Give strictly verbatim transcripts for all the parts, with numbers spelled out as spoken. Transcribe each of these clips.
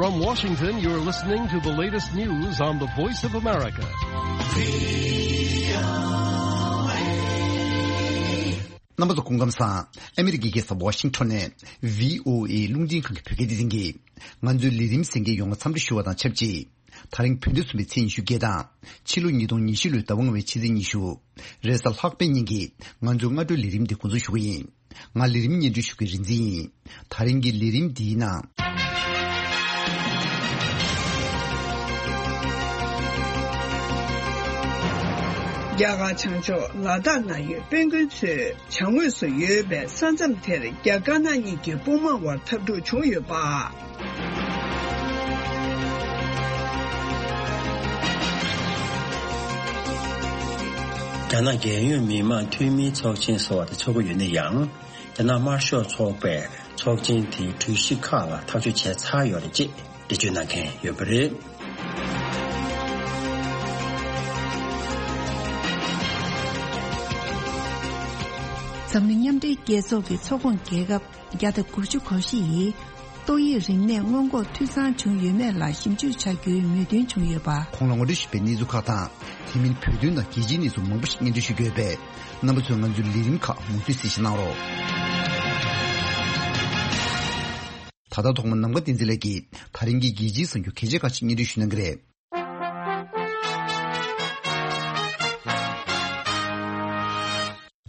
From Washington, you're listening to the latest news on the Voice of America. རྣམ་པ་ཚོ་སྐུ་ཁམས་བཟང་། ཨ་མི་རི་ཀའི་རྒྱལ་ས་ཝ་ཤིང་ཊོན་ནས་བྷི་ཨོ་ཨེ་རླུང་འཕྲིན་ཁང་གི་བོད་སྐད་སྡེ་ཚན་གྱིས་ང་ཚོའི་ལས་རིམ་གསན་མཁན་ཡོངས་ལ་འཚམས་འདྲི་ཞུ་བ་དང་ཆབས་ཅིག་དེ་རིང་བོད་ཟླ་གསུམ་པའི་ཚེས་ཉི་ཤུ་བརྒྱད་དང་ཕྱི་ལོ་ཉིས་སྟོང་ཉི་ཤུ་ལོའི་ཟླ་བ་ལྔ་པའི་ཕྱི་ཚེས་ཉི་ཤུ། རེས་གཟའ་ལྷག་པའི་ཉིན་གྱི་ང་ཚོའི་སྔ་དྲོའི་ལས་རིམ་འདི་འགོ་འཛུགས་ཞུ་གི་ཡིན། ང་ལས་རིམ་སྙན་སྒྲོན་ཞུ་མཁན་རིག་འཛིན་ཡིན། དེ་རིང་གི་ལས་རིམ་འདིའི་ནང་། རྒྱ་གར་བྱང་ཕྱོགས་ལ་དྭགས་ན་ཡོད་དཔོན་དཀོན་ཚོས་བྱང་ངོས་སུ་ཡོད་པའི་ས་མཚམས་དེར་རྒྱ་དཀར་ནག་གཉིས་ཀྱི་དཔུང་དམག་དབར་འཐབ་འཁྲུག་བྱུང་ཡོད་པ། རྒྱ་ནག་རྒྱལ་ཡོངས་མི་དམངས་འཐུས་མིའི་ཚོགས་ཆེན་ཟེར་བ་དེ་ཚོགས་ཀྱི་ཡོད་ན་ཡང་། རྒྱ་ནག་དམར་ཤོག་ཚོགས་པས་ཚོགས་ཆེན་དེའི་གྲོས་གཞི་ཁག་ལ་ཐག་གཅོད་བྱས་ཚར་ཡོད་རེད་ཅེས་འགྲེལ་བརྗོད་གནང་མཁན་ཡོད་པ་རེད། འཛམ་གླིང་མཉམ་འབྲེལ་རྒྱལ་ཚོགས་ཀྱི་ཚོགས་ཁོངས་རྒྱལ་ཁབ་བརྒྱ་དང་དགུ་བཅུ་གོ་བཞི་ཡིས་ཏོག་དབྱིབས་རིམས་ནད་སྔོན་འགོག་འཐུས་ཚང་བྱུང་ཡོད་མེད་ལ་ཞིབ་འཇུག་བྱ་རྒྱུའི་མོས་མཐུན་བྱུང་ཡོད་པ། གོང་ལ་ངོ་སྤྲོད་ཞུས་པའི་གནས་ཚུལ་ཁག་དང་། དེ་མིན་བོད་དོན་དང་རྒྱལ་སྤྱིའི་གནས་ཚུལ་མང་པོ་ཞིག་སྙན་སྒྲོན་ཞུ་རྒྱུ་ཡོད་པས། རྣམ་པ་ཚོས་ང་ཚོའི་ལས་རིམ་ཁག་མུ་མཐུད་གཟིགས་གཟིགས་གནང་རོགས། ད་ལྟ་ཐོག་མར་ནམ་མཁའ་བསྟན་འཛིན་ལགས་ཀྱིས་ད་རིང་གི་རྒྱལ་སྤྱིའི་གསར་འགྱུར་གལ་ཆེ་ཁག་ཅིག་སྙན་སྒྲོན་ཞུ་གནང་གི་རེད།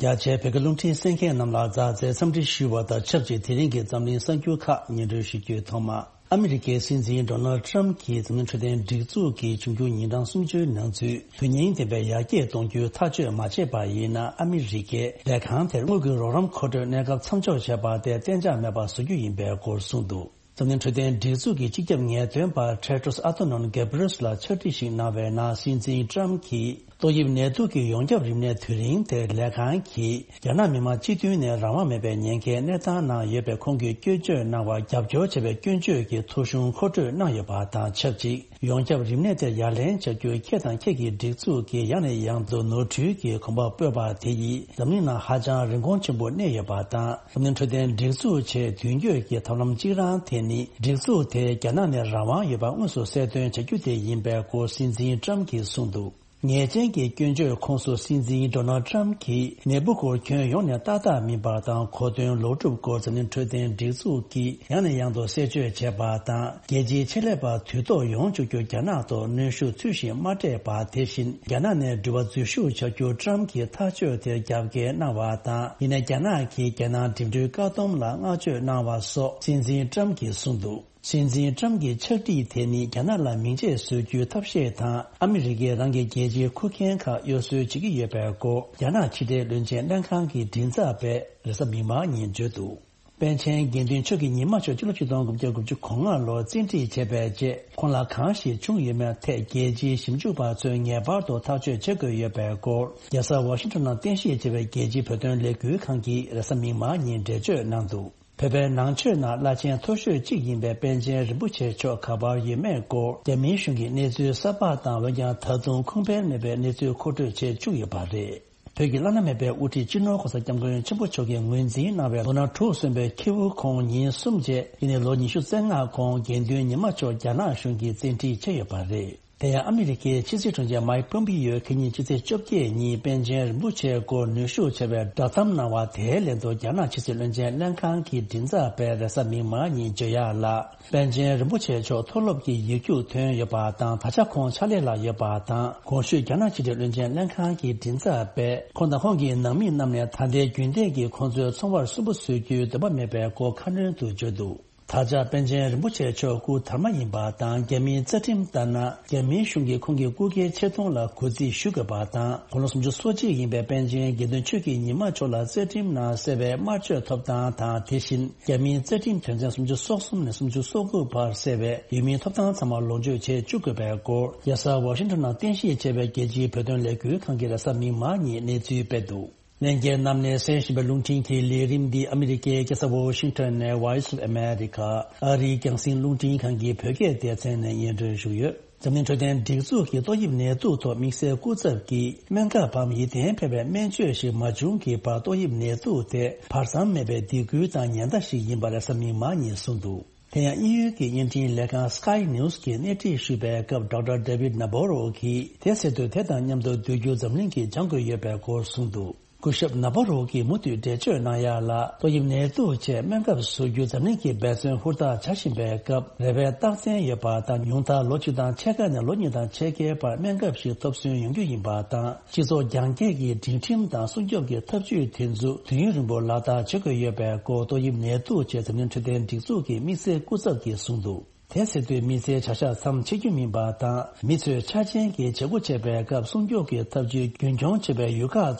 རྒྱ་ཆེའི་བོད་སྐད་རླུང་འཕྲིན་གསན་མཁན་རྣམས་ལ་མཛའ་བརྩེའི་འཚམས་འདྲི་ཞུ་བ་དང་ཆབས་ཅིག་དེ་རིང་གི་འཛམ་གླིང་གསར་འགྱུར་ཁག་སྙན་སྒྲོན་ཞུ་རྒྱུའི་ཐོག་མ། ཨ་མི་རི་ཀའི་སྲིད་འཛིན་ཌོ་ནལ་ཌི་ཊརམ་གྱི་འཛམ་གླིང་འཕྲོད་བསྟེན་སྒྲིག་འཛུགས་ཀྱི་འབྱུང་འགྱུར་ཉིན་གྲངས་སུམ་ཅུའི་ནང་ཚུད་དོན་སྙིང་ལྡན་པའི་ཡར་རྒྱས་གཏོང་རྒྱུའི་ཐག་གཅོད་མ་བྱས་པ་ཡིན་ན། ཨ་མི་རི་ཀས་ལས་ཁང་དེར་དངུལ་གྱི་རོགས་རམ་མཁོ་སྤྲོད་གནས་སྐབས་མཚམས་འཇོག་བྱས་པ་དེ་གཏན་འཇགས་མེད་པ་བཟོ་རྒྱུ་ཡིན་པའི་སྐོར་གསུངས་འདུག། འཛམ་གླིང་འཕྲོད་བསྟེན་སྒྲིག་འཛུགས་ཀྱི་སྤྱི་ཁྱབ་ངེས་སྟོན་པ་ཊེ་ཌྲོས་ཨ་ཐོ་ནོན་གེབ་རེས་ལ་ཕྱག་བྲིས་ཤིག་གནང་བའི་ནང་། སྲིད་འཛིན་ཊརམ་གྱིས་ཏོག་དབྱིབས་ནད་དུག་གི་ཡོངས་ཁྱབ་རིམས་ནད་དུས་རིང་དེར་ལས་ཁང་གིས་རྒྱ་ནག་མི་དམངས་སྤྱི་མཐུན་ནས་རང་དབང་མེད་པའི་ཉེན་ཁའི་གནས་སྟངས་ནང་ཡོད་པའི་ཁོང་གིས་སྐྱོན་བརྗོད་གནང་བར་རྒྱབ་སྐྱོར་བྱས་པའི་སྐྱོན་བརྗོད་ཀྱི་ཐོ་གཞུང་མཁོ་སྤྲོད་གནང་ཡོད་པ་དང་ཆབས་ཅིག། ཡོངས་ཁྱབ་རིམས་ནད་དེ་ཡ་ལན་བྱ་རྒྱུར་ཁྱེད་དང་ཁྱེད་ཀྱི་སྒྲིག་འཛུགས་ཀྱིས་ཡང་ནས་ཡང་དུ་ནོར་འཁྲུལ་གྱི་གོམ་པ་སྤོས་པ་དེ་ཡིས་འཛམ་གླིང་ནང་ཧ་ཅང་རིན་གོང་ཆེན་པོ་གནས་ཡོད་པ་དང་། འཛམ་གླིང་འཕྲོད་བསྟེན་སྒྲིག་འཛུགས་ཆེས་མདུན་སྐྱོད་ཀྱི་ཐབས་ལམ་གཅིག་རང་དེ་ནི། སྒྲིག་འཛུགས་དེ་རྒྱ་ནག་ནས་རང་དབང་ཡོད་པ་དངོས་སུ་གསལ་སྟོན་བྱ་རྒྱུ་དེ་ཡིན་པའི་སྐོར་སྲིད་འཛིན་ཊརམ་གྱིས་གསུངས་འདུག། ཉེས་ཅན་གྱི་སྐྱོན་བརྗོད་ཁོངས་སུ་སྲིད་འཛིན་ཌོ་ནལ་ཊརམ་གྱིས་ནད་འབུ་སྐོར་སྐྱོན་ཡོངས་ནས་ཏག་ཏག་མིན་པ་དང་། གོ་དོན་ལོག་སྒྲུབ་སྐོར་འཛམ་གླིང་འཕྲོད་བསྟེན་སྒྲིག་འཛུགས་ཀྱིས་ཡང་ནས་ཡང་དུ་གསལ་བརྗོད་བྱས་པ་དང་། རྒྱལ་སྤྱིའི་ཆེད་ལས་པ་དུས་ཐོག་ཡོང་བཅུག་རྒྱུར་རྒྱ་ནག་ཐོག་གནོན་ཤུགས་ཚུལ་བཞིན་མ་སྤྲད་པ། དེ་བཞིན་རྒྱ་ནག་ནས་འགྲུལ་པ་འཛུལ་ཞུགས་བྱ་རྒྱུར་ཊརམ་གྱིས་ཐག་གཅོད་དེར་རྒྱབ་འགལ་གནང་བ་དང་། ཡིན་ནའི་རྒྱ་ནག་གིས་རྒྱལ་ནང་འགྲིམ་འགྲུལ་བཀག་སྡོམ་ལ་བསྔགས་བརྗོད་གནང་བ་སོགས་སྲིད་འཛིན་ཊརམ་གྱིས་གསུངས་འདུག། སྲིད་འཛིན་ཊརམ་གྱི་ཕྱག་བྲིས་དེ་ནི་རྒྱ་ནག་ལ་མིང་ཆད་བཟོ་རྒྱུའི་ཐབས་ཤེས་དང་། ཨ་མི་རི་ཀས་རང་གི་རྒྱལ་སྤྱིའི་ཁུར་མཁན་ཁག་གཡོ་ཟོལ་བྱེད་ཀྱི་ཡོད་པའི་སྐོར་རྒྱ་ནག་ཕྱི་འབྲེལ་བློན་ཆེན་ལྷན་ཁང་གི་མགྲིན་ཚབ་པས་རེས་གཟའ་མིག་དམར་ཉིན་བརྗོད་འདུག། པཎ་ཆེན་དགེ་འདུན་ཆོས་ཀྱི་ཉི་མ་མཆོག་སྤྱི་ལོ་ཆིག་སྟོང་དགུ་བརྒྱ་དགུ་བཅུ་གོ་ལྔ་ལོར་བཙན་ཁྲིད་བྱས་པའི་རྗེས། ཁོང་ལ་གང་ཞིག་བྱུང་ཡོད་མེད་ཐད་རྒྱལ་སྤྱིའི་ཞིབ་འཇུག་པ་ཚོས་ངེས་པར་དུ་ཐག་གཅོད་བྱེད་དགོས་ཡོད་པའི་སྐོར་རྒྱལ་ས་ཝ་ཤིང་ཊོན་ནང་རྟེན་གཞི་བྱས་པའི་རྒྱལ་སྤྱིའི་བོད་དོན་ལས་འགུལ་ཁང་གིས་རེས་གཟའ་མིག་དམར་ཉིན་འགྲེལ་བརྗོད་གནང་འདུག། བོད་པའི་ནང་ཆོས་ནང་བླ་ཆེན་མཐོ་ཤོས་གཅིག་ཡིན་པའི་པཎ་ཆེན་རིན་པོ་ཆེ་མཆོག་ག་པར་ཡོད་མེད་སྐོར་རྒྱ་མིའི་གཞུང་གིས་གནས་ཚུལ་གསར་པ་དང་། འོན་ཀྱང་ད་དུང་ཁུངས་དཔེ་མེད་པའི་གནས་ཚུལ་མཁོ་སྤྲོད་བྱེད་བཅུག་ཡོད་པ་རེད། བོད་ཀྱི་བླ་ན་མེད་པའི་དབུ་ཁྲིད་སྤྱི་ནོར་གོང་ས་སྐྱབས་མགོན་ཆེན་པོ་མཆོག་གིས་ངོས་འཛིན་གནང་བའི་ལོ་ན་དྲུག་སོན་པའི་ཁྱེའུ་ཁོང་ཉིན་གསུམ་རྗེས། ཡིན་ནའི་ལོ་ཉི་ཤུ་རྩ་ལྔ་གོང་དགེ་འདུན་ཉི་མ་མཆོག་རྒྱ་ནག་གཞུང་གིས་བཙན་ཁྲིད་བྱས་ཡོད་པ་རེད། དེ་ཡང་ཨ་མི་རི་ཀའི་ཕྱི་སྲིད་དྲུང་ཆེ་མའིག་པོམ་པི་ཡོས་ཁེ་ཉིན་ཕྱི་ཚེས་བཅོ་བརྒྱད་ཉིན་པཎ་ཆེན་རིན་པོ་ཆེའི་སྐོར་ནུས་ཤུགས་ཆེ་བའི་བསྒྲགས་གཏམ་གནང་བ་དེའི་ལན་དུ། རྒྱ་ནག་ཕྱི་སྲིད་བློན་ཆེན་ལྷན་ཁང་གི་མགྲིན་ཚབ་པས་རེས་གཟའ་མིག་དམར་ཉིན་བརྗོད་ཡག་ལ། པཎ་ཆེན་རིན་པོ་ཆེ་མཆོག་མཐོ་སློབ་ཀྱི་ཡིག་རྒྱུགས་ཐོན་ཡོད་པ་དང་། ད་ཆ་ཁོང་ཕྱག་ལས་ལ་ཡོད་པ་དང་། གོང་ཞུས་རྒྱ་ནག་ཕྱི་དྲིལ་བློན་ཆེན་ལྷན་ཁང་གི་མགྲིན་ཚབ་པས་ཁོང་དང་ཁོང་གི་ནང་མི་རྣམས་ནས་ད་ལྟའི་རྒྱུན་ལྡན་གྱི་ཁོང་ཚོའི་ཚོང་པར་སུན་པོ་བཟོ་རྒྱུའི་འདུན་པ་མེད་པའི་སྐོར་ཁ་སྣོན་དུ་བརྗོད་འདུག། ད་ཆ་པཎ་ཆེན་རིན་པོ་ཆེ་མཆོག་སྐུ་དར་མ་ཡིན་པ་དང་། རྒྱ་མིའི་རྩ་ཁྲིམས་ལྟར་ན། རྒྱ་མིའི་གཞུང་གིས་ཁོང་གི་སྐུ་སྒེར་ཆེ་མཐོང་ལ་གུས་བརྩི་ཞུ་དགོས་པ་དང་། དགུང་ལོ་སུམ་ཅུ་སོ་གཅིག་ཡིན་པའི་པཎ་ཆེན་དགེ་འདུན་ཆོས་ཀྱི་ཉི་མ་མཆོག་ལ་རྩ་ཁྲིམས་ནང་གསལ་བའི་དམར་མཆོད་ཐོབ་ཐང་དང་། དེ་བཞིན་རྒྱ་མིའི་རྩ་ཁྲིམས་དོན་ཚན་སུམ་ཅུ་སོ་གསུམ་ནས་སུམ་ཅུ་སོ་དགུ་བར་གསལ་བའི་ཡུལ་མིའི་ཐོབ་ཐང་ཚང་མ་ལོངས་སྤྱོད་བྱེད་བཅུག་དགོས་པའི་སྐོར། རྒྱལ་ས་ཝ་ཤིང་ཊོན་ནང་རྟེན་གཞི་བྱས་པའི་རྒྱལ་སྤྱིའི་བོད་དོན་ལས་འགུལ་ཁང་གིས་རེས་གཟའ་མིག་དམར་ཉིན་གནས་ཚུལ་སྤེལ་འདུག། ལྷན་རྒྱས་རྣམས་ནས་གསན་བཞིན་པའི་རླུང་འཕྲིན་གྱི་ལས་རིམ་འདི་ཨ་མི་རི་ཀའི་རྒྱལ་ས་ཝོ་ཤིང་ཊོན་ནས་Voice of America ཨ་རིའི་རྒྱང་སྲིང་རླུང་འཕྲིན་ཁང་གི་བོད་སྐད་སྡེ་ཚན་ནས་སྙན་སྒྲོན་ཞུས་ཡོད། འཛམ་གླིང་འཕྲོད་བསྟེན་སྒྲིག་འཛུགས་ཀྱིས་ཏོག་དབྱིབས་ནད་དུག་ཐོག་དམིགས་བསལ་སྐུ་ཚབ་ཀྱིས་སྨན་ཁབ་བམ་ཡིད་བརྟན་འཕེར་བའི་སྨན་བཅོས་ཤིག་མ་བྱུང་གི་བར་ཏོག་དབྱིབས་ནད་དུག་དེ་བར་མཚམས་མེད་པའི་སྡིགས་སྐུལ་དང་ཉེན་བརྡ་ཞིག་ཡིན་པ་རེས་གཟའ་མིག་དམར་ཉིན་གསུངས་འདུག། དེ་ཡང་དབྱིན་ཡུལ་གྱི་བརྙན་འཕྲིན་ལས་ཁང་Sky News་གིས་སྣེ་ཁྲིད་ཞུས་པའི་སྐབས་Doctor David Nabarro་གིས་དེ་ཟེར་དུས་དེ་དང་མཉམ་དུ་སྡོད་རྒྱུ་འཛམ་གླིང་གིས་སྦྱང་དགོས་ཡོད་པའི་སྐོར་གསུངས་འདུག་སྐུ་ཞབས་ནཱ་བྷ་རོ་གིས་མུ་མཐུད་འགྲེལ་བརྗོད་གནང་ཡག་ལ། ཏོག་དབྱིབས་ནད་དུག་ཆེད་སྨན་ཁབ་བཟོ་རྒྱུ་འཛམ་གླིང་གིས་འབད་བརྩོན་ཧུར་ཐག་བྱ་བཞིན་པའི་སྐབས། རེ་བའི་རྟགས་མཚན་ཡོད་པ་དང་། ཉུང་མཐར་ལོ་གཅིག་དང་ཕྱེད་ཀ་ནས་ལོ་གཉིས་དང་ཕྱེད་ཀའི་བར་སྨན་ཁབ་ཞིག་ཐོབ་སོན་ཡོང་རྒྱུ་ཡིན་པ་དང་། སྤྱི་ཚོགས་རྒྱང་བཀྱེད་ཀྱི་སྒྲིག་ཁྲིམས་དང་སྲུང་སྐྱོབ་ཀྱི་ཐབས་ཇུས་དེ་ཚོ་དུས་ཡུན་རིང་པོ་ལག་བསྟར་བྱེད་དགོས་ཡོད་པའི་སྐོར། ཏོག་དབྱིབས་ནད་དུག་ཆེད་འཛམ་གླིང་འཕྲོད་བསྟེན་སྒྲིག་འཛུགས་ཀྱི་དམིགས་བསལ་སྐུ་ཚབ་ཀྱིས་གསུངས་འདུག་དེ་ཟེར་དུས་མི་ཚེའི་བྱ་གཞག་མཚམས་ཆད་རྒྱུ་མིན་པ་དང་། མི་ཚོས་ཆ་རྐྱེན་གྱི་བྱེད་སྒོ་བྱེད་པའི་སྐབས་སྲུང་སྐྱོབ་ཀྱི་ཐབས་ཇུས་རྒྱུན་འཁྱོངས་བྱེད་པའི་ཡུལ་ཁག་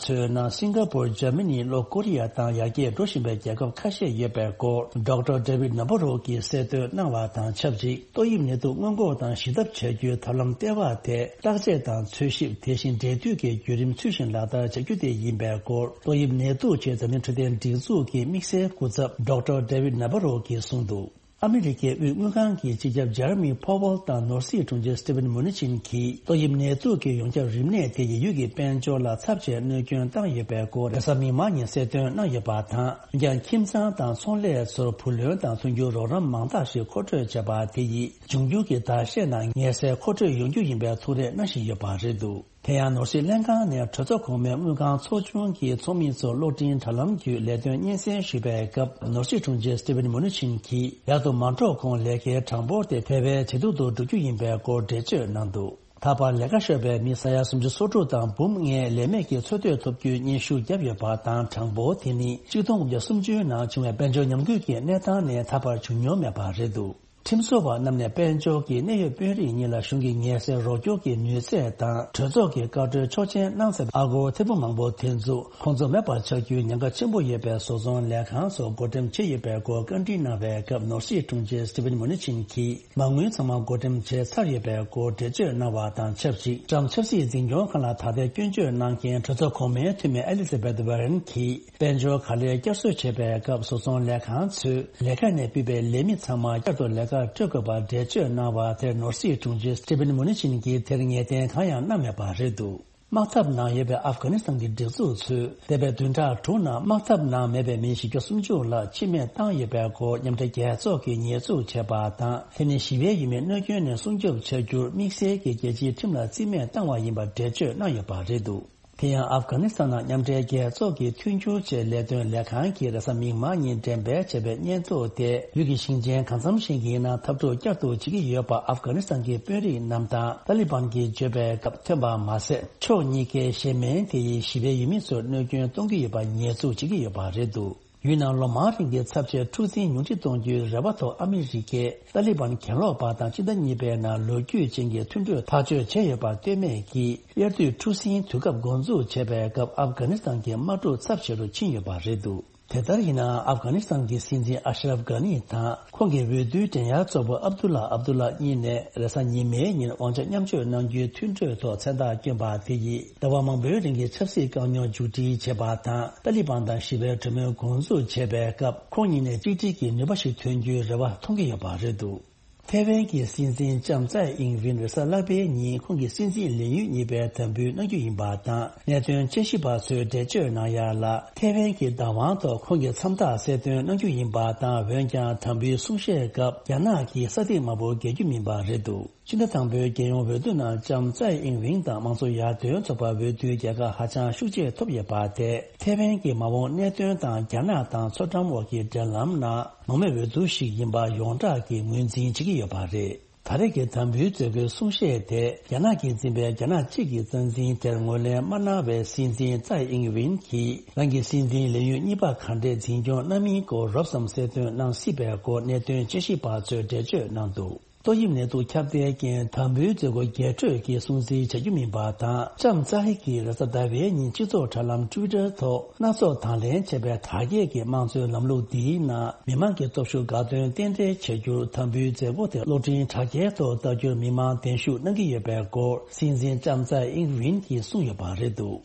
ཚོའི་ནང་སིང་ག་པུར། འཇར་མ་ནི། ལྷོ་ཀོ་རི་ཡ་དང་ཡར་རྒྱས་འགྲོ་བཞིན་པའི་རྒྱལ་ཁབ་ཁ་ཤས་ཡོད་པའི་སྐོར། Doctor David Nabarro་གིས་གསལ་སྟོན་གནང་བ་དང་ཆབས་ཅིག་ཏོག་དབྱིབས་ནད་དུག་སྔོན་འགོག་དང་ཞི་ཐབས་བྱ་རྒྱུའི་ཐབས་ལམ་ལྟེ་བ་དེ་བརྟག་དཔྱད་དང་འཚོལ་ཞིབ། དེ་བཞིན་འབྲེལ་མཐུད་ཀྱི་བརྒྱུད་རིམ་ཚུལ་བཞིན་ལག་བསྟར་བྱ་རྒྱུ་དེ་ཡིན་པའི་སྐོར། ཏོག་དབྱིབས་ནད་དུག་ཆེད་འཛམ་གླིང་འཕྲོད་བསྟེན་སྒྲིག་འཛུགས་ཀྱི་དམིགས་བསལ་སྐུ་ཚབ་Doctor David Nabarro་གིས་གསུངས་འདུག་ཨ་མི་རི་ཀའི་དབུས་དངུལ་ཁང་གི་སྤྱི་ཁྱབ་ཇེ་རེ་མི་ཕོ་ཝེལ་དང་ནོར་སྲིད་དྲུང་ཆེ་སི་ཊི་ཝེན་མུ་ནི་ཆིན་གྱིས་ཏོག་དབྱིབས་ནད་དུག་གི་ཡོངས་ཁྱབ་རིམས་ནད་དེ་ཡིས་ཡུལ་གྱི་དཔལ་འབྱོར་ལ་ཚབས་ཆེ་གནོད་སྐྱོན་བཏང་ཡོད་པའི་སྐོར། རེས་གཟའ་མིག་དམར་ཉིན་གསལ་སྟོན་གནང་ཡོད་པ་དང་། འོན་ཀྱང་ཁྱིམ་ཚང་དང་ཚོང་ལས་ཚོར་བུ་ལོན་དང་མཐུན་འགྱུར་རོགས་རམ་མང་དག་ཞིག་མཁོ་སྤྲོད་བྱས་པ་དེ་ཡིས་འབྱུང་འགྱུར་གྱི་ཟླ་ཤས་ནང་ངལ་སེལ་མཁོ་སྤྲོད་ཡོང་རྒྱུ་ཡིན་པའི་ཐུགས་རེ་གནང་བཞིན་ཡོད་པ་རེད་འདུག་དེ་ཡང་ནོར་སྲིད་ལྷན་ཁང་ནས་གྲོས་ཚོགས་གོང་མའི་དངུལ་ཁང་ཚོགས་ཆུང་གི་ཚོགས་མི་ཚོར་གློག་འཕྲིན་དྲ་ལམ་བརྒྱུད་ལས་དོན་སྙན་སེང་ཞུས་པའི་སྐབས། ནོར་སྲིད་དྲུང་ཆེ་སི་ཊི་ཝེན་མུ་ནི་ཆིན་གྱིས་ཡར་དུ་མ་འགྲོ་གོང་ལས་ཀའི་གྲངས་འབོར་དེ་དེ་བས་ཇེ་སྡུག་ཏུ་འགྲོ་རྒྱུ་ཡིན་པའི་སྐོར་འགྲེལ་བརྗོད་གནང་འདུག་ད་བར་ལས་ཀ་ཤོར་བའི་མི་ས་ཡ་སུམ་ཅུ་སོ་དྲུག་དང་འབུམ་ལྔའི་ལས་མེད་ཀྱི་འཚོ་སྡོད་ཐོབ་རྒྱུའི་སྙན་ཞུ་བརྒྱབ་ཡོད་པ་དང་། གྲངས་འབོར་དེ་ནི་ཆིག་སྟོང་དགུ་བརྒྱ་སུམ་ཅུའི་ནང་བྱུང་བའི་དཔལ་འབྱོར་ཉམས་རྒུད་ཀྱི་གནས་སྟངས་ནས་ད་བར་བྱུང་མྱོང་མེད་པ་རེད་འདུག་ཁྲིམས་བཟོ་བ་རྣམས་ནས་དཔལ་འབྱོར་གྱི་གནད་ཡོད་དཔོན་རིགས་གཉིས་ལ་གཞུང་གི་ངལ་སེལ་རོགས་སྐྱོར་གྱི་ནུས་ཚད་དང་གྲོས་ཚོགས་ཀྱི་བཀའ་འཁྲོལ་ཆོག་མཆན་གནང་ཚར་བའི་ཨ་སྒོར་ཐེར་འབུམ་མང་པོ་དེ་ཚོ་ཁོང་ཚོ་མེད་པར་ཆགས་རྒྱུའི་ཉེན་ཁ་ཆེན་པོ་ཡོད་པའི་བཟོ་ཚོང་ལས་ཁང་ཚོ་བགོ་འགྲེམས་བྱས་ཡོད་པའི་སྐོར་བཀའ་འདྲི་གནང་བའི་སྐབས། ནོར་སྲིད་དྲུང་ཆེ་སི་ཊི་ཝེན་མུ་ནི་ཆིན་གྱིས་མ་དངུལ་ཚང་མ་བགོ་འགྲེམས་བྱས་ཚར་ཡོད་པའི་སྐོར་འགྲེལ་བརྗོད་གནང་བ་དང་ཆབས་ཅིག་ཊམ་ཆབ་སྲིད་འཛིན་སྐྱོང་ཁང་ལ་ད་ལྟའི་སྐྱོན་བརྗོད་གནང་མཁན་གྲོས་ཚོགས་གོང་མའི་འཐུས་མི་ཨེ་ལི་ཛ་བེད་ཝོ་རན་གྱིས། དཔལ་འབྱོར་ག་ལེར་བསྐྱར་གསོ་བྱེད་པའི་སྐབས། བཟོ་ཚོང་ལས་ཁང་ཚོས་ལས་ཀ་ནས་ཕུད་པའི་ལས་མི་ཚང་མ་བསྐྱར་དུ་ལས་ཀར་སྤྲོད་དགོས་པར་འགྲེལ་བརྗོད་གནང་བ་དེར། ནོར་སྲིད་དྲུང་ཆེ་སི་ཊི་ཝེན་མུ་ནི་ཆིན་གྱིས་དེར་ངེས་གཏན་གང་ཡང་གནང་མེད་པ་རེད་འདུག་དམག་འཐབ་ནང་ཡོད་པའི་ཨབ་གྷ་ནི་སི་ཐན་གྱི་སྒྲིག་འཛུགས་ཚོས་འདས་པའི་བདུན་ཕྲག་དྲུག་ནང་དམག་འཐབ་ནང་མེད་པའི་མི་བཞི་བརྒྱ་སུམ་ཅུ་ལ་འཆི་རྨས་བཏང་ཡོད་པའི་སྐོར་མཉམ་འབྲེལ་རྒྱལ་ཚོགས་ཀྱིས་ཉེས་འཛུགས་བྱས་པ་དང་། དེ་ནི་ཞི་བའི་ཡུལ་མིའི་གནོད་སྐྱོན་ནས་སྲུང་སྐྱོབ་བྱ་རྒྱུར་དམིགས་བསལ་གྱི་རྒྱལ་སྤྱིའི་ཁྲིམས་ལ་རྩིས་མེད་བཏང་བ་ཡིན་པར་འགྲེལ་བརྗོད་གནང་ཡོད་པ་རེད་འདུག་དེ་ཡང་ཨབ་གྷ་ནི་སི་ཐན་ནང་མཉམ་འབྲེལ་རྒྱལ་ཚོགས་ཀྱིས་མཐུན་འགྱུར་ཆེད་ལས་དོན་ལས་ཁང་གིས་རེས་གཟའ་མིག་དམར་ཉིན་འགྲེམས་སྤེལ་བྱས་པའི་སྙན་ཐོ་དེ། ཡུལ་གྱི་ཞིང་ཆེན་གང་འཚམ་ཞིག་གི་ནང་འཐབ་འཁྲུག་བསྐྱར་དུ་བྱེད་ཀྱི་ཡོད་པ་ཨབ་གྷ་ནི་སི་ཐན་གྱི་དཔོན་རིགས་རྣམས་དང་ཏཱ་ལི་བན་གྱིས་བརྗོད་པའི་སྐབས་ཐོན་པ་མ་ཟད། ཕྱོགས་གཉིས་ཀའི་གཞན་སྨན་དེ་ཡིས་ཞི་བའི་ཡུལ་མི་ཚོར་གནོད་སྐྱོན་གཏོང་གི་ཡོད་པ་ཉེས་འཛུགས་བྱེད་ཀྱི་ཡོད་པ་རེད་འདུག་ཡུལ་ནང་ལོ་མང་རིང་གི་ཚབས་ཆེའི་འཁྲུག་འཛིང་ཉུང་འཕྲི་གཏོང་རྒྱུའི་རེ་བ་ཐོག་ཨ་མི་རི་ཀས་ཏཱ་ལི་བན་གྱེན་ལོག་པ་དང་སྤྱི་ཟླ་གཉིས་པའི་ནང་ལོ་རྒྱུས་ཅན་གྱི་མཐུན་གྲོས་ཐག་གཅོད་བྱས་ཡོད་པ་ལྟོས་མེད་ཀྱིས། དབྱར་དུས་འཁྲུག་ཟིང་དུས་སྐབས་འགོ་འཛུགས་བྱས་པའི་སྐབས་ཨབ་གྷ་ནི་སི་ཐན་གྱི་དམག་འཁྲུག་ཚབས་ཆེ་རུ་ཕྱིན་ཡོད་པ་རེད་འདུག་དེ་ལྟར་ཡིན་ནའང་ཨབ་གྷ་ནི་སི་ཐན་གྱི་སྲིད་འཛིན་ཨ་ཤ་རབ་གྷ་ནི་དང་ཁོང་གི་འོས་བསྡུའི་འགྲན་ཡར་གཙོ་བོ་ཨབ་དུ་ལ་ཨབ་དུ་ལ་གཉིས་ནས་རེས་གཟའ་ཉི་མའི་ཉིན་དབང་ཆ་མཉམ་སྤྱོད་གནང་རྒྱུའི་མཐུན་གྲོས་ཐོག་མཚན་རྟགས་བསྐྱོན་པ་དེ་ཡིས་ཟླ་བ་མང་པོའི་རིང་གི་ཆབ་སྲིད་དཀའ་རྙོག་མཇུག་སྒྲིལ་བྱས་པ་དང་། ཏཱ་ལི་བན་དང་ཞི་བའི་གྲོས་མོལ་འགོ་འཛུགས་བྱས་པའི་སྐབས་ཁོང་གཉིས་ནས་གཅིག་སྒྲིལ་གྱི་ནུས་པ་ཞིག་ཐོན་རྒྱུའི་རེ་བ་མཐོང་གི་ཡོད་པ་རེད་འདུག་ཐེ་ཝན་གྱི་སྲིད་འཛིན་ལྕམ་ཙའེ་ཨིང་ཝིན་རེས་གཟའ་ལྷག་པའི་ཉིན་ཁོང་གི་སྲིད་འཛིན་ལས་ཡུན་གཉིས་པའི་དམ་འབུལ་གནང་རྒྱུ་ཡིན་པ་དང་། གནད་དོན་དཔྱད་ཞིབ་པ་ཚོས་འགྲེལ་བརྗོད་གནང་ཡག་ལ། ཐེ་ཝན་གྱི་བདག་དབང་ཐོག་ཁོང་གི་མཚམས་རྟགས་གསལ་སྟོན་གནང་རྒྱུ་ཡིན་པ་དང་། འོན་ཀྱང་དམ་འབུལ་གསུང་བཤད་སྐབས་རྒྱ་ནག་གིས་ས་ཐིག་མང་པོ་རྒྱག་རྒྱུ་མིན་པ་རེད་འདུག་ཕྱི་ཟླ་དང་པོའི་རྒྱལ་ཡོངས་འོས་བསྡུ་ནང་ལྕམ་ཙའེ་ཨིང་ཝིན་དང་དམངས་གཙོ་ཡར་ཐོན་ཚོགས་པ་འོས་བསྡུའི་རྒྱལ་ཁ་ཧ་ཅང་ཤུགས་ཆེ་ཐོབ་ཡོད་པ་དེ། ཐེ་ཝན་གྱི་མ་འོངས་གནད་དོན་དང་རྒྱ་ནག་དང་མཚོ་འགྲམ་འོག་གི་འབྲེལ་ལམ་ནང་མང་མོས་འོས་བསྡུ་ཞིག་ཡིན་པ་ཡོངས་གྲགས་ཀྱིས་ངོས་འཛིན་བྱེད་ཀྱི་ཡོད་པ་རེད། ད་རེས་ཀྱི་དམ་འབུལ་མཛད་སྒོའི་གསུང་བཤད་དེ། རྒྱ་ནག་གིས་འཛིན་པའི་རྒྱ་ནག་གཅིག་གི་རྩ་འཛིན་དེར་ངོས་ལེན་མ་གནང་བའི་སྲིད་འཛིན་ཙའེ་ཨིང་ཝིན་གྱིས། རང་གི་སྲིད་འཛིན་ལས་ཡུན་གཉིས་པ་ག་འདྲས་འཛིན་སྐྱོང་གནང་མིན་སྐོར་རོབ་ཙམ་གསལ་སྟོན་གནང་སྲིད་པའི་སྐོར་གནད་དོན་དཔྱད་ཞིབ་པ་ཚོས་འགྲེལ་བརྗོད་གནང་འདུག་ཏོག་དབྱིབས་ནད་དུག་ཁྱབ་གདལ་རྐྱེན། དམ་འབུལ་མཛད་སྒོ་རྒྱས་སྤྲོས་ཀྱི་སྲུང་བརྩི་བྱ་རྒྱུ་མིན་པ་དང་། ལྕམ་ཙའེ་གིས་རེས་གཟའ་ཟླ་བའི་ཉིན་སྤྱི་ཚོགས་དྲ་ལམ་Twitter་ཐོག་སྣ་ཚོགས་དང་ལེན་བྱས་པའི་དར་རྒྱས་ཀྱི་དམངས་གཙོའི་ལམ་ལུགས་འདིའི་ནང་མི་མང་གི་སྟོབས་ཤུགས་དགའ་སྟོན་རྟེན་འབྲེལ་བྱ་རྒྱུར་དམ་འབུལ་མཛད་སྒོ་དེ་གློག་འཕྲིན་དྲ་རྒྱའི་ཐོག་ལྟ་རྒྱུར་མི་མང་གདན་ཞུ་གནང་གི་ཡོད་པའི་སྐོར་སྲིད་འཛིན་ལྕམ་ཙའེ་ཨིང་ཝིན་གྱིས་གསུངས་ཡོད་པ་རེད་འདུག་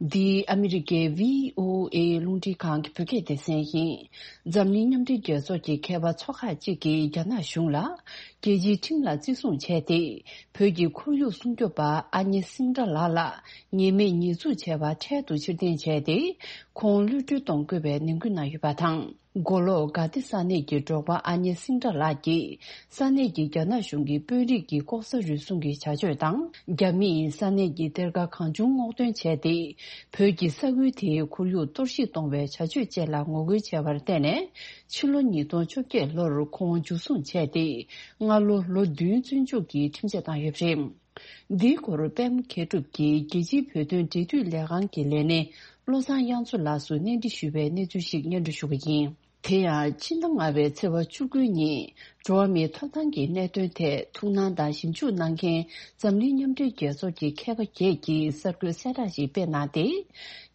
འདི་ཨ་མི་རི་ཀའི་བྷི་ཨོ་ཨེ་རླུང་འཕྲིན་ཁང་གི་བོད་སྐད་སྡེ་ཚན་ཡིན། འཛམ་གླིང་མཉམ་འབྲེལ་རྒྱལ་ཚོགས་ཀྱི་མཁས་པ་ཚོ་ཁག་ཅིག་གིས་རྒྱ་ནག་གཞུང་ལ་རྒྱལ་སྤྱིའི་ཁྲིམས་ལ་བརྩི་སྲུང་བྱས་ཏེ། བོད་ཀྱི་ཁོར་ཡུག་སྲུང་སྐྱོབ་པ་ཨ་ཉེ་སིང་ཏྲ་ལགས་ལ་ཉེས་མེད་ཉེས་འཛུགས་བྱས་པ་འཕྲལ་དུ་ཕྱིར་འཐེན་བྱས་ཏེ། ཁོང་གློད་གྲོལ་གཏོང་དགོས་པའི་ནན་སྐུལ་གནང་ཡོད་པ་དང་། མགོ་ལོག་ག་ཏི་ས་གནས་ཀྱི་འབྲོག་པ་ཨ་ཉེ་སིང་ཏྲ་ལགས་ཀྱིས་ས་གནས་ཀྱི་རྒྱ་ནག་གཞུང་གི་དཔོན་རིགས་ཀྱི་ལྐོག་ཟ་རུལ་སུངས་ཀྱི་བྱ་སྤྱོད་དང་། རྒྱ་མིས་ས་གནས་ཀྱི་གཏེར་ཁ་གང་བྱུང་སྔོག་འདོན་བྱས་ཏེ། བོད་ཀྱི་ས་ཁུལ་དེའི་ཁོར་ཡུག་གཏོར་བཤིག་གཏོང་བའི་བྱ་སྤྱོད་བཅས་ལ་ངོ་རྒོལ་བྱས་པར་བརྟེན་ནས། ཕྱི་ལོ་ཉིས་སྟོང་བཅོ་བརྒྱད་ལོར་ཁོང་འཇུ་བཟུང་བྱས་ཏེ། སྔ་ལོ་ལོ་བདུན་བཙོན་འཇུག་གི་ཁྲིམས་ཆད་བཏང་ཡོད་པ་རེད། འདིའི་སྐོར་པད་མ་མཁས་གྲུབ་ཀྱིས་རྒྱལ་སྤྱིའི་བོད་དོན་འབྲེལ་མཐུད་ལས་ཁང་གི་ལས་སྣེ་བློ་བཟང་དབྱངས་མཚོ་ལགས་སུ་གནས་འདྲི་ཞུས་པའི་གནས་ཚུལ་ཞིག་སྙན་སྒྲོན་ཞུ་གི་ཡིན། དེ་ཡང་ཕྱི་ཟླ་ལྔ་པའི་ཚེས་པ་བཅུ་དགུ་ཉིན་འགྲོ་བ་མིའི་ཐོབ་ཐང་གི་གནད་དོན་ཐད་ཐུགས་སྣང་དང་ཞིབ་འཇུག་གནང་མཁན་འཛམ་གླིང་མཉམ་འབྲེལ་རྒྱལ་ཚོགས་ཀྱི་མཁས་པ་བརྒྱད་ཀྱིས་གསར་འགོད་གསལ་བསྒྲགས་ཤིག་སྤེལ་གནང་སྟེ།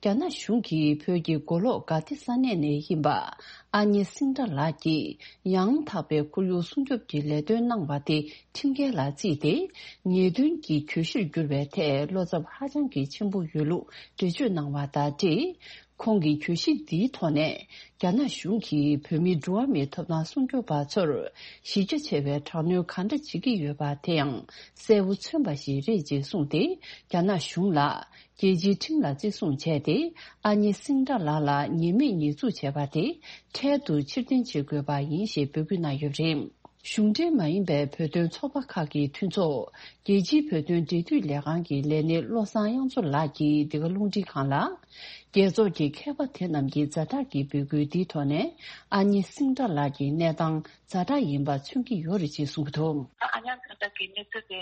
རྒྱ་ནག་གཞུང་གིས་བོད་ཀྱི་མགོ་ལོག་ག་ཏི་ས་གནས་ནས་ཡིན་པ་ཨ་ཉེ་སིང་ཏྲ་ལགས་ཀྱིས་ཡང་དག་པའི་ཁོར་ཡུག་སྲུང་སྐྱོབ་ཀྱི་ལས་དོན་གནང་བ་དེ། ཁྲིམས་འགལ་ལ་བརྩིས་ཏེ། ཉེས་དོན་གྱི་གྱོད་གཞིར་གྱུར་བའི་ཐད་བློ་འཚབ་ཧ་ཅང་གི་ཆེན་པོ་ཡོད་ལུགས་འགྲེལ་བརྗོད་གནང་བ་དང་འབྲེལ། ཁོང་གིས་གྱོད་གཞི་འདིའི་ཐོག་ནས་རྒྱ་ནག་གཞུང་གིས་བོད་མིའི་འགྲོ་བ་མིའི་ཐོབ་ཐང་སྲུང་སྐྱོབ་པ་ཚོར་གཞི་རྒྱ་ཆེ་བའི་དྲག་གནོན་གང་འདྲ་བྱེད་ཀྱི་ཡོད་པ་དེ་ཡང་གསལ་པོ་མཚོན་པ་ཞིག་རེད་ཅེས་གསུངས་ཏེ། རྒྱ་ནག་གཞུང་ལ་རྒྱལ་སྤྱིའི་ཁྲིམས་ལ་བརྩི་སྲུང་བྱས་ཏེ། ཨ་ཉེ་སིང་ཏྲ་ལགས་ལ་ཉེས་མེད་ཉེས་འཛུགས་བྱས་པ་དེ་འཕྲལ་དུ་ཕྱིར་འཐེན་བྱེད་དགོས་པ་ཡིན་ཞེས་འབོད་སྐུལ་གནང་ཡོད་པ་རེད། གཞུང་འབྲེལ་མ་ཡིན་པའི་བོད་དོན་ཚོགས་པ་ཁག་གི་མཐུན་ཚོགས། རྒྱལ་སྤྱིའི་བོད་དོན་འབྲེལ་མཐུད་ལས་ཁང་གི་ལས་སྣེ་བློ་བཟང་དབྱངས་མཚོ་ལགས་ཀྱིས་འདི་ག་རླུང་འཕྲིན་ཁང་ལ། རྒྱལ་ཚོགས་ཀྱི་མཁས་པ་དེ་རྣམས་ཀྱི་ཛ་དྲག་གི་འབོད་སྐུལ་འདིའི་ཐོག་ནས། ཨ་ཉེ་སིང་ཏྲ་ལགས་ཀྱི་གནས་སྟངས་ཛ་དྲག་ཡིན་པ་མཚོན་གྱི་ཡོད་རེད་ཅེས་གསུངས་ཀྱི་འདུག་ཨ་ཉེ་སིང་ཏྲ་གི་གནས་ཚུལ་དེ་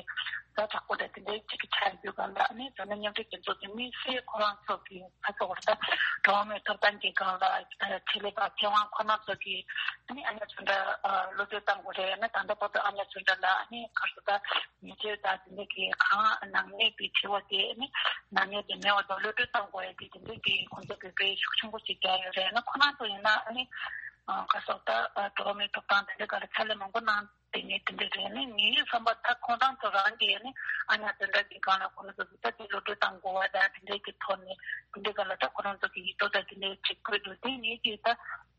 ཛ་དྲག་པོ་རེད། དེ་འདྲའི་གཅིག་གི་ཆ་ཡོད་པ་ལ་ནི་འཛམ་གླིང་མཉམ་འབྲེལ་རྒྱལ་ཚོགས་ཀྱི་དམིགས་བསལ་ཁོ་རང་ཚོ་གི་ཁ་ཚ་བར་ད་འགྲོ་བ་མིའི་ཐོབ་ཐང་གི་སྒང་ལ་ཆེད་ལས་པ་མཁས་དབང་ཁོ་ན་ཚོ་གིས་ཨ་ནི་ཨ་ཉེ་སིང་ཏྲ་གློད་གྲོལ་བཏང་དགོས་རེད། ཨ་ནི་ད་ལྟ་བར་དུ་ཨ་ཉེ་སིང་ཏྲ་ལ་ཨ་ནི་ག་རེ་ཟེར་ད་ཉེས་ཆད་དང་དེ་འདྲ་གི་གང་ནང་གནས་པའི་དྲི་བ་དེ་ཨ་ནི་ནང་གནས་དེ་མེད་པ་དང་གློད་གྲོལ་བཏང་དགོས་ཡ་དེ་དེ་འདྲ་གི་ཁོང་ཚོ་གི་འབོད་སྐུལ་ཤུགས་ཆེན་པོ་ཞིག་རྒྱག་ཡོད་རེད། ཨ་ནི་ཁོ་ན་ཚོ་ཡིན་ན་ཨ་ནི་ག་རེ་ཟེར་ད་འགྲོ་བ་མིའི་ཐོབ་ཐང་དེ་འདྲ་ག་ལ་ཕྱག་ལས་མང་པོ་གནང་། དེ་ནས་དེ་འདྲ་རེད། ནི་ངའི་བསམ་པ་ད་ཁོང་རང་ཚོ་རང་གིས་ནི་ཨ་ཉེ་སིང་ཏྲ་གི་སྒང་ལ་ཁོང་ཚོ་གི་ད་དེ་གློད་གྲོལ་བཏང་དགོས་པ་དང་དེ་འདྲ་གི་ཐོག་ནས་དེ་འདྲ་ག་ལ་ད་ཁོ་རང་ཚོ་གི་ཡིག་ཐོག་ད་དེ་འདྲ་ཅིག་བཀོད་འདུག་དེ་ངས་ཀྱིས་ད་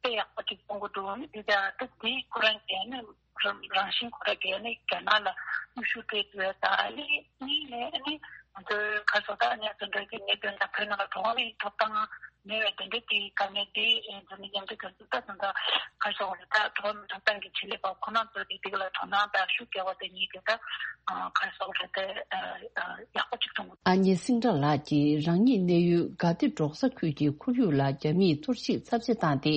དཔེ་ཡག་པོ་ཅིག་མཐོང་གི་འདུག་ནི་དེ་ད་ད་དེ་ཁོ་རང་གིས་ནི་རང་བཞིན་ཁོ་རང་གིས་ནི་རྒྱ་ནག་ལ་གནོན་ཤུགས་སྤྲད་འདུག་ད་ནི་གཉིས་ནས་ནི་ང་ཚོའི་ག་རེ་ཟེར་ད་ཨ་ཉེ་སིང་ཏྲ་གི་གནད་དོན་དང་བོད་ནང་ལ་འགྲོ་བ་མིའི་ཐོབ་ཐང་མེད་པའི་དེ་འདྲ་དེའི་དཀའ་ངལ་དེ་ཨེ་འཛམ་གླིང་མཉམ་འབྲེལ་རྒྱལ་ཚོགས་ད་དུང་ད་ག་རེ་ཟེར་བ་རེད། ད་འགྲོ་བ་མིའི་ཐོབ་ཐང་གི་ཆེད་ལས་པ་ཁོ་རང་ཚོ་གིས་དེ་ག་ལ་དོ་སྣང་དང་ཤུགས་རྒྱག་པ་དེ་ཉིད་དེ་ད་ག་རེ་ཟེར་བ་རེད། དེ་ཡག་པོ་ཅིག་མཐོང་གི། ཨ་ཉེ་སིང་ཏྲ་ལགས་ཀྱིས་རང་ཉིད་གནས་ཡུལ་ག་ཏི་འབྲོག་ས་ཁུལ་གྱི་ཁོར་ཡུག་ལ་རྒྱ་མིས་གཏོར་བཤིག་ཚབས་ཆེ་བཏང་སྟེ།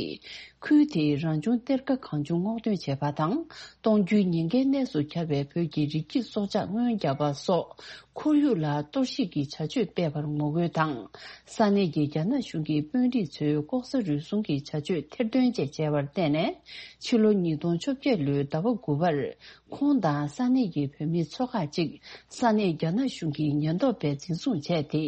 ཁུལ་དེའི་རང་བྱུང་གཏེར་ཁ་གང་བྱུང་སྔོག་འདོན་བྱས་པ་དང་། གཏོང་རྒྱུའི་ཉེན་ཁའི་གནས་སུ་གྱར་བའི་བོད་ཀྱི་རི་སྐྱེས་སྲོག་ཆགས་རྔོན་རྒྱག་པ་སོགས། ཁོར་ཡུག་ལ་གཏོར་བཤིག་གི་བྱ་སྤྱོད་སྤེལ་བར་ངོ་རྒོལ་དང་། ས་གནས་ཀྱི་རྒྱ་ནག་གཞུང་གི་དཔོན་རིགས་ཚོའི་ལྐོག་ཟ་རུལ་སུངས་ཀྱི་བྱ་སྤྱོད་ཐེར་འདོན་བཅས་བྱས་པར་བརྟེན་ནས། ཕྱི་ལོ་ཉིས་སྟོང་བཅོ་བརྒྱད་ལོའི་ཟླ་བ་དགུ་པར། ཁོང་དང་ས་གནས་ཀྱི་བོད་མི་ཚོ་ཁག་ཅིག་ས་གནས་རྒྱ་ནག་གཞུང་གི་ཉེན་རྟོག་པས་འཛིན་བཟུང་བྱས་ཏེ།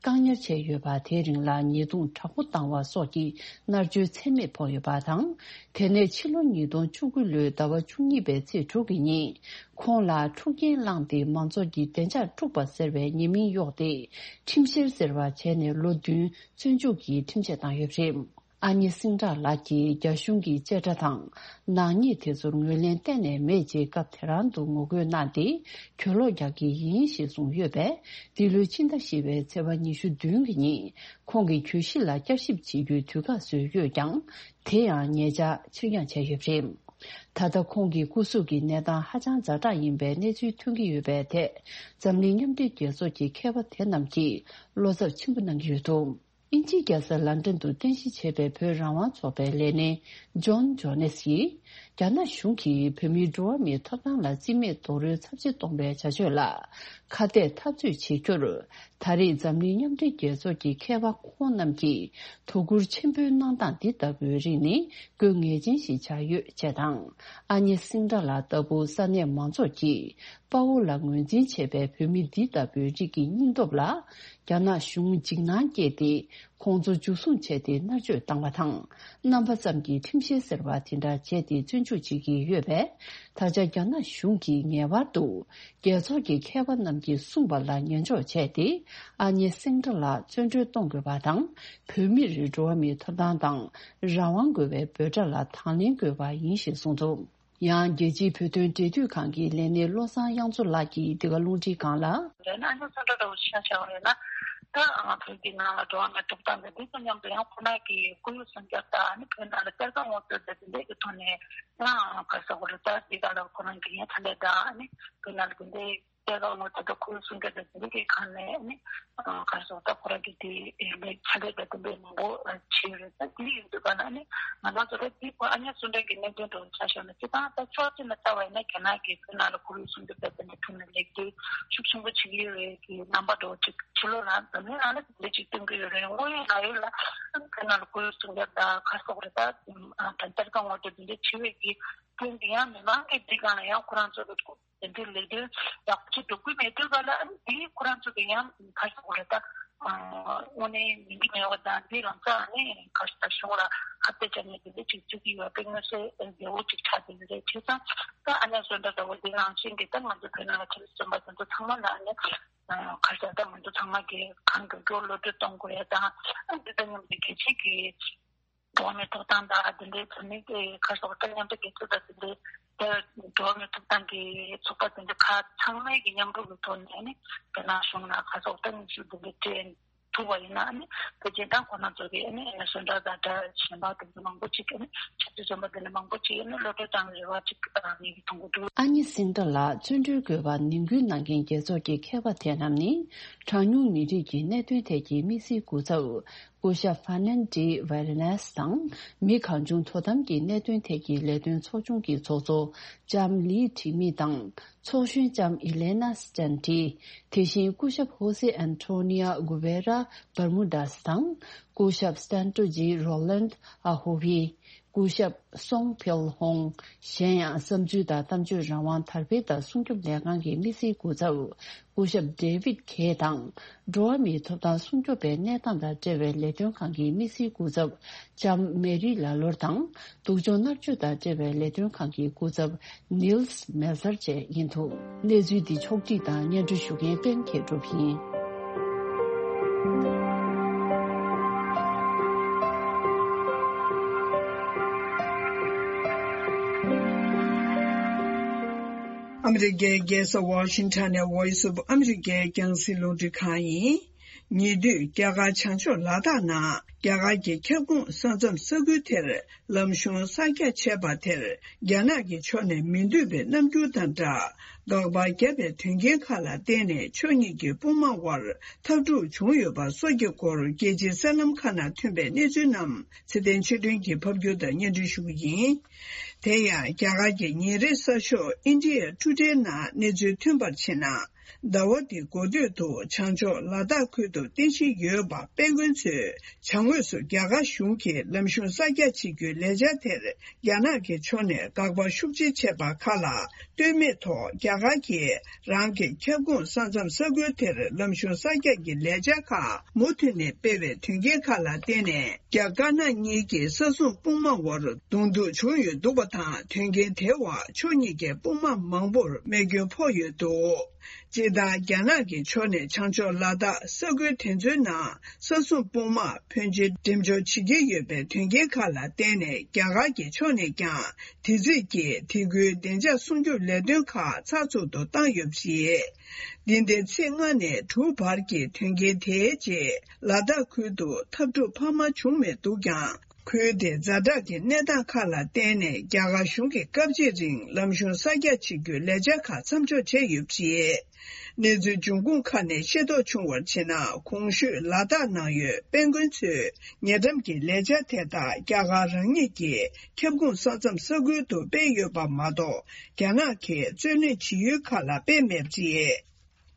བཀག་ཉར་བྱས་ཡོད་པ། དེའི་རིང་ལ་ཉེས་རྡུང་དྲག་པོ་བཏང་བ་སོགས་ཀྱི་མནར་གཅོད་ཚད་མེད་ཕོག་ཡོད་པ་དང་། དེ་ནས་ཕྱི་ལོ་ཉིས་སྟོང་བཅུ་དགུ་ལོའི་ཟླ་བ་བཅུ་གཉིས་པའི་ཚེས་དྲུག་གི་ཉིན། ཁོང་ལ་འཁྲུག་རྐྱེན་བསླངས་ཏེ་མང་ཚོགས་ཀྱི་བདེ་འཇགས་དཀྲུགས་པ་ཟེར་བའི་ཉེས་མིང་གཡོགས་ཏེ། ཁྲིམས་བཤེར་ཟེར་བ་བྱས་ནས་ལོ་བདུན་བཙོན་འཇུག་གི་ཁྲིམས་ཆད་བཏང་ཡོད་པ་རེད། ཨ་ཉེ་སིང་ཏྲ་ལགས་ཀྱིས་རྒྱ་གཞུང་གི་བཅད་ཁྲ་དང་ནག་ཉེས་དེ་ཚོར་ངོས་ལེན་གཏན་ནས་མེད་ཅེས་སྐབས་དེ་རང་དུ་ངོ་རྒོལ་གནང་སྟེ། གྱོད་ལོག་རྒྱག་གི་ཡིན་ཞེས་གསུངས་ཡོད་པས། འདི་ལོའི་ཕྱི་ཟླ་བཞི་པའི་ཚེས་པ་ཉི་ཤུ་བདུན་གྱི་ཉིན། ཁོང་གི་གྱོད་གཞི་ལ་བསྐྱར་ཞིབ་བྱེད་རྒྱུའི་དུས་བཀག་བཟོས་ཡོད་ཀྱང་། དེ་ཡང་ཉེ་ཆར་ཕྱིར་འགྱངས་བྱས་ཡོད་པ་རེད། ད་ལྟ་ཁོང་གི་སྐུ་གཟུགས་ཀྱི་གནས་སྟངས་ཧ་ཅང་ཛ་དྲག་ཡིན་པའི་གནས་ཚུལ་ཐོན་གྱི་ཡོད་པའི་ཐད། འཛམ་གླིང་མཉམ་འབྲེལ་རྒྱལ་ཚོགས་ཀྱི་མཁས་པ་དེ་རྣམས་ཀྱིས་བློ་འཚབ་ཆེན་པོ་གནང་གི་ཡོད་འདུག་དབྱིན་ཇིའི་རྒྱལ་ས་ལན་ཀྲན་དུ་རྟེན་གཞི་བྱས་པའི་བོད་རང་དབང་ཚོགས་པའི་ལས་སྣེ་ཇོན་ཇོ་ནེས་ཡིས། རྒྱ་ནག་གཞུང་གིས་བོད་མིའི་འགྲོ་བ་མིའི་ཐོབ་ཐང་ལ་རྩིས་མེད་རྡོག་རོལ་ཚབས་ཆེ་གཏོང་བའི་བྱ་སྤྱོད་ལ་ཁ་གཏད་འཐབ་རྩོད་བྱེད་རྒྱུར། ད་རེས་འཛམ་གླིང་མཉམ་འབྲེལ་རྒྱལ་ཚོགས་ཀྱི་མཁས་པ་ཁོང་རྣམས་ཀྱིས་དོ་ཁུར་ཆེན་པོའི་གནང་སྟངས་འདི་ལྟ་བུའི་རིགས་ནི་དགོས་ངེས་ཅན་ཞིག་ཆགས་ཡོད་ཅེས་དང་། ཨ་ཉེ་སིང་ཏྲ་ལགས་ལྟ་བུ་ས་གནས་མང་ཚོགས་ཀྱིས་དཔའ་བོ་ལ་ངོས་འཛིན་བྱེད་པའི་བོད་མི་འདི་ལྟ་བུའི་རིགས་ཀྱི་སྙིང་སྟོབས་ལ་རྒྱ་ནག་གཞུང་འཇིགས་སྣང་སྐྱེས་ཏེ། ཁོང་ཚོ་འཇུ་བཟུང་བྱས་ཏེ་མནར་གཅོད་བཏང་བ་དང་། རྣམ་པ་ཙམ་གྱི་ཁྲིམས་བཤེར་ཟེར་བ་དེ་འདྲ་བྱས་ཏེ་བཙོན་འཇུག་བྱེད་ཀྱི་ཡོད་པས། ད་ཆ་རྒྱ་ནག་གཞུང་གིས་ངེས་པར་དུ་རྒྱལ་ཚོགས་ཀྱི་མཁས་པ་རྣམས་ཀྱིས་གསུངས་པ་ལ་ཉན་འཇོག་བྱས་ཏེ། ཨ་ཉེ་སིང་ཏྲ་ལགས་བཙོན་གྲོལ་གཏོང་དགོས་པ་དང་། བོད་མིར་འགྲོ་བ་མིའི་ཐོབ་ཐང་དང་རང་དབང་དགོས་པའི་འབོད་སྒྲ་ལ་དང་ལེན་དགོས་པ་ཡིན་ཞེས་གསུངས་འདུག། ཡང་རྒྱལ་སྤྱིའི་བོད་དོན་འབྲེལ་མཐུད་ཁང་གི་ལས་སྣེ་བློ་བཟང་དབྱངས་མཚོ་ལགས་ཀྱིས་འདི་ག་རླུང་འཕྲིན་ཁང་ལ། ཡང་ན་ཨ་ནི་སུ་འདྲ་འདྲ་བོ་ཆ་བཞག་པ་ཡིན་ན། ད་ང་བོད་ཀྱི་ནང་ལ་འགྲོ་བ་མིའི་ཐོབ་ཐང་དང་དེ་དང་མཉམ་དུ་ཡང་ཁོ་རང་གི་ཁོར་ཡུག་སྲུང་སྐྱོབ་དང་ཨ་ནི་བོད་ནང་ལ་གཏེར་ཁ་ངོ་སྤྲོད་དང་དེ་འདྲའི་གི་ཐོག་ནས་ཡང་ག་རེ་ཟེར་དགོས་རེད། ད་འདི་ག་ལ་ཁོ་རང་གི་ཡང་ཕྱག་ལས་དང་ཨ་ནི་བོད་ནང་ལ་དེ་འདྲའི་གཏེར་ཁ་ངོ་སྤྲོད་དང་ཁོར་ཡུག་སྲུང་སྐྱོབ་དང་དེ་འདྲའི་གི་ཁ་ནས་ཨ་ནི་ག་རེ་ཟེར་དགོས། ད་ཁོ་རང་གི་དེ་ལས་ཕྱག་ལས་དང་དེ་འདྲའི་མང་པོ་བྱས་ཡོད་རེད། ད་དེ་ཡིན་དུས་ག་ལ་ཨ་ནི་ང་རང་ཚོ་ད་དེ་ཁོ་ཨ་ཉེ་སུ་འདྲ་གི་གནད་དོན་འདྲ་བོ་ཆ་བཞག་ན། སྤྱིར་བཏང་ད་ཕྱོགས་གཅིག་ནས་བལྟ་བ་ཡིན་ན་རྒྱ་ནག་གིས་བོད་ནང་ལ་ཁོར་ཡུག་སྲུང་སྐྱོབ་དང་དེ་འདྲའི་ཐོག་ནས་ལེགས་སྒྲིག་ཤུགས་ཆེན་པོ་བྱེད་ཀྱི་ཡོད་རེད། ཀྱི་རྣམ་པ་འདྲ་བོ་ཅིག་ཕྱི་ལོགས་ལ་འཛམ་གླིང་ནང་ལ་དེ་འདྲ་ཅིག་སྟོན་གྱི་ཡོད་རེད། དངོས་ཡོད་ལ་ཡོད་ལ་བོད་ནང་ལ་ཁོར་ཡུག་སྲུང་སྐྱོབ་དང་ག་རེ་ཟེར་དགོས་རེད། ད་ད་གཏེར་ཁ་ངོ་སྤྲོད་དེ་འདྲ་བྱེད་པའི་གི་སྐྱོན་དེ་ཡང་མི་མང་གི་འདི་གང་ལ་ཡང་ཁོ་རང་ཚོ་གི་དེ་འདྲའི་ལས་དོན་ཡག་པོ་ཅིག་སྒྲུབ་ཀྱི་མེད་དུས་ག་ལ་ཨ་ནི་དེ་ཁོ་རང་ཚོ་གི་ཡང་ག་རེ་ཟེར་དགོས་རེད། ད་དངོས་གནས་མིན་གྱི་མེད་པ་དང་དེ་ལམ་སང་ཨ་ནི་ག་རེ་ཟེར་གཞུང་ལ་ཁ་གཏད་བཅག་ནས་དེ་འདྲ་ཅིག་བྱེད་ཀྱི་ཡོད་པའི་མངོན་གསལ་རྒྱལ་པོ་ཅིག་ཆགས་བསྡད་ཡོད་རེད། བྱས་ཙང་ད་ཨ་ཉེ་སུ་འདྲ་འདྲ་བོ་དེ་ནང་བཞིན་གྱི་ད་ང་ཚོ་བོད་ནང་ལ་ཁྲིམས་བཙོན་པ་དེ་ཚོ་ཚང་མ་ལ་ཨ་ནི། ཁ་ཤས་ད་ང་ཚོ་ཚང་མ་གིས་གང་མགྱོགས་མགྱོགས་གློད་གྲོལ་གཏོང་དགོས་ཡ་དང་། འདི་དང་མཉམ་དུ་རྒྱལ་སྤྱིའི་གི་འགྲོ་བ་མིའི་ཐོབ་ཐང་དང་དེ་འདྲའི་བོད་མི་གི་ཁ་ཤས་ད་མཉམ་འབྲེལ་རྒྱལ་ཚོགས་དང་དེ་འདྲའི་དེ་འགྲོ་བ་མིའི་ཐོབ་ཐང་གི་ཚོགས་པ་དེ་འདྲ་ཁག་ཚང་མས་ཀྱི་མཉམ་རུབ་ཀྱི་ཐོག་ནས་ནི་རྒྱ་ནག་གཞུང་ལ་ཁ་ཤས་ད་སྙན་ཞུ་དེ་འདྲ་སྤྲད་ཐུབ་པ་ཡིན་ན་ནི་བོད་སྤྱི་དང་ཁོ་ན་ཚོ་གི་ནི་བཟོ་འདྲ་དང་འདྲ་གཞན་པ་དེ་འདྲ་མང་པོ་ཅིག་ནི་ཆབ་སྲིད་བཙོན་པ་དེ་འདྲ་མང་པོ་ཅིག་ནི་གློད་གྲོལ་བཏང་རེ་བ་ཅིག་ངེད་ཀྱིས་མཐོང་གི་འདུག། ཨ་ཉེ་སིང་ཏྲ་ལགས་བཙོན་གྲོལ་དགོས་པར་ནན་སྐུལ་གནང་མཁན་རྒྱལ་ཚོགས་ཀྱི་མཁས་པ་དེ་རྣམས་ནི། གྲངས་ཉུང་མི་རིགས་ཀྱི་གནད་དོན་ཐད་ཀྱི་དམིགས་བསལ་སྐུ་ཚབ་སྐུ་ཞབས་ཧྥ་ནན་ཌི་ཝེ་རི་ནེས་དང་། མི་གང་བྱུང་དོ་དམ་གྱི་གནད་དོན་ཐད་ཀྱི་ལས་དོན་ཚོགས་ཆུང་གི་ཚོགས་གཙོ་ལྕམ་ལི་ཁྲི་མི་དང་། ཚོགས་གཞོན་ལྕམ་ཨི་ལེ་ན་སི་ཏན་ཏི། དེ་བཞིན་སྐུ་ཞབས་ཧོ་སེ་ཨན་ཐོ་ནི་ཡ་གུ་བེ་ར་བར་མུ་ཌ་སི་དང་། སྐུ་ཞབས་སྟན་ཏྲོ་ཇི་རོ་ལན་ཨ་ཧོ་བི། སྐུ་ཞབས་སོང་ཕེལ་ཧོང་། གཞན་ཡང་བསམ་ཚུལ་དང་གཏམ་བརྗོད་རང་དབང་དར་སྤེལ་དང་སྲུང་སྐྱོབ་ལས་ཁང་གི་དམིགས་བསལ་སྐུ་ཚབ་སྐུ་ཞབས་ཌེ་ཝིད་གྷེ་དང་། འགྲོ་བ་མིའི་ཐོབ་ཐང་སྲུང་སྐྱོབ་པའི་གནས་སྟངས་དང་འབྲེལ་བའི་ལས་དོན་ཁང་གི་དམིགས་བསལ་སྐུ་ཚབ་ལྕམ་མེ་རི་ལ་ལོར་དང་། སྡུག་སྦྱོང་མནར་གཅོད་དང་འབྲེལ་བའི་ལས་དོན་ཁང་གི་སྐུ་ཚབ་ནིལ་སི་མེལ་ཚར་བཅས་ཡིན་འདུག། གནས་ཚུལ་འདི་ཕྱོགས་སྒྲིག་དང་སྙན་སྒྲོན་ཞུ་མཁན་པད་མཁས་གྲུབ་ཡིན། ཨ་མི་རི་ཀའི་རྒྱལ་ས་ཝ་ཤིང་ཊོན་ནས་Voice of America་རྒྱང་སྲིང་རླུང་འཕྲིན་ཁང་ཡིན། ཉེ་དུས་རྒྱ་གར་བྱང་ཕྱོགས་ལ་དྭགས་ནང་རྒྱ་གར་གྱི་ཁྱབ་ཁོངས་ས་མཚམས་ས་ཁུལ་དེར་ལམ་གཞུང་གསར་རྒྱག་བྱས་པ་དེར་རྒྱ་ནག་གི་ཕྱོགས་ནས་མི་འདོད་པའི་རྣམ་འགྱུར་དང་སྦྲགས། དགག་པ་བརྒྱབ་པའི་དོན་རྐྱེན་ཁག་ལ་བརྟེན་ནས་ཕྱོགས་གཉིས་ཀྱི་དཔུང་དམག་དབར་འཐབ་འཁྲུག་བྱུང་ཡོད་པ་སོགས་ཀྱི་སྐོར་རྒྱལ་སྤྱིའི་གསར་ལམ་ཁག་ནང་ཐོན་པའི་གནས་ཚུལ་རྣམས་ཚེ་བརྟན་ཆོས་སྒྲོན་གྱིས་ཕབ་སྒྱུར་དང་སྙན་སྒྲོན་ཞུ་གི་ཡིན། དེ་ཡང་རྒྱ་གར་གྱི་ཉིན་རེའི་གསར་ཤོག་India Today་ནང་གནས་ཚུལ་ཐོན་པར་བྱས་ན། ཟླ་བ་འདིའི་འགོ་སྟོད་དུ་བྱང་ཕྱོགས་ལ་དྭགས་ཁུལ་དུ་རྟེན་གཞི་ཡོད་པ་དཔལ་མགོན་མཚོས་བྱང་ངོས་སུ་རྒྱ་གར་གཞུང་གིས་ལམ་གཞུང་གསར་རྒྱག་བྱེད་རྒྱུའི་ལས་འཆར་དེར་རྒྱ་ནག་གི་ཕྱོགས་ནས་དགག་པ་ཤུགས་ཆེ་བྱས་པ་ཁག་ལ་ལྟོས་མེད་ཐོག་རྒྱ་གར་གྱིས་རང་གི་ཁྱབ་ཁོངས་ས་མཚམས་ས་ཁུལ་དེར་ལམ་གཞུང་གསར་རྒྱག་གི་ལས་འཆར་ཁག་མུ་མཐུད་ནས་སྤེལ་བའི་དོན་རྐྱེན་ཁག་ལ་བརྟེན་ནས། རྒྱ་དཀར་ནག་གཉིས་ཀྱི་ས་སྲུང་དཔུང་དམག་དབར་གདོང་ཐུག་བྱུང་ཡོད་འདུག་པ་དང་། དོན་རྐྱེན་དེའི་འོག་ཕྱོགས་གཉིས་ཀའི་དཔུང་དམག་མང་པོར་རྨས་སྐྱོན་ཕོག་ཡོད་འདུག། སྤྱིར་བཏང་རྒྱ་ནག་གི་ཕྱོགས་ནས་བྱང་ཕྱོགས་ལ་དྭགས་ས་ཁུལ་དེ་ཚོའི་ནང་ས་སྲུང་དཔུང་དམག་ཕོན་ཆེ་འགྲེམས་འཇོག་བྱེད་ཀྱི་ཡོད་པའི་དོན་རྐྱེན་ཁག་ལ་བརྟེན་ནས། རྒྱ་གར་གྱི་ཕྱོགས་ནས་ཀྱང་དེ་རྩིས་ཀྱིས་དེ་ཁུལ་བདེ་འཇགས་སྲུང་སྐྱོབ་ལས་དོན་ཁག་ཚགས་ཚུད་དུ་བཏང་ཡོད་པ་རེད། འདི་ཟླའི་ཚེས་ལྔ་ནས་དྲུག་བར་གྱི་དོན་རྐྱེན་དེའི་རྗེས་ལ་དྭགས་ཁུལ་དུ་འཐབ་འཁྲུག་འཕར་མ་བྱུང་མེད་འདུག་ཀྱང་། ཁུལ་དེའི་ཛ་དྲག་གི་གནས་སྟངས་ཁག་ལ་བརྟེན་ནས་རྒྱ་གར་གཞུང་གིས་སྐབས་གཅིག་རིང་ལམ་གཞུང་གསར་རྒྱག་བྱེད་རྒྱུའི་ལས་འཆར་ཁག་མཚམས་འཇོག་བྱས་ཡོད་པ་རེད། གནས་ཚུལ་འབྱུང་ཁུངས་ཁག་ནས་ཤེས་རྟོགས་བྱུང་བར་བྱས་ན། གོང་ཞུས་ལ་དྭགས་ནང་ཡོད་དཔལ་མགོན་མཚོས་ཉེ་འགྲམ་གྱི་ལས་འཆར་དེ་དག་རྒྱ་གར་རང་ཉིད་ཀྱི་ཁྱབ་ཁོངས་ས་མཚམས་ས་ཁུལ་དུ་སྤེལ་ཡོད་པ་མ་གཏོགས། རྒྱ་ནག་གིས་རྩོད་ལེན་བྱེད་ཡུལ་ཁག་ལ་སྤེལ་མེད་པ་རེད།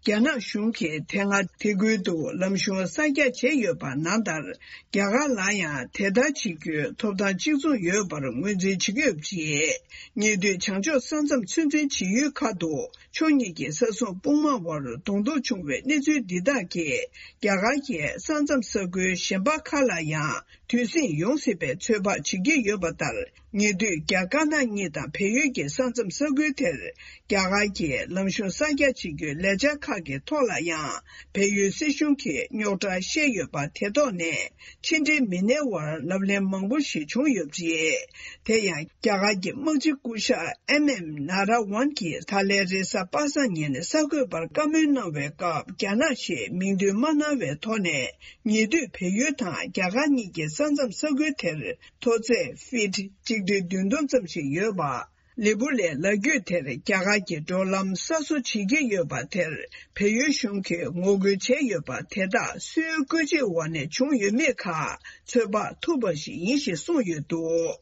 རྒྱ་ནག་གཞུང་གིས་དེ་སྔ་དེ་ཁུལ་དུ་ལམ་གཞུང་གསར་རྒྱག་བྱས་ཡོད་པ་ནང་ལྟར། རྒྱ་གར་ལ་ཡང་དེ་ལྟར་བྱེད་རྒྱུའི་ཐོབ་ཐང་གཅིག་མཚུངས་ཡོད་པར་ངོས་འཛིན་བྱེད་ཀྱི་ཡོད་པ་རེད། ཉེ་དུས་བྱང་ཕྱོགས་ས་མཚམས་ཚོད་འཛིན་བྱེད་ཡུལ་ཁག་ཏུ་ཕྱོགས་གཉིས་ཀྱི་ས་སྲུང་དཔུང་དམག་དབར་གདོང་ཐུག་བྱུང་བའི་གནས་ཚུལ་འདི་དག་གིས། རྒྱ་གར་གྱི་ས་མཚམས་ས་ཁུལ་གཞན་པ་ཁག་ལ་ཡང་དུས་ཟིང་ཡོང་སྲིད་པའི་ཚོད་དཔག་བྱེད་ཀྱི་ཡོད་པ་ལྟར། ཉེ་དུས་རྒྱ་དཀར་ནག་གཉིས་དང་བལ་ཡུལ་གྱི་ས་མཚམས་ས་ཁུལ་དེར། རྒྱ་གར་གྱིས་ལམ་གཞུང་གསར་རྒྱག་བྱེད་རྒྱུའི་ལས་འཆར་ཁག་གི་ཐོག་ལ་ཡང་། བལ་ཡུལ་སྲིད་གཞུང་གིས་རྙོག་དྲ་བཤད་ཡོད་པ་དེ་ཐོག་ནས། ཕྱི་འབྲེལ་མི་སྣའི་དབར་ལབ་གླེང་མང་པོ་ཞིག་བྱུང་ཡོད་པ་རེད། དེ་ཡང་། རྒྱ་གར་གྱི་དམག་སྤྱི་སྐུ་ཞབས་ཨེམ་ཨེམ་ན་ར་ཝན་གྱིས་ད་ལན་རེས་གཟའ་པ་སངས་ཉིན་གསར་འགོད་པར་བཀའ་མོལ་གནང་བའི་སྐབས། རྒྱ་ནག་ཞེས་མིང་འདོན་མ་གནང་བའི་ཐོག་ནས། ཉེ་དུས་བལ་ཡུལ་དང་རྒྱ་གར་གཉིས་ཀྱི་ས་མཚམས་ས་ཁུལ་དེར། མཐོ་ཚད་ཧྥིཊ་གཅིག་སྟོང་བདུན་སྟོང་ཙམ་ཞིག་ཡོད་པ། ལི་པུ་ལའི་ལ་རྒྱུད་དེར་རྒྱ་གར་གྱི་འགྲོ་ལམ་གསར་བཟོ་བྱེད་ཀྱི་ཡོད་པ་དེར། བལ་ཡུལ་གཞུང་གིས་ངོ་རྒོལ་བྱས་ཡོད་པ་དེ་དག་སུའི་བཀོད་འབྱེད་འོག་ནས་བྱུང་ཡོད་མེད་ཁག་ཚོད་དཔག་ཐུབ་པ་ཞིག་ཡིན་ཞེས་གསུངས་ཡོད་འདུག་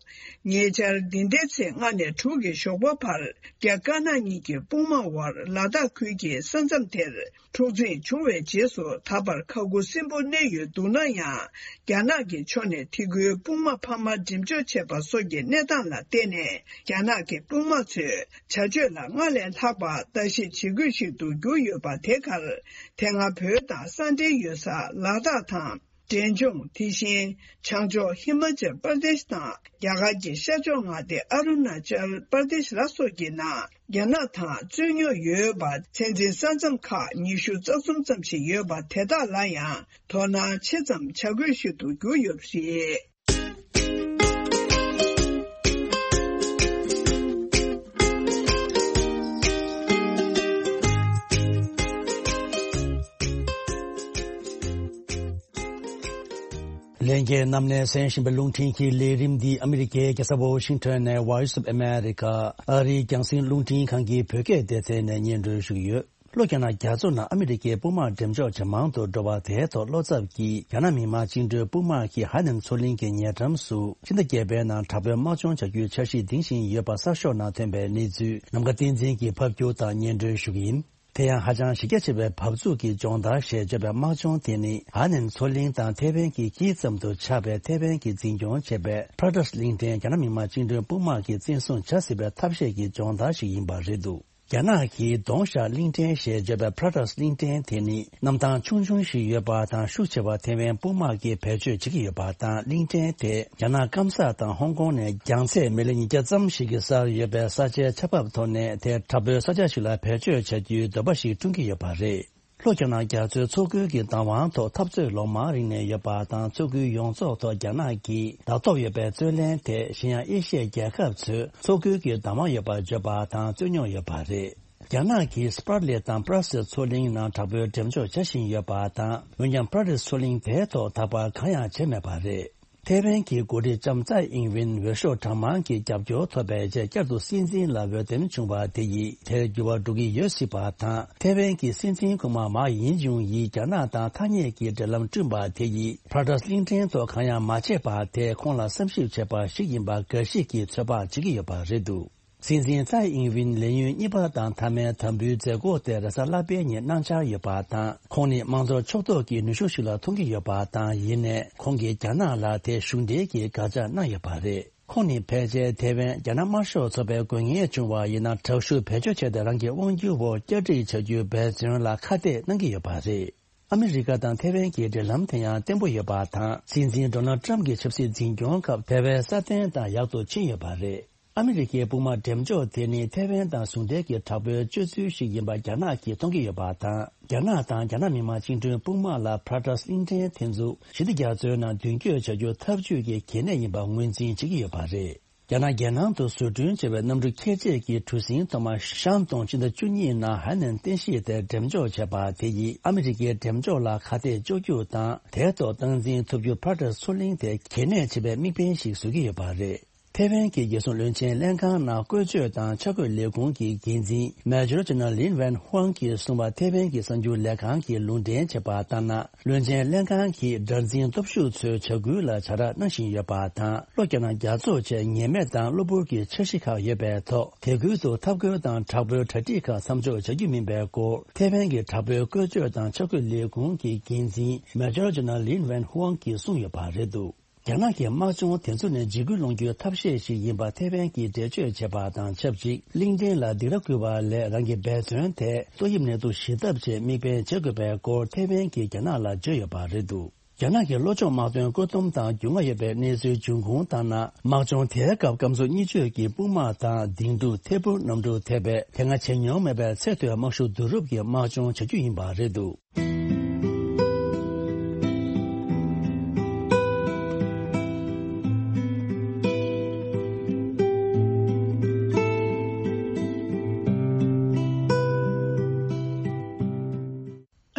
ཉེ་ཆར། འདི་ཟླའི་ཚེས་ལྔ་ནས་དྲུག་གི་ཞོགས་པ་བར། རྒྱ་དཀར་ནག་གཉིས་ཀྱི་དཔུང་དམག་དབར་ལ་དྭགས་ཁུལ་གྱི་ས་མཚམས་དེར། འཁྲུག་འཛིང་བྱུང་བའི་རྗེས་སུ། ད་བར་ཁ་ཁུ་སིམ་པོ་གནས་ཡོད་འདུག་ན་ཡང་། རྒྱ་ནག་གི་ཕྱོགས་ནས་དེ་ཁུལ་དཔུང་དམག་འཕར་མ་འགྲེམས་འཇོག་བྱས་པ་སོགས་ཀྱི་གནས་སྟངས་ལ་བརྟེན་ནས། རྒྱ་ནག་གི་དཔུང་དམག་ཚོས་བྱ་སྤྱོད་ལ་སྔར་ལས་ལྷག་པ་ལྟ་ཞིབ་བྱེད་དགོས་ཤིག་ཏུ་གྱུར་ཡོད་པ་དེ་གར། དེ་སྔ་བོད་དང་ས་འབྲེལ་ཡོད་ས་ལ་དྭགས་དང་། འབྲས་ལྗོངས། དེ་བཞིན་བྱང་ཕྱོགས་ཧི་མ་ཅལ་པར་དེཤ་དང་། རྒྱ་གར་གྱི་ཤར་ཕྱོགས་མངའ་སྡེ་ཨ་རུ་ན་ཅལ་པར་དེཤ་ལ་སོགས་ཀྱི་ནང་རྒྱ་ནག་དང་རྩོད་རྙོག་ཡོད་པ། ཚད་འཛིན་ས་མཚམས་ཁག་ཉི་ཤུ་རྩ་གསུམ་ཙམ་ཞིག་ཡོད་པ་དེ་དག་ལ་ཡང་དོ་སྣང་ཆེ་ཙམ་བྱ་དགོས་ཤིག་ཏུ་གྱུར་ཡོད་པ་རེད། ལྷན་རྒྱས་རྣམས་ནས་གསན་བཞིན་པའི་རླུང་འཕྲིན་གྱི་ལས་རིམ་འདི་ཨ་མི་རི་ཀའི་རྒྱལ་ས་ཝ་ཤིང་ཊོན་ནས་Voice of America ཨ་རིའི་རྒྱང་སྲིང་རླུང་འཕྲིན་ཁང་གི་བོད་སྐད་སྡེ་ཚན་ནས་སྙན་སྒྲོན་ཞུ་གི་ཡོད། ལྷོ་རྒྱ་ནག་རྒྱ་མཚོ་ནང་ཨ་མི་རི་ཀའི་དཔུང་དམག་འགྲེམས་འཇོག་ཇེ་མང་དུ་འགྲོ་བ་དེའི་ཐོག་བློ་འཚབ་ཀྱིས། རྒྱ་ནག་མི་དམངས་བཅིངས་འགྲོལ་དཔུང་དམག་གིས་ཧ་ནན་མཚོ་གླིང་གི་ཉེ་འགྲམ་དུ་ཕྱི་ཟླ་བརྒྱད་པའི་ནང་དྲག་པོའི་དམག་སྦྱོང་བྱ་རྒྱུའི་འཆར་གཞི་འདིང་བཞིན་ཡོད་པ་གསར་ཤོག་ནང་ཐོན་པའི་གནས་ཚུལ་ནམ་མཁའ་བསྟན་འཛིན་གྱིས་ཕབ་སྒྱུར་དང་སྙན་སྒྲོན་ཞུ་གི་ཡིན། དེ་ཡང་ཧ་ཅང་གཞི་རྒྱ་ཆེ་བའི་འབབ་ཚུགས་ཀྱི་སྦྱོང་བརྡར་ཞེས་བརྗོད་པའི་དམག་སྦྱོང་དེ་ནི། ཧ་ནན་མཚོ་གླིང་དང་ཐེ་ཝན་གྱི་དཀྱིལ་ཙམ་དུ་ཆགས་པའི་ཐེ་ཝན་གྱིས་འཛིན་སྐྱོང་བྱེད་པའི་ཕ་ར་ཏཱས་གླིང་ཕྲན་རྒྱ་ནག་མི་དམངས་བཅིངས་འགྲོལ་དཔུང་དམག་གིས་བཙན་བཟུང་བྱ་སྲིད་པའི་ཐབས་ཤེས་ཀྱི་སྦྱོང་བརྡར་ཞིག་ཡིན་པ་རེད་འདུག་རྒྱ་ནག་གིས་གདོང་ཤར་གླིང་ཕྲན་ཞེས་བརྗོད་པའི་ཕ་ར་ཏཱས་གླིང་ཕྲན་དེ་ནི། གནམ་ཐང་ཆུང་ཆུང་ཞིག་ཡོད་པ་དང་། ཤུགས་ཆེ་བ་ཐེ་ཝན་དཔུང་དམག་གིས་བེད་སྤྱོད་བྱེད་ཀྱི་ཡོད་པ་དང་། གླིང་ཕྲན་དེ་རྒྱ་ནག་སྐམ་ས་དང་ཧོང་ཀོང་ནས་རྒྱང་ཚད་མི་ལི་ཉིས་བརྒྱ་ཙམ་ཞིག་གི་སར་ཡོད་པའི་ས་ཆའི་ཆར་འབབ་ཐོག་ནས་དེ་དྲག་པོའི་ས་ཆ་ཞིག་ལ་བེད་སྤྱོད་བྱ་རྒྱུའི་འདོད་པ་ཞིག་བསྐྲུན་གྱི་ཡོད་པ་རེད། ལྷོ་རྒྱ་ནག་རྒྱ་མཚོའི་མཚོ་ཁུལ་གྱི་བདག་དབང་ཐོག་འཐབ་རྩོད་ལོ་མང་རིང་ནས་ཡོད་པ་དང་། མཚོ་ཁུལ་ཡོངས་རྫོགས་ཐོག་རྒྱ་ནག་གིས་ལ་ཐོབ་ཡོད་པའི་རྩོད་ལེན་དེ། གཞན་ཡང་ཨེ་ཤི་ཡའི་རྒྱལ་ཁབ་ཚོས་མཚོ་ཁུལ་གྱི་བདག་དབང་ཡོད་པར་བརྗོད་པ་དང་རྩོད་རྙོག་ཡོད་པ་རེད། རྒྱ་ནག་གིས་སྤར་ལི་དང་པྲ་སི་མཚོ་གླིང་ནང་དྲག་པོའི་འགྲེམས་འཇོག་བྱ་བཞིན་ཡོད་པ་དང་། འོན་ཀྱང་པྲ་སི་མཚོ་གླིང་དེའི་ཐོག་ད་བར་གང་ཡང་བྱས་མེད་པ་རེད། ཐེ་ཝན་གྱི་འགོ་ཁྲིད་ལྕམ་ཙའེ་ཨིང་ཝིན་འོས་ཤོག་གྲངས་མང་གི་རྒྱབ་སྐྱོར་ཐོབ་པའི་རྗེས། བསྐྱར་དུ་སྲིད་འཛིན་ལ་འོས་འདེམས་བྱུང་བ་དེ་ཡིས་དེར་འགྱུར་བ་འགྲོ་གི་ཡོད་སྲིད་པ་དང་། ཐེ་ཝན་གྱི་སྲིད་འཛིན་སྐུ་དམག་མཱ་ཡིན་ཅུང་ཡིས་རྒྱ་ནག་དང་ཐ་སྙད་ཀྱི་འབྲེལ་ལམ་བསྐྲུན་པ་དེ་ཡིས་ཕ་ར་ཏཱས་གླིང་ཕྲན་ཐོག་གང་ཡང་མ་བྱས་པ་དེ་ཁོང་ལ་བསམ་ཞིབ་བྱས་པ་ཞིག་ཡིན་པ་འགའ་ཞིག་གིས་ཚོད་དཔག་བྱེད་ཀྱི་ཡོད་པ་རེད་འདུག་སྲིད་འཛིན་ཙའེ་ཨིང་ཝིན་ལས་ཡུན་གཉིས་པ་དང་མཐའ་མའི་དམ་འབུལ་མཛད་སྒོ་དེ་རེས་གཟའ་ལྷག་པའི་ཉིན་གནང་འཆར་ཡོད་པ་དང་། ཁོང་ནི་དམངས་གཙོ་ཕྱོགས་གཏོགས་ཀྱི་ནུས་ཤུགས་ཤིག་ལ་མཐོང་གི་ཡོད་པ་དང་། ཡིན་ནའི་ཁོང་གིས་རྒྱ་ནག་ལ་དེ་གཞུང་འབྲེལ་གྱི་དགག་བྱ་གནང་ཡོད་པ་རེད། ཁོང་ནི་ཕལ་ཆེར་ཐེ་ཝན་རྒྱ་ནག་དམར་ཤོག་ཚོགས་པའི་དགོས་ངེས་བྱུང་བ་ཡིན་ན། དྲག་ཤུགས་བེད་སྤྱོད་བྱས་ཏེ་རང་གི་དབང་སྒྱུར་འོག་བསྐྱར་སྒྲིག་བྱ་རྒྱུའི་འབད་བརྩོན་ལ་ཁ་གཏད་གནང་གི་ཡོད་པ་རེད། ཨ་མི་རི་ཀ་དང་ཐེ་ཝན་གྱི་འབྲེལ་ལམ་དེ་ཡང་བརྟན་པོ་ཡོད་པ་དང་། སྲིད་འཛིན་ཌོ་ནལ་ཊམ་གྱི་ཆབ་སྲིད་འཛིན་སྐྱོང་སྐབས་དེ་བས་སྲ་བརྟན་དང་ཡག་ཏུ་ཕྱིན་ཡོད་པ་རེད། ཨ་མི་རི་ཀའི་དཔུང་དམག་འགྲེམས་འཇོག་དེ་ནི་ཐེ་ཝན་དང་ཟུང་འབྲེལ་གྱི་དྲག་པོའི་སྤྱོད་ཚུལ་ཞིག་ཡིན་པ་རྒྱ་ནག་གིས་མཐོང་གི་ཡོད་པ་དང་། རྒྱ་ནག་དང་རྒྱ་ནག་མི་དམངས་བཅིངས་འགྲོལ་དཔུང་དམག་ལ་ཕ་ར་ཏཱས་གླིང་ཕྲན་དེ་ཚོ་ཞི་བདེ་རྒྱ་མཚོའི་ནང་མདུན་སྐྱོད་བྱ་རྒྱུ་འཐབ་ཇུས་ཀྱི་གལ་གནད་ཡིན་པ་ངོས་འཛིན་བྱེད་ཀྱི་ཡོད་པ་རེད། རྒྱ་ནག་རྒྱལ་ནང་དུ་བཟོ་སྐྲུན་བྱས་པའི་གནམ་གྲུ་ཁྱད་ཆོས་ཀྱི་གྲུ་གཟིངས་ཐོག་མ་ཤང་ཏུང་ཕྱི་ཟླ་བཅུ་གཉིས་ནང་ཧའེ་ནན་རྟེན་གཞི་དེར་འགྲེམས་འཇོག་བྱས་པ་དེ་ཡིས་ཨ་མི་རི་ཀའི་འགྲེམས་འཇོག་ལ་ཁ་གཏད་གཅོག་རྒྱུ་དང་། དེའི་ཐོག་སྟངས་འཛིན་ཐུབ་རྒྱུར་ཕ་ར་ཏཱས་མཚོ་གླིང་དེ་གལ་གནད་ཆེ་བའི་དམིགས་འབེན་ཞིག་བཟོ་གི་ཡོད་པ་རེད། ཐེ་ཝན་གྱི་རྒྱལ་སྲུང་བློན་ཆེན་ལྷན་ཁང་ནང་བཀོལ་སྤྱོད་དང་འཆར་འགོད་ལས་ཁུངས་ཀྱི་འགན་འཛིན་མེ་ཇོར་ཇེ་ནེ་རལ་ལིན་ཝན་ཧུའང་གིས་གསུངས་པ། ཐེ་ཝན་གྱི་གསར་འགྱུར་ལས་ཁང་གིས་ལུང་འདྲེན་བྱས་པ་ལྟར་ན། བློན་ཆེན་ལྷན་ཁང་གིས་དགྲར་འཛིན་སྟོབས་ཤུགས་ཚོའི་བྱ་འགུལ་ལ་བྱ་ར་གནང་བཞིན་ཡོད་པ་དང་། གློག་རྒྱག་ན་རྒྱག་འཛུགས་བྱས་ཉེས་མེད་དང་གློ་བུར་གྱི་འཆར་གཞི་ཁག་ཡོད་པའི་ཐོག་དེ་ཁུལ་དུ་འཐབ་རྒོལ་དང་དྲག་པོའི་གྲ་སྒྲིག་ཁག་མཚམས་འཇོག་བྱ་རྒྱུ་མིན་པའི་སྐོར་ཐེ་ཝན་གྱི་དྲག་པོའི་བཀོལ་སྤྱོད་དང་འཆར་འགོད་ལས་ཁུངས་ཀྱི་འགན་འཛིན་མེ་ཇོར་ཇེ་ནེ་རལ་ལིན་ཝན་ཧུའང་གིས་གསུངས་ཡོད་པ་རེད་འདུག་རྒྱ་ནག་གི་དམག་སྦྱོང་དེ་ཚོ་ནས་འཇིགས་སྐུལ་སློང་རྒྱུའི་ཐབས་ཤེས་ཤིག་ཡིན་པ་ཐེ་ཝན་གྱིས་འགྲེལ་བརྗོད་བྱས་པ་དང་ཆབས་ཅིག་གླིང་ཕྲན་ལ་སྡིགས་ར་བསྐུལ་བ་ལས་རང་གི་འབད་བརྩོན་དེ་ཏོག་དབྱིབས་ནད་དུག་ཞི་ཐབས་ཆེད་དམིགས་འབེན་བྱེད་དགོས་པའི་སྐོར་ཐེ་ཝན་གྱིས་རྒྱ་ནག་ལ་བརྗོད་ཡོད་པ་རེད་འདུག་རྒྱ་ནག་གི་བློ་སྦྱོང་དམག་དོན་བཀོད་འདོམས་དང་རྒྱུས་མངའ་ཡོད་པའི་གནས་ཚུལ་འབྱུང་ཁུངས་ལྟར་ན། དམག་སྦྱོང་དེའི་སྐབས་སྐམ་སོ་གཉིས་བརྗོད་ཀྱི་དཔུང་དམག་དང་ལྡིང་ཕྲུག་ཐད་འཕུར་གནམ་གྲུ་ཐེ་བའི་དེ་སྔ་བྱས་མྱོང་མེད་པའི་ཚད་མཐོའི་དམག་ཤུགས་བསྡུ་རུབ་ཀྱི་དམག་སྦྱོང་བྱ་རྒྱུ་ཡིན་པ་རེད་འདུག་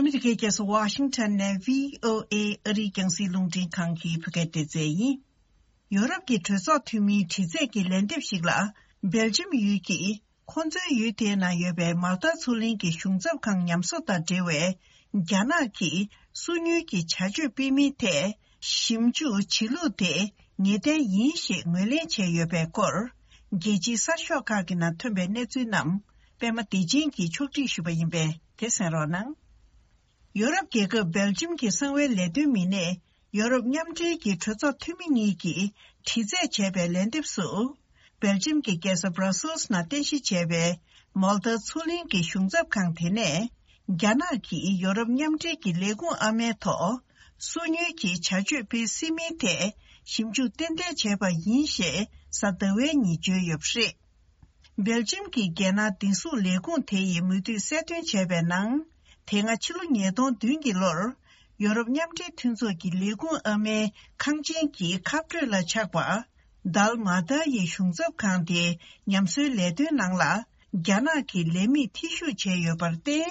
ཨ་མི་རི་ཀའི་རྒྱལ་ས་ཝ་ཤིང་ཊོན་ནས་བྷི་ཨོ་ཨེ་ཨ་རིའི་རྒྱང་སྲིང་རླུང་འཕྲིན་ཁང་གི་བོད་སྐད་སྡེ་ཚན་ཡིན། ཡོ་རོབ་ཀྱི་གྲོས་ཚོགས་འཐུས་མིའི་དྲི་རྩད་ཀྱི་ལན་འདེབས་ཤིག་ལ། སྦེལ་ཇམ་ཡུལ་གྱིས་ཁོ་ཚོའི་ཡུལ་དེའི་ནང་ཡོད་པའི་མལ་ཏཱ་མཚོ་གླིང་གི་གཞུང་ཚབ་ཁང་ཉམས་གསོ་དང་འབྲེལ་བའི་རྒྱ་ནག་གིས་སོ་ཉུལ་གྱི་བྱ་སྤྱོད་སྤེལ་མིན་ཐད་ཞིབ་འཇུག་བྱེད་ལུགས་དེ་ངེས་གཏན་ཡིན་ཞེས་ངོས་ལེན་བྱས་ཡོད་པའི་སྐོར། རྒྱལ་སྤྱིའི་གསར་ཤོག་ཁག་གི་ནང་ཐོན་པའི་གནས་ཚུལ་རྣམས་པད་མ་བདེ་ཆེན་གྱིས་ཕྱོགས་སྒྲིག་ཞུས་པ་ཡིན་པས་དེ་གསན་རོགས་གནང་། ཡོ་རོབ་རྒྱལ་ཁབ་སྦེལ་ཇམ་གྱི་གསང་བའི་ལས་དོན་མི་སྣས་ཡོ་རོབ་མཉམ་འབྲེལ་གྱི་གྲོས་ཚོགས་འཐུས་མི་གཉིས་ཀྱིས་དྲི་རྩད་བྱས་པའི་ལན་འདེབས་སུ། སྦེལ་ཇམ་གྱི་རྒྱལ་ས་Brussels་ནང་རྟེན་གཞི་བྱས་པའི་མོལ་ཏཱ་མཚོ་གླིང་གི་གཞུང་ཚབ་ཁང་དེ་ནས། རྒྱ་ནག་གིས་ཡོ་རོབ་མཉམ་འབྲེལ་གྱི་ལས་ཁུངས་ཨ་མའི་ཐོག་སོ་ཉུལ་གྱི་བྱ་སྤྱོད་སྤེལ་སྲིད་མིན་ཐད་ཞིབ་འཇུག་ཏན་ཏན་བྱས་པ་ཡིན་ཞེས་གཟའ་ཟླ་བའི་ཉིན་བརྗོད་ཡོད་པ་རེད། སྦེལ་ཇམ་གྱི་རྒྱལ་ནང་བདེ་སྲུང་ལས་ཁུངས་དེ་ཡིས་མུ་མཐུད་གསལ་སྟོན་བྱས་པའི་ནང་། དེ་སྔ་ཕྱི་ལོ་ཉིས་སྟོང་བདུན་གྱི་ལོར། ཡོ་རོབ་མཉམ་འབྲེལ་མཐུན་ཚོགས་ཀྱི་ལས་ཁུངས་ཨ་མའི་ཁང་ཆེན་གྱི་ཁ་སྤྲོད་ལ་ཆགས་པ། དཱལ་མ་ཏཱ་ཡི་གཞུང་ཚབ་ཁང་དེའི་ཉམས་གསོའི་ལས་དོན་ནང་ལ། རྒྱ་ནག་གི་ལས་མིས་འཐུས་ཤོར་བྱས་ཡོད་པར་བརྟེན།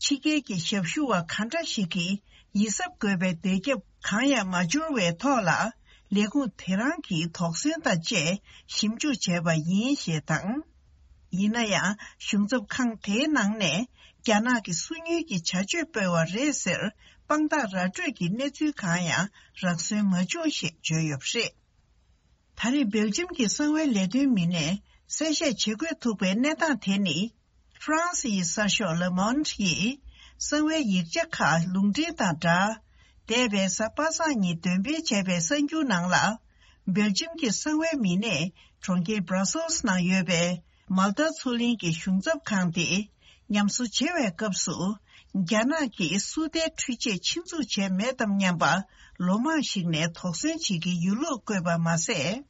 ཕྱི་རྒྱལ་གྱི་ཞབས་ཞུ་བ་ག་འདྲ་ཞིག་གིས་ཡིད་གཟབ་དགོས་པའི་བརྡ་ཁྱབ་གང་ཡང་མ་འབྱོར་བའི་ཐོག་ལ། ལས་ཁུངས་དེ་རང་གིས་དོགས་ཟོན་དང་བཅས་ཞིབ་འཇུག་བྱས་པ་ཡིན་ཞེས་དང་། ཡིན་ན་ཡང་གཞུང་ཚབ་ཁང་དེའི་ནང་ནས་རྒྱ་ནག་གི་སོ་ཉུལ་གྱི་བྱ་སྤྱོད་སྤེལ་བ་རེད་ཟེར་དཔང་རྟགས་ར་སྤྲོད་ཀྱི་གནས་ཚུལ་གང་ཡང་རག་སོན་མ་བྱུང་ཞེས་བརྗོད་ཡོད་པ་རེད། ད་རེས་སྦེལ་ཇམ་གྱི་གསང་བའི་ལས་དོན་མི་སྣས་གསལ་བཤད་བྱེད་དགོས་ཐུག་པའི་གནས་སྟངས་དེ་ནི། ཧྥ་རན་སི་ཡི་གསར་ཤོག་Le Monde་ཡིས་གསང་བའི་ཡིག་ཆ་ཁག་ལུང་འདྲེན་དང་སྦྲགས། འདས་པའི་གཟའ་པ་སངས་ཉིན་འདོན་སྤེལ་བྱས་པའི་གསར་འགྱུར་ནང་ལ། སྦེལ་ཇམ་གྱི་གསང་བའི་མི་སྣས་གྲོང་ཁྱེར་Brussels་ནང་ཡོད་པའི་མལ་ཏཱ་མཚོ་གླིང་གི་གཞུང་ཚབ་ཁང་དེ། ཉམས་གསོ་བྱེད་པའི་སྐབས་སུ། རྒྱ་ནག་གིས་སུ་ཏའི་འཕྲུལ་ཆས་ཆེད་འཛུགས་བྱས་མེད་དམ་སྙམ་པ། ལོ་མང་ཞིག་ནས་དོགས་ཟོན་བྱེད་ཀྱི་ཡོད་ལུགས་བཀོད་པ་མ་ཟད།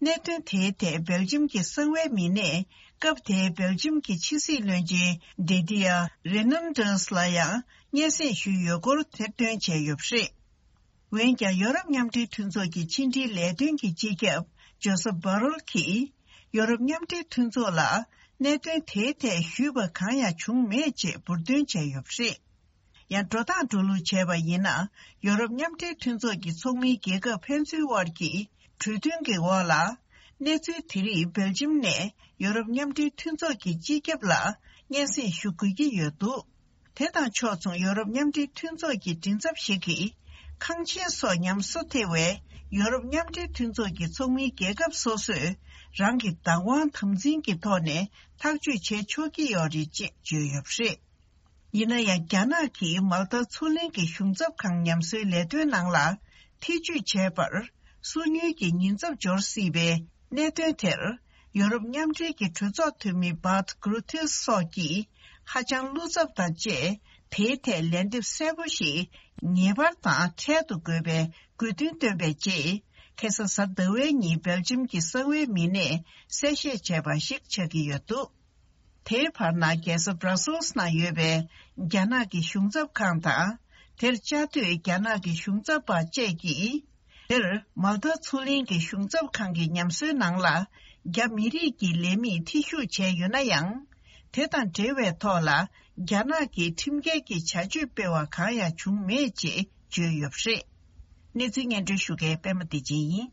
གནད་དོན་དེའི་ཐད་སྦེལ་ཇམ་གྱི་གསང་བའི་མི་སྣས་སྐབས་དེའི་སྦེལ་ཇམ་གྱི་ཕྱི་སྲིད་བློན་ཆེན་Didier Reynders་ལ་ཡང་སྙན་སེང་ཞུས་ཡོད་སྐོར་ཐེར་འདོན་བྱས་ཡོད་པ་རེད། འོན་ཀྱང་ཡོ་རོབ་མཉམ་འབྲེལ་མཐུན་ཚོགས་ཀྱི་ཕྱི་འབྲེལ་ལས་དོན་གྱི་སྤྱི་ཁྱབ་Josep Borrell་གྱིས་ཡོ་རོབ་མཉམ་འབྲེལ་མཐུན་ཚོགས་ལ་གནད་དོན་དེའི་ཐད་ཞུས་པ་གང་ཡང་བྱུང་མེད་ཅེས་འབུར་འདོན་བྱས་ཡོད་པ་རེད། ཡང་འགྲོ་སྟངས་འགྲོ་ལུགས་བྱས་པ་ཡིན་ན། ཡོ་རོབ་མཉམ་འབྲེལ་མཐུན་ཚོགས་ཀྱི་ཚོགས་མིའི་རྒྱལ་ཁབ་ཕན་ཚུན་དབར་གྱི་གྲོས་མཐུན་གྱི་འོག་ལ། གནས་ཚུལ་དེ་རིགས་སྦེལ་ཇམ་ནས་ཡོ་རོབ་མཉམ་འབྲེལ་མཐུན་ཚོགས་ཀྱི་སྤྱི་ཁྱབ་ལ་སྙན་སེང་ཞུ་དགོས་ཀྱི་ཡོད་འདུག་དེ་དང་ཕྱོགས་མཚུངས་ཡོ་རོབ་མཉམ་འབྲེལ་མཐུན་ཚོགས་ཀྱི་མགྲིན་ཚབ་ཞིག་གིས། ཁང་ཆེན་སོགས་ཉམས་གསོ་ཐེ་བའི་ཡོ་རོབ་མཉམ་འབྲེལ་མཐུན་ཚོགས་ཀྱི་ཚོགས་མིའི་རྒྱལ་ཁབ་སོ་སོས་རང་གི་བདག་དབང་དམ་འཛིན་གྱི་ཐོག་ནས་ཐག་གཅོད་བྱེད་ཆོག་གི་ཡོད་རེད་ཅེས་བརྗོད་ཡོད་པ་རེད། ཡིན་ན་ཡང་རྒྱ་ནག་གིས་མལ་ཏཱ་མཚོ་གླིང་གི་གཞུང་ཚབ་ཁང་ཉམས་གསོའི་ལས་དོན་ནང་ལ་ཐེ་ཇུས་བྱས་པར་སོ་ཉུལ་གྱི་ཉེན་ཚབས་འབྱོར་སྲིད་པའི་གནད་དོན་དེར་ཡོ་རོབ་མཉམ་འབྲེལ་གྱི་གྲོས་ཚོགས་འཐུས་མི་Bart Grootes་སོགས་ཀྱིས་ཧ་ཅང་བློ་འཚབ་དང་བཅས་དེའི་ཐད་ལན་འདེབས་གསལ་པོ་ཞིག་ངེས་པར་དང་འཕྲལ་དུ་དགོས་པའི་དགོས་འདུན་བཏོན་པའི་རྗེས་ཁ་སང་གཟའ་ཟླ་བའི་ཉིན་སྦེལ་ཇམ་གྱི་གསང་བའི་མི་སྣས་གསལ་བཤད་བྱས་པ་ཞིག་ཆགས་ཀྱི་ཡོད་འདུག་དེའི་བར་ན་རྒྱལ་ས་Brussels་ནང་ཡོད་པའི་རྒྱ་ནག་གི་གཞུང་ཚབ་ཁང་དང་། དེར་བཅའ་སྡོད་རྒྱ་ནག་གི་གཞུང་ཚབ་པ་བཅས་ཀྱིས། དེར་མལ་ཏཱ་མཚོ་གླིང་གི་གཞུང་ཚབ་ཁང་གི་ཉམས་གསོའི་ནང་ལ། རྒྱ་མི་རིགས་ཀྱི་ལས་མིས་ཐེ་ཞུགས་བྱས་ཡོད་ན་ཡང་། དེ་དང་འབྲེལ་བའི་ཐོག་ལ། རྒྱ་ནག་གིས་ཁྲིམས་འགལ་གྱི་བྱ་སྤྱོད་སྤེལ་བ་གང་ཡང་བྱུང་མེད་ཅེས་བརྗོད་ཡོད་པ་རེད། གནས་ཚུལ་སྙན་སྒྲོན་ཞུ་མཁན་པད་མ་བདེ་ཆེན་ཡིན།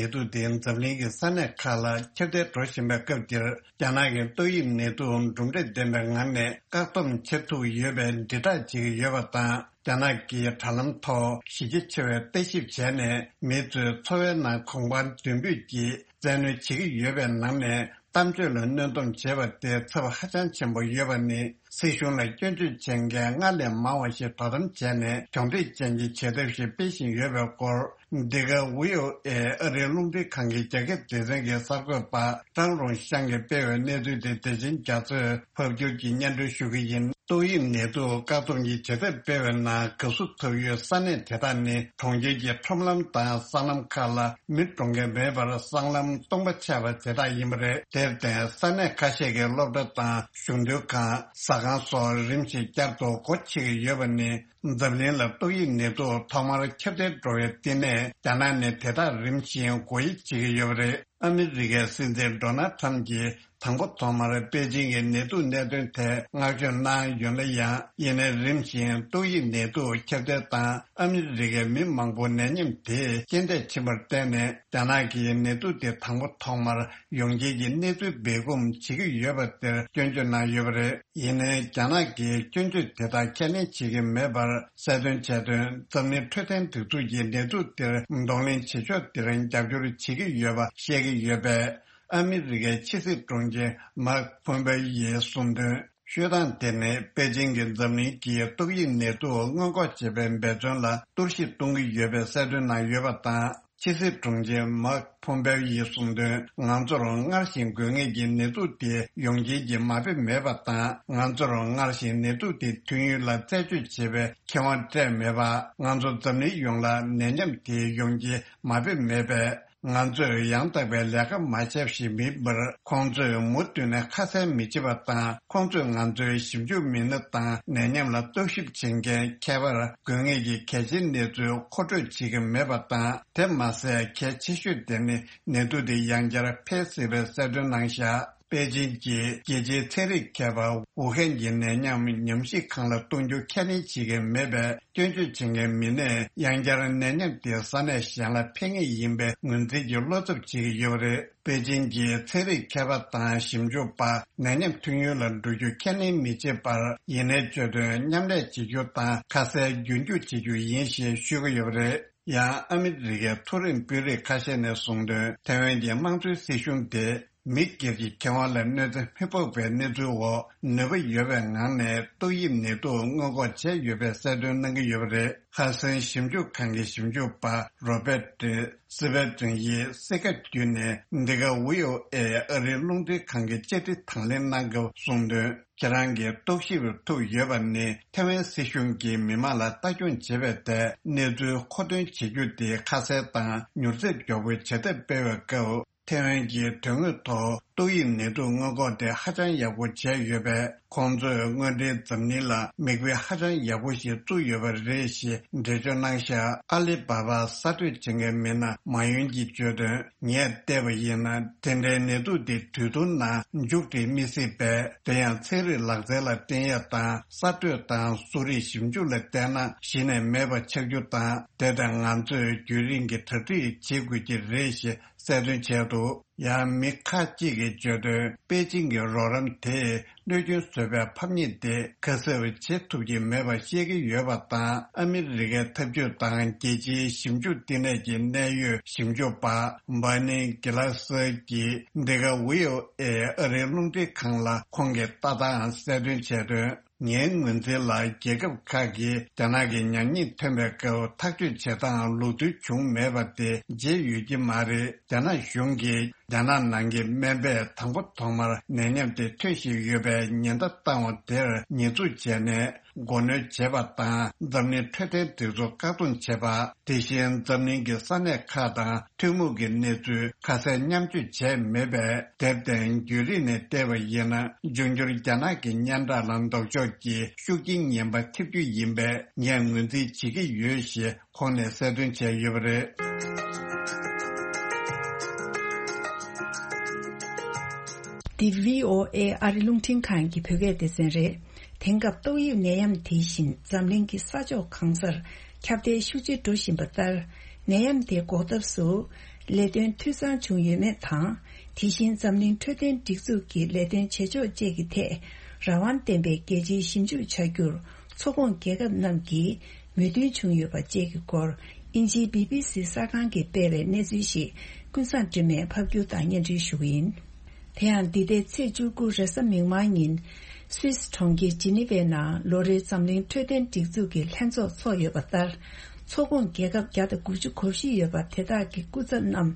ནད་དུག་དེ་འཛམ་གླིང་གི་ས་གནས་ཁག་ལ་ཁྱབ་གདལ་འགྲོ་བཞིན་པའི་སྐབས་འདིར། རྒྱ་ནག་གི་ཏོག་དབྱིབས་ནད་དུག་གྲུབ་འབྲས་ལྡན་པའི་ངང་ནས་བཀག་སྡོམ་བྱེད་ཐུབ་ཡོད་པའི་དྲིལ་བསྒྲགས་བྱེད་ཀྱི་ཡོད་པ་དང་། རྒྱ་ནག་གིས་དྲ་ལམ་ཐོག་གཞི་རྒྱ་ཆེ་བའི་ལྟ་ཞིབ་བྱས་ནས། མི་ཚོའི་འཚོ་བའི་ནང་གོང་འཕར་མདུན་སྤོས་ཀྱིས་བཙན་གནོན་བྱེད་ཀྱི་ཡོད་པའི་ནང་ནས། གཏམ་བརྗོད་ལ་གནོན་སྡོམ་བྱས་པ་དེ་ཚབས་ཧ་ཅང་ཆེན་པོ་ཡོད་པ་ནི། སྲིད་གཞུང་ལ་སྐྱོན་བརྗོད་བྱེད་མཁན་སྔར་ལས་མང་བ་ཞིག་དོ་དམ་བྱས་ནས། གྱོང་འཕྲད་ཅན་གྱི་བྱེད་ཐབས་ཤིག་སྤེལ་བཞིན་ཡོད་པའི་སྐོར། འདི་ག་ཝི་ཨོ་ཨེ་ཨ་རིའི་རླུང་འཕྲིན་ཁང་གི་རྒྱ་སྐད་སྡེ་ཚན་གྱི་གསར་འགོད་པ་ཀྲང་རུང་ཤང་གིས་སྤེལ་བའི་གནས་ཚུལ་དེ། བདེ་ཆེན་རྒྱ་མཚོས་ཕབ་སྒྱུར་གྱིས་སྙན་སྒྲོན་ཞུ་གི་ཡིན། ཏོག་དབྱིབས་ནད་དུག་བཀག་སྡོམ་གྱི་བྱེད་ཐབས་སྤེལ་བའི་ནང་དགའ་བསུ་ཐོབ་ཡུལ་ས་གནས་དེ་དག་ནི། གྲོང་ཁྱེར་གྱི་ཁྲོམ་ལམ་དང་སྲང་ལམ་ཁག་ལ་མི་འགྲོ་མཁན་མེད་པར། སྲང་ལམ་སྟོང་པ་ཆགས་པ་དེ་དག་ཡིན་པ་རེད། དེར་བརྟེན། ས་གནས་ཁ་ཤས་ཀྱི་སློབ་གྲྭ་དང་གཞུང་དོན་ཁང་། ཟ་ཁང་སོགས་རིམ་བཞིན་བསྐྱར་དུ་སྒོ་ཕྱེ་གི་ཡོད་པ་ནི། འཛམ་གླིང་ལ་ཏོག་དབྱིབས་ནད་དུག་ཐོག་མར་ཁྱབ་གདལ་འགྲོ་བའི་བསྟི་གནས་རྒྱ་ནག་ནས། དེ་དག་རིམ་བཞིན་སྒོ་དབྱེ་བྱེད་ཀྱི་ཡོད་པ་རེད། ཨ་མི་རི་ཀའི་སྲིད་འཛིན་ཌོ་ནལ་ཁྲམ་གྱིས་དང་པོ་ཐོག་མར་པེ་ཅིང་གི་ནད་དུག་གནད་དོན་ཐད་བསྔགས་བརྗོད་གནང་ཡོད་ན་ཡང་། ཡིན་ནའི་རིམ་བཞིན་ཏོག་དབྱིབས་ནད་དུག་ཁྱབ་གདལ་དང་། ཨ་མི་རི་ཀའི་མི་མང་པོ་ནད་ཉམས་དེས་རྐྱེན་འདས་ཕྱིན་པར་བརྟེན་ནས། རྒྱ་ནག་གིས་ནད་དུག་དེ་དང་པོ་ཐོག་མར་ཡོང་རྐྱེན་གྱི་གནས་ཚུལ་སྦས་སྐུང་བྱེད་ཀྱི་ཡོད་པ་དེར་སྐྱོན་བརྗོད་གནང་ཡོད་པ་རེད། ཡིན་ནའི་རྒྱ་ནག་གིས་སྐྱོན་བརྗོད་དེ་དག་ཁས་ལེན་བྱེད་ཀྱི་མེད་པར། གསལ་སྟོན་བྱས་དོན། འཛམ་གླིང་འཕྲོད་བསྟེན་སྒྲིག་འཛུགས་ཀྱིས་ནད་དུག་དེར་གདོང་ལེན་བྱེད་ཕྱོགས་དེར་རྒྱབ་སྐྱོར་བྱེད་ཀྱི་ཡོད་པ་བཤད་ཀྱི་ཡོད་པས། ཨ་མི་རི་ཀའི་ཕྱི་སྲིད་དྲུང་ཆེ་མཱིག་ཕོམ་པེ་ཡིས་གསུངས་དོན། ཤོད་སྟངས་དེ་ནི། པེ་ཅིང་གིས་འཛམ་གླིང་གིས་ཏོག་དབྱིབས་ནད་དུག་སྔོན་འགོག་བྱེད་པའི་འབད་བརྩོན་ལ་གཏོར་བཤིག་གཏོང་གི་ཡོད་པའི་གསལ་སྟོན་གནང་ཡོད་པ་དང་། ཕྱི་སྲིད་དྲུང་ཆེ་མཱིག་ཕོམ་པེ་ཡིས་གསུངས་དོན། ང་ཚོར་སྔར་བཞིན་དགོས་ངེས་ཀྱི་ནད་དུག་དེ་ཡོང་རྐྱེན་གྱི་མ་དཔེ་མེད་པ་དང་། ང་ཚོར་སྔར་བཞིན་ནད་དུག་དེ་ཐོན་ཡུལ་ལ་རྩད་གཅོད་བྱེད་པའི་ཁེ་དབང་སྤྲད་མེད་པ། ང་ཚོ་འཛམ་གླིང་ཡོངས་ལ་ནད་ཉམས་དེ་ཡོང་རྐྱེན་མ་དཔེ་མེད་པས། ང་ཚོས་ཡང་དག་པའི་ལས་ཀ་མ་བྱས་ཤིག་མིན་པར། ཁོང་ཚོས་མུ་མཐུད་ནས་ཁ་གསལ་མི་བྱེད་པ་དང་། ཁོང་ཚོས་ང་ཚོའི་ཞིབ་འཇུག་མི་སྣ་དང་ནད་ཉམས་ལ་རྟོག་ཞིབ་བྱེད་མཁན། ཁྱད་པར་དགོས་ངེས་ཀྱི་གལ་ཆེའི་གནས་ཚུལ་མཁོ་སྤྲོད་བྱེད་ཀྱི་མེད་པ་དང་། དེ་མ་ཟད། གལ་ཆེ་ཤོས་དེ་ནི་ནད་དུག་དེ་ཡང་བསྐྱར་འཕེལ་སྲིད་པའི་གསལ་སྟོན་གནང་བཞག་པེ་ཅིང་གིས་རྒྱལ་སྤྱིའི་ཚན་རིག་མཁས་པ་ཝུ་ཧན་གྱི་ནད་ཉམས་ཉམས་ཞིབ་ཁང་ལ་གཏོང་རྒྱུ་ཁས་ལེན་བྱེད་ཀྱི་མེད་པས། སྐྱོན་བརྗོད་བྱེད་མཁན་མི་སྣས་ཡང་བསྐྱར་ནད་ཉམས་དེ་ས་གནས་གཞན་ལ་འཕེལ་ངེས་ཡིན་པའི་ངོས་འཛིན་གྱི་བློ་འཚབ་བྱེད་ཀྱི་ཡོད་པ་རེད། པེ་ཅིང་གིས་ཚན་རིག་མཁས་པ་དང་ཞིབ་འཇུག་པ་ནད་ཉམས་ཐོན་ཡུལ་ལ་འགྲོ་རྒྱུ་ཁས་ལེན་མི་བྱེད་པར། ཡིན་ནའི་བརྗོད་དོན། མཉམ་ལས་བྱེད་རྒྱུ་དང་ཁ་གསལ་རྒྱུན་སྐྱོང་བྱེད་རྒྱུ་ཡིན་ཞེས་ཤོད་ཀྱི་ཡོད་པ་རེད། ཡང་ཨ་མི་རི་ཀའི་མཐོ་རིམ་དཔོན་རིགས་ཁ་ཤས་ནས་གསུངས་དོན། ཐའེ་ཝན་གྱི་དམངས་གཙོའི་སྲིད་གཞུང་དེ་མི་སྒེར་གྱི་ཁེ་དབང་ལ་གནོད་འཚེ་མི་ཕོག་པའི་གནས་ཚུལ་འོག་ནུས་པ་ཡོད་པའི་ངང་ནས་ཏོག་དབྱིབས་ནད་དུག་སྔོན་འགོག་བྱས་ཡོད་པའི་གསལ་སྟོན་གནང་གི་ཡོད་པ་རེད། ཧ་སན་ཞིབ་འཇུག་ཁང་གི་ཞིབ་འཇུག་པ་རོ་པེ་ཏྲི་སི་པེ་ཏྲིན་ཡིས་གསལ་ཁ་བརྒྱུད་ནས། འདི་ག་ཝི་ཨོ་ཨེ་ཨ་རིའི་རླུང་འཕྲིན་ཁང་གི་བཅར་འདྲི་དང་ལེན་གནང་སྐབས་གསུངས་དོན། ཁྱེད་རང་གིས་རྟོག་ཞིབ་ཐུབ་ཡོད་པ་ནི། ཐའེ་ཝན་སྲིད་གཞུང་གིས་མི་མང་ལ་ལྟ་སྐྱོང་བྱེད་པའི་ཐད་གནས་ཚུལ་མཁོ་འདོན་བྱེད་རྒྱུ་དེ་ཁ་གསལ་དང་མྱུར་ཚད་མགྱོགས་པོའི་བྱེད་ཐབས་སྤེལ་བའི་སྐབས། ཐའེ་ཝན་གྱིས་དོན་དངོས་ཐོག་ཏོག་དབྱིབས་ནད་དུག་སྔོན་འགོག་དེ་ཧ་ཅང་ཡག་པོ་བྱས་ཡོད་པས། ཁོང་ཚོས་སྔོན་འགྲོའི་འཛམ་གླིང་ལ་མིག་དཔེ་ཧ་ཅང་ཡག་པོ་ཞིག་བཙུགས་ཡོད་པ་རེད་ཞེས་འགྲེལ་བརྗོད་གནང་བཞག་ཨ་ལི་བྷ་བྷ་གསར་གཏོད་བྱེད་མཁན་མི་སྣ་མ་ཡུན་གྱིས་བརྗོད་དོན། ངས་བལྟས་པ་ཡིན་ན། དེ་འདྲའི་ནད་དུག་དེ་དུས་ཐུང་ནང་མཇུག་སྒྲིལ་མི་སྲིད་པས། དེ་ཡང་ཚན་རིག་ལག་རྩལ་ལ་བརྟེན་ཡ་དང་། གསར་གཏོད་དང་གསོ་རིག་ཞིབ་འཇུག་ལ་བལྟས་ན་གཞི་ནས་མེད་པ་ཆགས་རྒྱུ་དང་། དེ་དང་ང་ཚོས་རྒྱུན་རིང་གི་གྲ་སྒྲིག་བྱེད་དགོས་ཀྱི་རེད་ཞེས་གསལ་སྟོན་བྱས་འདུག་ཡང་མི་ཁག་ཅིག་གིས་བརྗོད་དོན། པེ་ཅིང་གི་རོགས་རམ་དེས་གནོད་སྐྱོན་བཟོས་པའི་ཕམ་ཉེས་དེ་ཁ་གསབ་བྱེད་ཐུབ་ཀྱི་མེད་པ་བཤད་ཀྱི་ཡོད་པ་དང་། ཨ་མི་རི་ཀའི་འཐབ་ཇུས་དང་རྒྱལ་སྤྱིའི་ཞིབ་འཇུག་བསྟི་གནས་ཀྱི་གནད་ཡོད་ཞིབ་འཇུག་པ་བྷར་ནི་གྷི་ལ་སི་གིས་འདི་ག་ཝི་ཨོ་ཨེ་ཨ་རིའི་རླུང་འཕྲིན་ཁང་ལ་ཁོང་གི་ལྟ་སྟངས་གསལ་སྟོན་བྱས་དོན། ངའི་ངོས་འཛིན་ལ། རྒྱལ་ཁབ་ཁག་གིས་རྒྱ་ནག་གི་ཉམས་ཉེས་ཐོན་པའི་སྐབས་ཐག་གཅོད་བྱེད་སྟངས་ལུགས་མཐུན་བྱུང་མེད་པ་དེ་བརྗེད་ཡོད་ཀྱི་མ་རེད། རྒྱ་ནག་གཞུང་གིས་རྒྱ་ནག་ནང་གི་སྨན་པས་དང་པོ་ཐོག་མར་ནད་ཉམས་དེ་ཐོན་བཞིན་ཡོད་པའི་ཉེན་བརྡ་བཏང་བ་དེར་ཉེས་འཛུགས་བྱས་ནས་མགོ་གནོན་བྱས་པ་དང་། འཛམ་གླིང་འཕྲོད་བསྟེན་སྒྲིག་འཛུགས་བཀག་སྡོམ་བྱས་པ། དེ་བཞིན་འཛམ་གླིང་གི་ས་གནས་ཁག་དང་ཐུན་མོང་གི་གནས་ཚུལ་ཁ་གསལ་མཉམ་སྤྱོད་བྱས་མེད་པས། དེར་བརྟེན་རྒྱུན་རིང་ནས་བལྟས་པ་ཡིན་ན། འབྱུང་འགྱུར་རྒྱ་ནག་གི་སྙན་གྲགས་ལ་ལྡོག་ཕྱོགས་ཀྱི་ཤུགས་རྐྱེན་ངན་པ་ཐེབས་རྒྱུ་ཡིན་པས། ངས་ངོས་འཛིན་བྱེད་ཀྱི་ཡོད་ཞེས་ཁོང་ནས་གསལ་སྟོན་བྱས་ཡོད་པ་རེད། འདི་བྷི་ཨོ་ཨེ་ཨ་རི་རླུང་འཕྲིན་ཁང་གི་བོད་སྐད་སྡེ་ཚན་རེད། དེང་སྐབས་ཏོག་དབྱིབས་ནད་ཡམས་དེ་བཞིན་འཛམ་གླིང་གི་ས་ཕྱོགས་གང་སར་ཁྱབ་གདལ་ཤུགས་ཆེ་འགྲོ་བཞིན་པ་ལྟར། ནད་ཡམས་དེ་འགོག་ཐབས་སུ་ལས་དོན་འཐུས་ཚང་བྱུང་ཡོད་མེད་དང་། དེ་བཞིན་འཛམ་གླིང་འཕྲོད་བསྟེན་སྒྲིག་འཛུགས་ཀྱི་ལས་དོན་བྱེད་ཕྱོགས་བཅས་ཀྱི་ཐད་རང་དབང་ལྡན་པའི་རྒྱལ་སྤྱིའི་ཞིབ་འཇུག་བྱ་རྒྱུར་ཚོགས་ཁོངས་རྒྱལ་ཁབ་རྣམས་ཀྱིས་མོས་མཐུན་བྱུང་ཡོད་པ་བཅས་ཀྱི་སྐོར། དབྱིན་ཇིའི་བི་བི་སི་གསར་ཁང་གིས་སྤེལ་བའི་གནས་ཚུལ་ཞིག་ཀུན་བཟང་སྒྲོལ་མས་ཕབ་སྒྱུར་དང་སྙན་སྒྲོན་ཞུ་གི་ཡིན། དེ་ཡང་འདི་ཟླའི་ཚེས་བཅུ་དགུ་རེས་གཟའ་མིག་དམར་ཉིན། སུད་སི་གྲོང་ཁྱེར་ཇི་ནི་ཝའི་ནང་ལོ་རེའི་འཛམ་གླིང་འཕྲོད་བསྟེན་སྒྲིག་འཛུགས་ཀྱི་ལྷན་ཚོགས་འཚོགས་ཡོད་པ་ལྟར། ཚོགས་ཁོངས་རྒྱལ་ཁབ་བརྒྱ་དང་དགུ་བཅུ་གོ་བཞི་ཡོད་པ་དེ་དག་གི་སྐུ་ཚབ་རྣམས་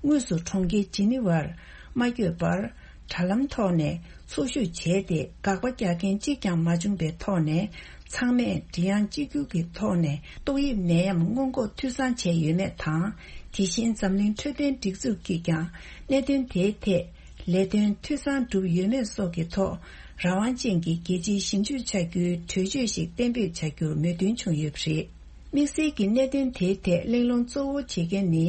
དངོས་སུ་གྲོང་ཁྱེར་ཇི་ནི་ཝར་མ་བསྐྱོད་པར། དྲ་ལམ་ཐོག་ནས་ཚོགས་ཞུགས་བྱས་ཏེ། དགག་པ་རྒྱག་མཁན་གཅིག་ཀྱང་མ་བྱུང་པའི་ཐོག་ནས། ཚང་མས་མགྲིན་དབྱངས་གཅིག་གྱུར་གྱི་ཐོག་ནས་ཏོག་དབྱིབས་ནད་ཡམས་སྔོན་འགོག་འཐུས་ཚང་བྱས་ཡོད་མེད་དང་། དེ་བཞིན་འཛམ་གླིང་འཕྲོད་བསྟེན་སྒྲིག་འཛུགས་ཀྱིས་ཀྱང་གནད་དོན་དེའི་ཐད་ལས་དོན་འཐུས་ཚང་གྲུབ་ཡོད་མེད་སོགས་ཀྱི་ཐོག་རང་དབང་ཅན་གྱི་རྒྱལ་སྤྱིའི་ཞིབ་འཇུག་བྱ་རྒྱུའི་གྲོས་ཆོད་ཞིག་གཏན་འབེབས་བྱ་རྒྱུར་མོས་མཐུན་བྱུང་ཡོད་པ་རེད། དམིགས་བསལ་གྱི་གནད་དོན་དེའི་ཐད་གླེང་སློང་གཙོ་བོ་བྱེད་མཁན་ནི་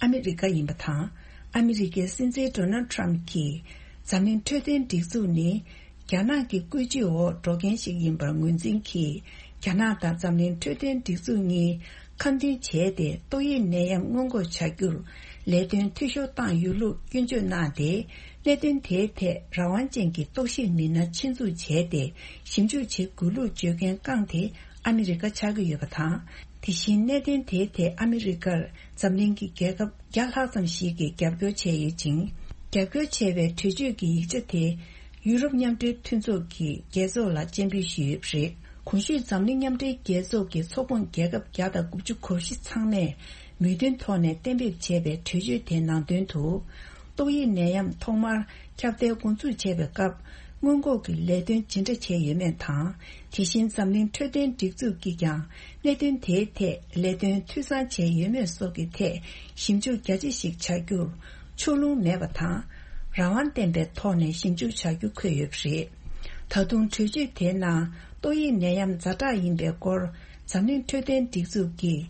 ཨ་མི་རི་ཀ་ཡིན་པ་དང་། ཨ་མི་རི་ཀའི་སྲིད་འཛིན་ཌོ་ནལ་ཊམ་གྱིས་འཛམ་གླིང་འཕྲོད་བསྟེན་སྒྲིག་འཛུགས་ནི། རྒྱ་ནག་གི་བཀོད་ཇུས་འོག་འགྲོ་མཁན་ཞིག་ཡིན་པར་ངོས་འཛིན་གྱིས། རྒྱ་ནག་དང་འཛམ་གླིང་འཕྲོད་བསྟེན་སྒྲིག་འཛུགས་གཉིས་ཁ་མཐུན་བྱས་ཏེ། ཏོག་དབྱིབས་ནད་ཡམས་སྔོན་འགོག་བྱ་རྒྱུར་ལས་དོན་འཐུས་ཤོར་བཏང་ཡོད་ལུགས་སྐྱོན་བརྗོད་གནང་སྟེ། གནད་དོན་དེའི་ཐད་རང་དབང་ཅན་གྱི་རྟོག་ཞིབ་མི་སྣ་ཆེད་འཛུགས་བྱས་ཏེ། ཞིབ་འཇུག་བྱེད་དགོས་ལུགས་བརྗོད་མཁན་རྐང་དེ་ཨ་མི་རི་ཀ་ཆགས་ཀྱི་ཡོད་པ་དང་། དེ་བཞིན་གནད་དོན་དེའི་ཐད་ཨ་མི་རི་ཀར་འཛམ་གླིང་གི་རྒྱལ་ཁབ་བརྒྱ་ལྷག་ཙམ་ཞིག་གིས་རྒྱབ་སྐྱོར་བྱས་ཡོད་ཅིང་། རྒྱབ་སྐྱོར་བྱས་པའི་གྲོས་ཆོད་ཀྱི་ཡིག་ཆ་དེ་ཡུ་རོབ་མཉམ་འབྲེལ་མཐུན་ཚོགས་ཀྱི་རྒྱལ་ཚོགས་ལ་སྤྱན་འབུལ་ཞུས་ཡོད་པ་རེད། གོང་ཞུས་འཛམ་གླིང་མཉམ་འབྲེལ་རྒྱལ་ཚོགས་ཀྱི་ཚོགས་ཁོངས་རྒྱལ་ཁབ་བརྒྱ་དང་དགུ་བཅུ་གོ་བཞི་ཚང་མས་མོས་མཐུན་ཐོག་ནས་གཏན་འབེབས་བྱས་པའི་གྲོས་ཆོད་དེའི་ནང་དོན་དུ། ཏོག་དབྱིབས་ནད་ཡམས་ཐོག་མར་ཁྱབ་གདལ་འགོ་འཛུགས་བྱས་པའི་སྐབས། སྔོན་འགོག་གི་ལས་དོན་ཇི་འདྲ་བྱས་ཡོད་མེད་དང་། དེ་བཞིན་འཛམ་གླིང་འཕྲོད་བསྟེན་སྒྲིག་འཛུགས་ཀྱིས་ཀྱང་གནད་དོན་དེའི་ཐད་ལས་དོན་འཐུས་ཚང་བྱས་ཡོད་མེད་སོགས་ཀྱི་ཐད་ཞིབ་འཇུག་རྒྱ་ཆེ་ཞིག་བྱ་རྒྱུར་ཕྱོགས་ལྷུང་མེད་པ་དང་། རང་དབང་ལྡན་པའི་ཐོག་ནས་ཞིབ་འཇུག་བྱ་རྒྱུ་འཁོད་ཡོད་པ་རེད། ད་དུང་གྲོས་ཆོད་དེའི་ནང་ཏོག་དབྱིབས་ནད་ཡམས་ཛ་དྲག་ཡིན་པའི་སྐོར་འཛམ་གླིང་འཕྲོད་བསྟེན་སྒྲིག་འཛུགས་ཀྱིས།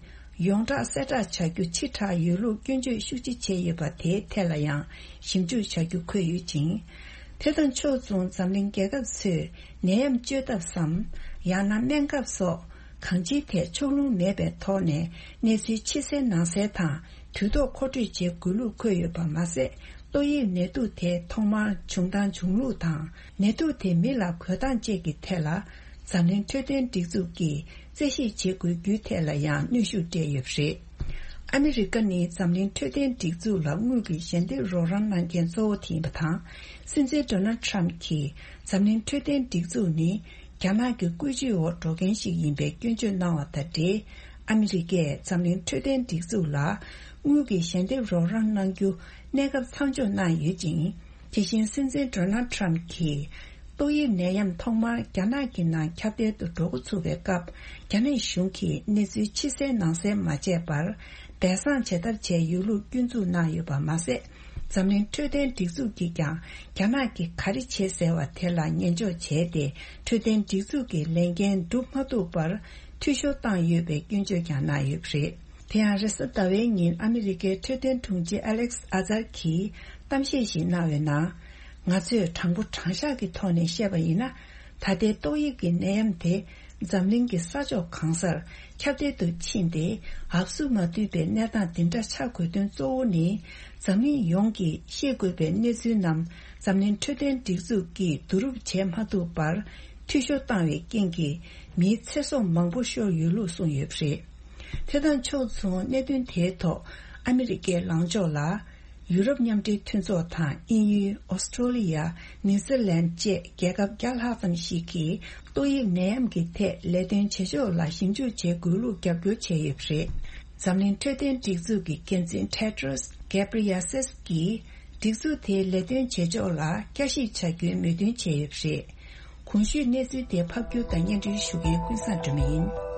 ཡོངས་གྲགས་གསལ་བསྒྲགས་བྱ་རྒྱུ་ཕྱི་དྲགས་ཡོད་ལུགས་སྐྱོན་བརྗོད་ཤུགས་ཆེ་བྱས་ཡོད་པ་དེའི་ཐད་ལ་ཡང་ཞིབ་འཇུག་བྱ་རྒྱུ་འཁོད་ཡོད་ཅིང་། དེ་དང་ཕྱོགས་མཚུངས་འཛམ་གླིང་རྒྱལ་ཁབ་ཚོས་ནད་ཡམས་བཅོས་ཐབས་སམ། ཡང་ན་སྨན་ཁབ་སོགས་གང་ཅིའི་ཐད་ཕྱོགས་ལྷུང་མེད་པའི་ཐོག་ནས་གནས་ཚུལ་ཕྱི་གསལ་ནང་གསལ་དང་དུས་ཐོག་མཁོ་སྤྲོད་བྱེད་དགོས་ལུགས་འཁོད་ཡོད་པ་མ་ཟད། ཏོག་དབྱིབས་ནད་དུག་དེ་ཐོག་མར་བྱུང་སྟངས་བྱུང་ལུགས་དང་། ནད་དུག་དེ་མི་ལ་འགོས་སྟངས་བཅས་ཀྱི་ཐད་ལ། འཛམ་གླིང་འཕྲོད་བསྟེན་སྒྲིག་འཛུགས་ཀྱིས་རྩད་ཞིབ་བྱེད་དགོས་རྒྱུའི་ཐད་ལ་ཡང་གནོན་ཤུགས་སྤྲད་ཡོད་པ་རེད། ཨ་མི་རི་ཀ་ནི་འཛམ་གླིང་འཕྲོད་བསྟེན་སྒྲིག་འཛུགས་ལ་དངུལ་གྱི་ཞལ་འདེབས་རོགས་རམ་གནང་མཁན་གཙོ་བོ་དེ་ཡིན་པ་དང་། སྲིད་འཛིན་ཌོ་ནལ་ཊམ་གྱིས་འཛམ་གླིང་འཕྲོད་བསྟེན་སྒྲིག་འཛུགས་ནི་རྒྱ་ནག་གི་བཀོད་ཇུས་འོག་འགྲོ་མཁན་ཞིག་ཡིན་པའི་སྐྱོན་བརྗོད་གནང་བ་དང་འབྲེལ། ཨ་མི་རི་ཀས་འཛམ་གླིང་འཕྲོད་བསྟེན་སྒྲིག་འཛུགས་ལ་དངུལ་གྱི་ཞལ་འདེབས་རོགས་རམ་གནང་རྒྱུ་གནས་སྐབས་མཚམས་འཇོག་གནང་ཡོད་ཅིང་། དེ་བཞིན་སྲིད་འཛིན་ཌོ་ནལ་ཊམ་གྱིས་ཏོག་དབྱིབས་ནད་ཡམས་ཐོག་མར་རྒྱ་ནག་གི་ནང་ཁྱབ་གདལ་དུ་འགྲོ་འགོ་ཚུགས་པའི་སྐབས། རྒྱ་ནག་གཞུང་གིས་གནས་ཚུལ་ཕྱི་གསལ་ནང་གསལ་མ་བྱས་པར་སྦས་གསང་བྱེད་ཐབས་བྱས་ཡོད་ལུགས་སྐྱོན་འཛུགས་གནང་ཡོད་པ་མ་ཟད། འཛམ་གླིང་འཕྲོད་བསྟེན་སྒྲིག་འཛུགས་ཀྱིས་ཀྱང་རྒྱ་ནག་གིས་ག་རེ་བྱེད་ཟེར་བ་དེ་ལ་ཉན་འཇོག་བྱས་ཏེ། འཕྲོད་བསྟེན་སྒྲིག་འཛུགས་ཀྱི་ལས་འགན་སྒྲུབ་མ་ཐུབ་པར་འཐུས་ཤོར་བཏང་ཡོད་པའི་སྐྱོན་བརྗོད་ཀྱང་གནང་ཡོད་པ་རེད། དེ་ཡང་རེས་གཟའ་ཟླ་བའི་ཉིན་ཨ་མི་རི་ཀའི་འཕྲོད་བསྟེན་དྲུང་ཆེ་ཨ་ལེག་སི་ཨ་ཛར་གྱིས་གཏམ་བཤད་ཞིག་གནང་བའི་ནང་། ང་ཚོས་དྲང་པོ་དྲང་བཞག་གི་ཐོག་ནས་བཤད་པ་ཡིན་ན། ད་ལྟའི་ཏོག་དབྱིབས་ཀྱི་ནད་ཡམས་དེ་འཛམ་གླིང་གི་ས་ཕྱོགས་གང་སར་ཁྱབ་གདལ་དུ་ཕྱིན་ཏེ། འབབ་སུ་མ་ཐུབ་པའི་གནས་སྟངས་འདི་འདྲ་ཆགས་དགོས་དོན་གཙོ་བོ་ནི། འཛམ་གླིང་ཡོངས་ཀྱིས་ཤེས་དགོས་པའི་གནས་ཚུལ་རྣམས་འཛམ་གླིང་འཕྲོད་བསྟེན་སྒྲིག་འཛུགས་ཀྱིས་བསྡུ་རུབ་བྱེད་མ་ཐུབ་པར་འཐུས་ཤོར་བཏང་བའི་རྐྱེན་གྱིས་མིའི་ཚེ་སྲོག་མང་པོ་ཤོར་ཡོད་ལུགས་གསུངས་ཡོད་པ་རེད། དེ་དང་ཕྱོགས་མཚུངས་གནད་དོན་དེའི་ཐོག་ཨ་མི་རི་ཀའི་ལངས་ཕྱོགས་ལ། ཡུ་རོབ་མཉམ་འབྲེལ་མཐུན་ཚོགས་དང་དབྱིན་ཡུལ། ཨོ་སི་ཀྲོ་ལི་ཡ། ནིའུ་ཛི་ལན་བཅས་རྒྱལ་ཁབ་བརྒྱ་ལྷག་ཙམ་ཞིག་གིས་ཏོག་དབྱིབས་ནད་ཡམས་ཀྱི་ཐད་ལས་དོན་བྱེད་ཕྱོགས་ལ་ཞིབ་འཇུག་བྱེད་དགོས་ལུགས་རྒྱབ་སྐྱོར་བྱས་ཡོད་པ་རེད། འཛམ་གླིང་འཕྲོད་བསྟེན་སྒྲིག་འཛུགས་ཀྱི་འགན་འཛིན་ཊེ་ཏྲོས་གྷེ་བྷི་རི་ཡ་སེས་ཀྱིས། སྒྲིག་འཛུགས་དེའི་ལས་དོན་བྱེད་ཕྱོགས་ལ་བསྐྱར་ཞིབ་བྱ་རྒྱུའི་མོས་མཐུན་བྱས་ཡོད་པ་རེད། གོང་ཞུས་གནས་ཚུལ་དེ་ཕབ་སྒྱུར་དང་སྙན་སྒྲོན་ཞུ་མཁན་ཀུན་བཟང་སྒྲོལ་མ་ཡིན།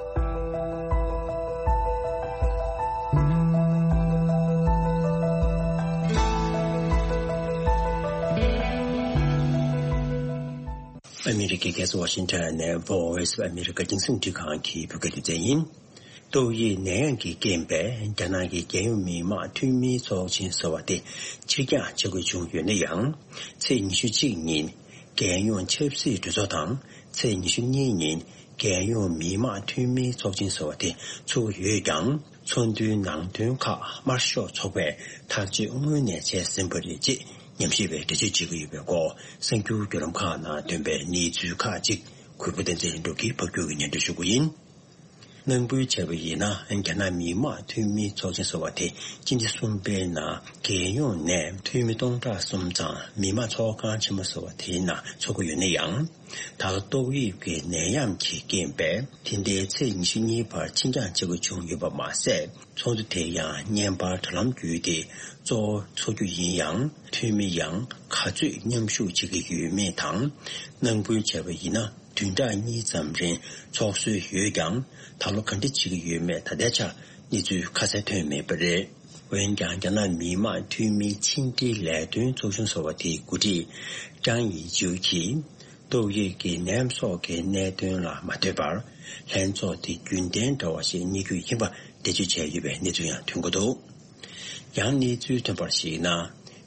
ཨ་མི་རི་ཀའི་རྒྱལ་ས་ཝ་ཤིང་ཊོན་ནས་Voice of America་རྒྱང་སྲིང་འཕྲིན་ཁང་གི་བོད་སྐད་སྡེ་ཚན་ཡིན། ཏོག་དབྱིབས་ནད་ཡམས་ཀྱི་རྐྱེན་པས་རྒྱ་ནག་གི་རྒྱལ་ཡོངས་མི་དམངས་འཐུས་མིའི་ཚོགས་ཆེན་ཟེར་བ་དེ་ཕྱིར་འགྱངས་བྱ་དགོས་བྱུང་ཡོད་ན་ཡང་། ཚེས་ཉི་ཤུ་གཅིག་ཉིན་རྒྱལ་ཡོངས་ཆབ་སྲིད་གྲོས་ཚོགས་དང་ཚེས་ཉི་ཤུ་གཉིས་ཉིན་རྒྱལ་ཡོངས་མི་དམངས་འཐུས་མིའི་ཚོགས་ཆེན་ཟེར་བ་དེ་ཚུགས་ཡོད་ཀྱང་ ཚོགས་འདུའི་ནང་དོན་ཁག་དམར་ཤོག་ཚོགས་པས་ཐག་གཅོད་སྔོན་ནས་བྱས་ཟིན་པ་རེད་ཅེས་ཉམས་ཞིབ་པས་འགྲེལ་བརྗོད་བྱེད་ཀྱི་ཡོད་པའི་སྐོར། གསར་འགྱུར་བརྒྱུད་ལམ་ཁག་ནང་ཐོན་པའི་གནས་ཚུལ་ཁག་ཅིག་གུས་པ་བསྟན་འཛིན་ལྷུན་གྲུབ་ཀྱིས་ཕབ་སྒྱུར་གྱིས་སྙན་སྒྲོན་ཞུ་གི་ཡིན། ནང་ཁུལ་བྱས་པ་ཡིན་ན། རྒྱ་ནག་མི་དམངས་འཐུས་མིའི་ཚོགས་ཆེན་ཟེར་བ་དེ་སྤྱི་ཟླ་གསུམ་པའི་ནང་རྒྱལ་ཡོངས་ནས་འཐུས་མི་སྟོང་ཕྲག་གསུམ་ཙམ་མི་དམངས་ཚོགས་ཁང་ཆེན་མོ་ཟེར་བ་དེའི་ནང་འཚོགས་ཀྱི་ཡོད་ན་ཡང་། ད་ལོ་ཏོག་དབྱིབས་ཀྱི་ནད་ཡམས་ཀྱི་རྐྱེན་པས་དེ་ཟླའི་ཚེས་ཉི་ཤུ་གཉིས་བར་ཕྱིར་འགྱངས་བྱེད་དགོས་བྱུང་ཡོད་པ་མ་ཟད། ཚོགས་འདུ་དེ་ཡང་བརྙན་པར་དྲ་ལམ་བརྒྱུད་དེ་གཙོ་བོ་འཚོགས་རྒྱུ་ཡིན་ཡང་། འཐུས་མི་ཡང་ག་ཚོད་མཉམ་ཞུགས་བྱེད་ཀྱི་ཡོད་མེད་དང་། ནང་ཁུལ་བྱས་པ་ཡིན་ན། བདུན་ཕྲག་གཉིས་ཙམ་རིང་འཚོགས་སྲོལ་ཡོད་ཀྱང་། ད་ལོ་ག་འདྲ་བྱེད་ཀྱི་ཡོད་མེད་ད་ལྟའི་ཆར་གནས་ཚུལ་ཁ་གསལ་ཐོན་མེད་པ་རེད། འོན་ཀྱང་། རྒྱ་ནག་མི་དམངས་འཐུས་མིའི་ཕྱི་འབྲེལ་ལས་དོན་ཚོགས་ཆུང་ཟེར་བ་དེའི་འགོ་ཁྲིད་ཀྲང་ཡི་ཅུའུ་གྱིས། ཏོག་དབྱིབས་ཀྱི་ནད་ཡམས་སོགས་ཀྱི་གནད་དོན་ལ་མ་ལྟོས་པར། ལྷན་ཚོགས་དེ་རྒྱུན་ལྡན་འདྲ་བ་ཞིག་གཉེར་རྒྱུ་ཡིན་པ་འགྲེལ་བརྗོད་བྱས་ཡོད་པའི་གནས་ཚུལ་ཡང་ཐོན་གྱི་འདུག། ཡང་གནས་ཚུལ་ཐོན་པར་གཞིགས་ན།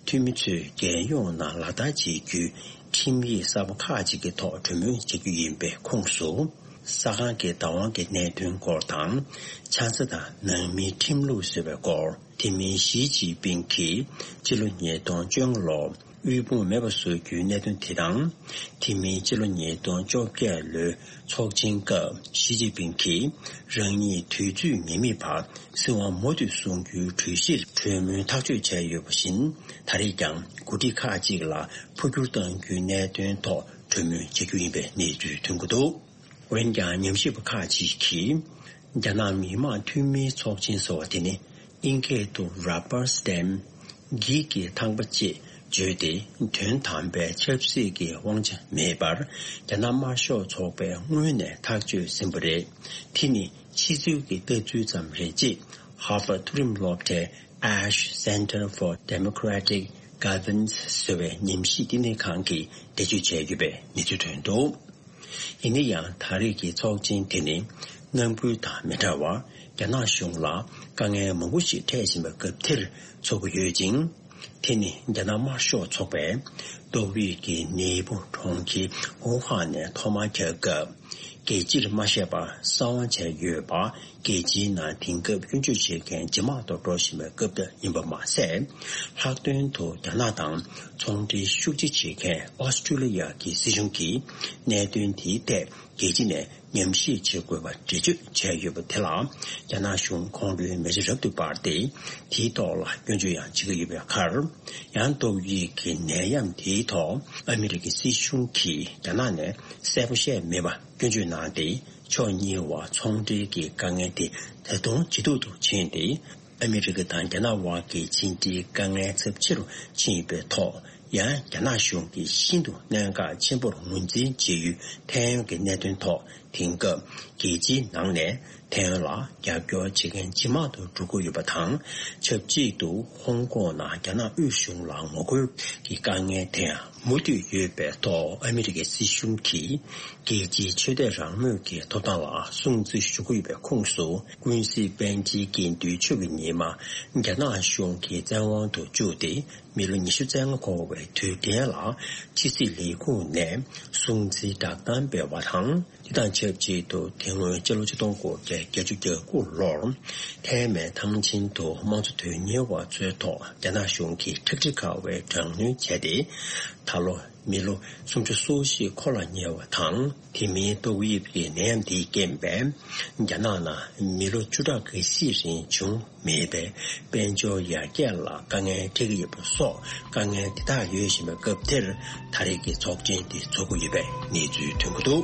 འཐུས་མི་ཚོས་རྒྱལ་ཡོངས་ནང་ལག་བསྟར་བྱེད་རྒྱུའི་ཁྲིམས་ཡིག་གསར་པ་ཁག་ཅིག་གི་ཐོག་གྲོས་མོལ་བྱེད་རྒྱུ་ཡིན་པའི་ཁོངས་སུ། ས་ཁང་གི་བདག་དབང་གི་གནད་དོན་སྐོར་དང་། ཆང་ས་དང་ནང་མིའི་ཁྲིམས་ལུགས་ཟེར་བའི་སྐོར། དེ་མིན་ཞི་ཅིན་ཕིང་གིས་སྤྱི་ལོ་ཉིས་སྟོང་བཅོ་ལྔ་ལོར་དབུལ་ཕོངས་མེད་པ་བཟོ་རྒྱུའི་གནད་དོན་དེ་དང་། དེ་མིན་སྤྱི་ལོ་ཉིས་སྟོང་བཅོ་བརྒྱད་ལོའི་ཚོགས་ཆེན་སྐབས་ཞི་ཅིན་ཕིང་གིས་རང་ཉིད་དུས་ཚོད་ངེས་མེད་བར་སྲིད་དབང་མུ་མཐུད་བཟུང་རྒྱུའི་གྲོས་གཞིར་གྲོས་མོལ་ཐག་གཅོད་བྱས་ཡོད་པ་བཞིན། ད་རེས་ཀྱང་འགོ་ཁྲིད་ཁག་ཅིག་ལ་འཕོ་འགྱུར་གཏང་རྒྱུའི་གནད་དོན་ཐོག་གྲོས་མོལ་བྱེད་རྒྱུ་ཡིན་པའི་གནས་ཚུལ་ཐོན་གྱི་འདུག། འོན་ཀྱང་། ཉམས་ཞིབ་པ་ཁག་ཅིག་གིས། རྒྱ་ནག་མི་དམངས་འཐུས་མིའི་ཚོགས་ཆེན་ཟེར་བ་དེ་ནི། དབྱིན་སྐད་དུ་rubber stamp། འགྱིག་གི་ཐང་པ་ཅེས་བརྗོད་དེ། དོན་དམ་པའི་ཆབ་སྲིད་ཀྱི་དབང་ཆ་མེད་པར། རྒྱ་ནག་དམར་ཤོག་ཚོགས་པས་སྔོན་ནས་ཐག་གཅོད་ཟིན་པ་རེད། དེ་ནི་ཕྱི་ཚུལ་གྱི་ལྟ་ཚུལ་ཙམ་རེད་ཅེས། ཧར་ཝརཌ་མཐོ་རིམ་སློབ་གྲྭའི་Ash Center for Democratic Governance ཟེར་བའི་ཉམས་ཞིབ་བསྟི་གནས་ཁང་གིས་འགྲེལ་བརྗོད་བྱས་ཡོད་པའི་གནས་ཚུལ་ཐོན་འདུག། ཡིན་ན་ཡང་། ད་རེས་ཀྱི་ཚོགས་ཆེན་དེ་ནི་ནང་ཁུལ་དང་མི་འདྲ་བར། རྒྱ་ནག་གཞུང་ལ་དཀའ་ངལ་མང་པོ་ཞིག་འཕྲད་བཞིན་པའི་སྐབས་དེར་འཚོགས་ཀྱི་ཡོད་ཅིང་། དེ་ནི་རྒྱ་ནག་དམར་ཤོག་ཚོགས་པས་ཏོག་དབྱིབས་ཀྱི་ནད་འབུ་གྲོང་ཁྱེར་ཝུ་ཧན་ནས་ཐོག་མར་ཁྱབ་སྐབས། རྒྱལ་སྤྱིར་མ་བཤད་པར་གསང་བ་བྱས་ཡོད་པ། རྒྱལ་སྤྱིའི་ནང་དེང་སྐབས་སྐྱོན་བརྗོད་བྱེད་མཁན་ཇེ་མང་དུ་འགྲོ་བཞིན་པའི་སྐབས་དེ་ཡིན་པ་མ་ཟད། ལྷག་དོན་དུ་རྒྱ་ནག་དང་ཚོང་འབྲེལ་ཤུགས་ཆེ་བྱེད་མཁན་ཨོ་སི་ཀྲི་ལི་ཡ་གི་སྲིད་གཞུང་གིས་གནད་དོན་དེའི་ཐད་རྒྱལ་སྤྱི་ནས་ཉམས་ཞིབ་བྱེད་དགོས་པ་འགྲེལ་བརྗོད་བྱས་ཡོད་པ་དེ་ལ། རྒྱ་ནག་གཞུང་ཁོང་ཁྲོའི་མེ་ལྕེ་རབ་ཏུ་འབར་ཏེ། དེའི་ཐོག་ལ་སྐྱོན་བརྗོད་ཡང་བྱེད་ཀྱི་ཡོད་པའི་ཁར། ཡང་ཏོག་དབྱིབས་ཀྱི་ནད་ཡམས་དེའི་ཐོག་ཨ་མི་རི་ཀའི་སྲིད་གཞུང་གིས་རྒྱ་ནག་ནས་གསལ་པོ་བཤད་མེད་པ། སྐྱོན་བརྗོད་གནང་སྟེ། ཕྱོགས་གཉིས་བར་ཚོང་འབྲེལ་གྱི་དཀའ་ངལ་དེ་ད་དུང་ཇེ་སྡུག་ཏུ་ཕྱིན་ཏེ། ཨ་མི་རི་ཀ་དང་རྒྱ་ནག་དབར་གྱི་ཕྱི་འབྲེལ་དཀའ་ངལ་ཚབས་ཆེ་རུ་ཕྱིན་ཡོད་པའི་ཐོག། ཡང་རྒྱ་ནག་གཞུང་གིས་ཤིན་ཏུ་གནད་འགག་ཆེན་པོར་ངོས་འཛིན་བྱེད་ཡུལ་ཐའེ་ཝན་གྱི་གནད་དོན་ཐོག་དེང་སྐབས་རྒྱལ་སྤྱིའི་ནང་ནས་ཐའེ་ཝན་ལ་རྒྱབ་སྐྱོར་བྱེད་མཁན་ཇེ་མང་དུ་འགྲོ་གི་ཡོད་པ་དང་། ཆབས་ཅིག་ཏུ་ཧོང་ཀོང་ནང་རྒྱ་ནག་དབུས་གཞུང་ལ་ངོ་རྒོལ་གྱི་དཀའ་ངལ་དེ་ཡང་མུ་མཐུད་ཡོད་པའི་ཐོག། ཨ་མི་རི་ཀའི་སྲིད་གཞུང་གིས་རྒྱལ་སྤྱིའི་ཆོས་དད་རང་མོས་ཀྱི་ཐོབ་ཐང་ལ་སྲུང་བརྩི་ཞུ་གི་ཡོད་པའི་ཁོངས་སུ། ཀུན་གཟིགས་པཎ་ཆེན་དགེ་འདུན་ཆོས་ཀྱི་ཉི་མ་རྒྱ་ནག་གཞུང་གི་བཙན་དབང་དུ་བཅུག་སྟེ། མི་ལོ་ཉི་ཤུ་རྩ་ལྔ་འཁོར་བའི་དུས་དྲན་ལ་ཕྱི་སྲིད་ལས་ཁུངས་ནས་སྲུང་བརྩིའི་བསྒྲགས་གཏམ་སྤེལ་བ་དང་། དེ་དང་ཆབས་ཅིག་ཏུ། དེ་སྔོན་སྤྱི་ལོ་ཆིག་སྟོང་དགུ་བརྒྱ་བརྒྱད་ཅུ་གྱ་དགུ་ལོར་ཐའེ་མེན་ཐང་ཆེན་དུ་དམངས་གཙོ་དོན་གཉེར་བ་ཚོའི་ཐོག་རྒྱ་ནག་གཞུང་གིས་ཁྲག་དྲི་ཁ་བའི་དྲག་གནོན་བྱས་ཏེ། ད་ལོ་མི་ལོ་སུམ་ཅུ་སོ་བཞི་འཁོར་ལ་ཉེ་བ་དང་། དེ་མིན་ཏོག་དབྱིབས་ཀྱི་ནད་ཡམས་དེའི་རྐྱེན་པས། རྒྱ་ནག་ནང་མི་ལོ་བཅུ་ཕྲག་འགའ་ཤས་རིང་བྱུང་མེད་པའི་དཔལ་འབྱོར་ཡར་རྒྱས་ལ་དཀའ་ངལ་འཕྲད་ཀྱི་ཡོད་པ་སོགས། དཀའ་ངལ་དེ་དག་ཡོད་བཞིན་པའི་སྐབས་དེར། ད་རེས་ཀྱི་ཚོགས་ཆེན་དེ་འཚོགས་ཀྱི་ཡོད་པའི་གནས་ཚུལ་ཐོན་གྱི་འདུག།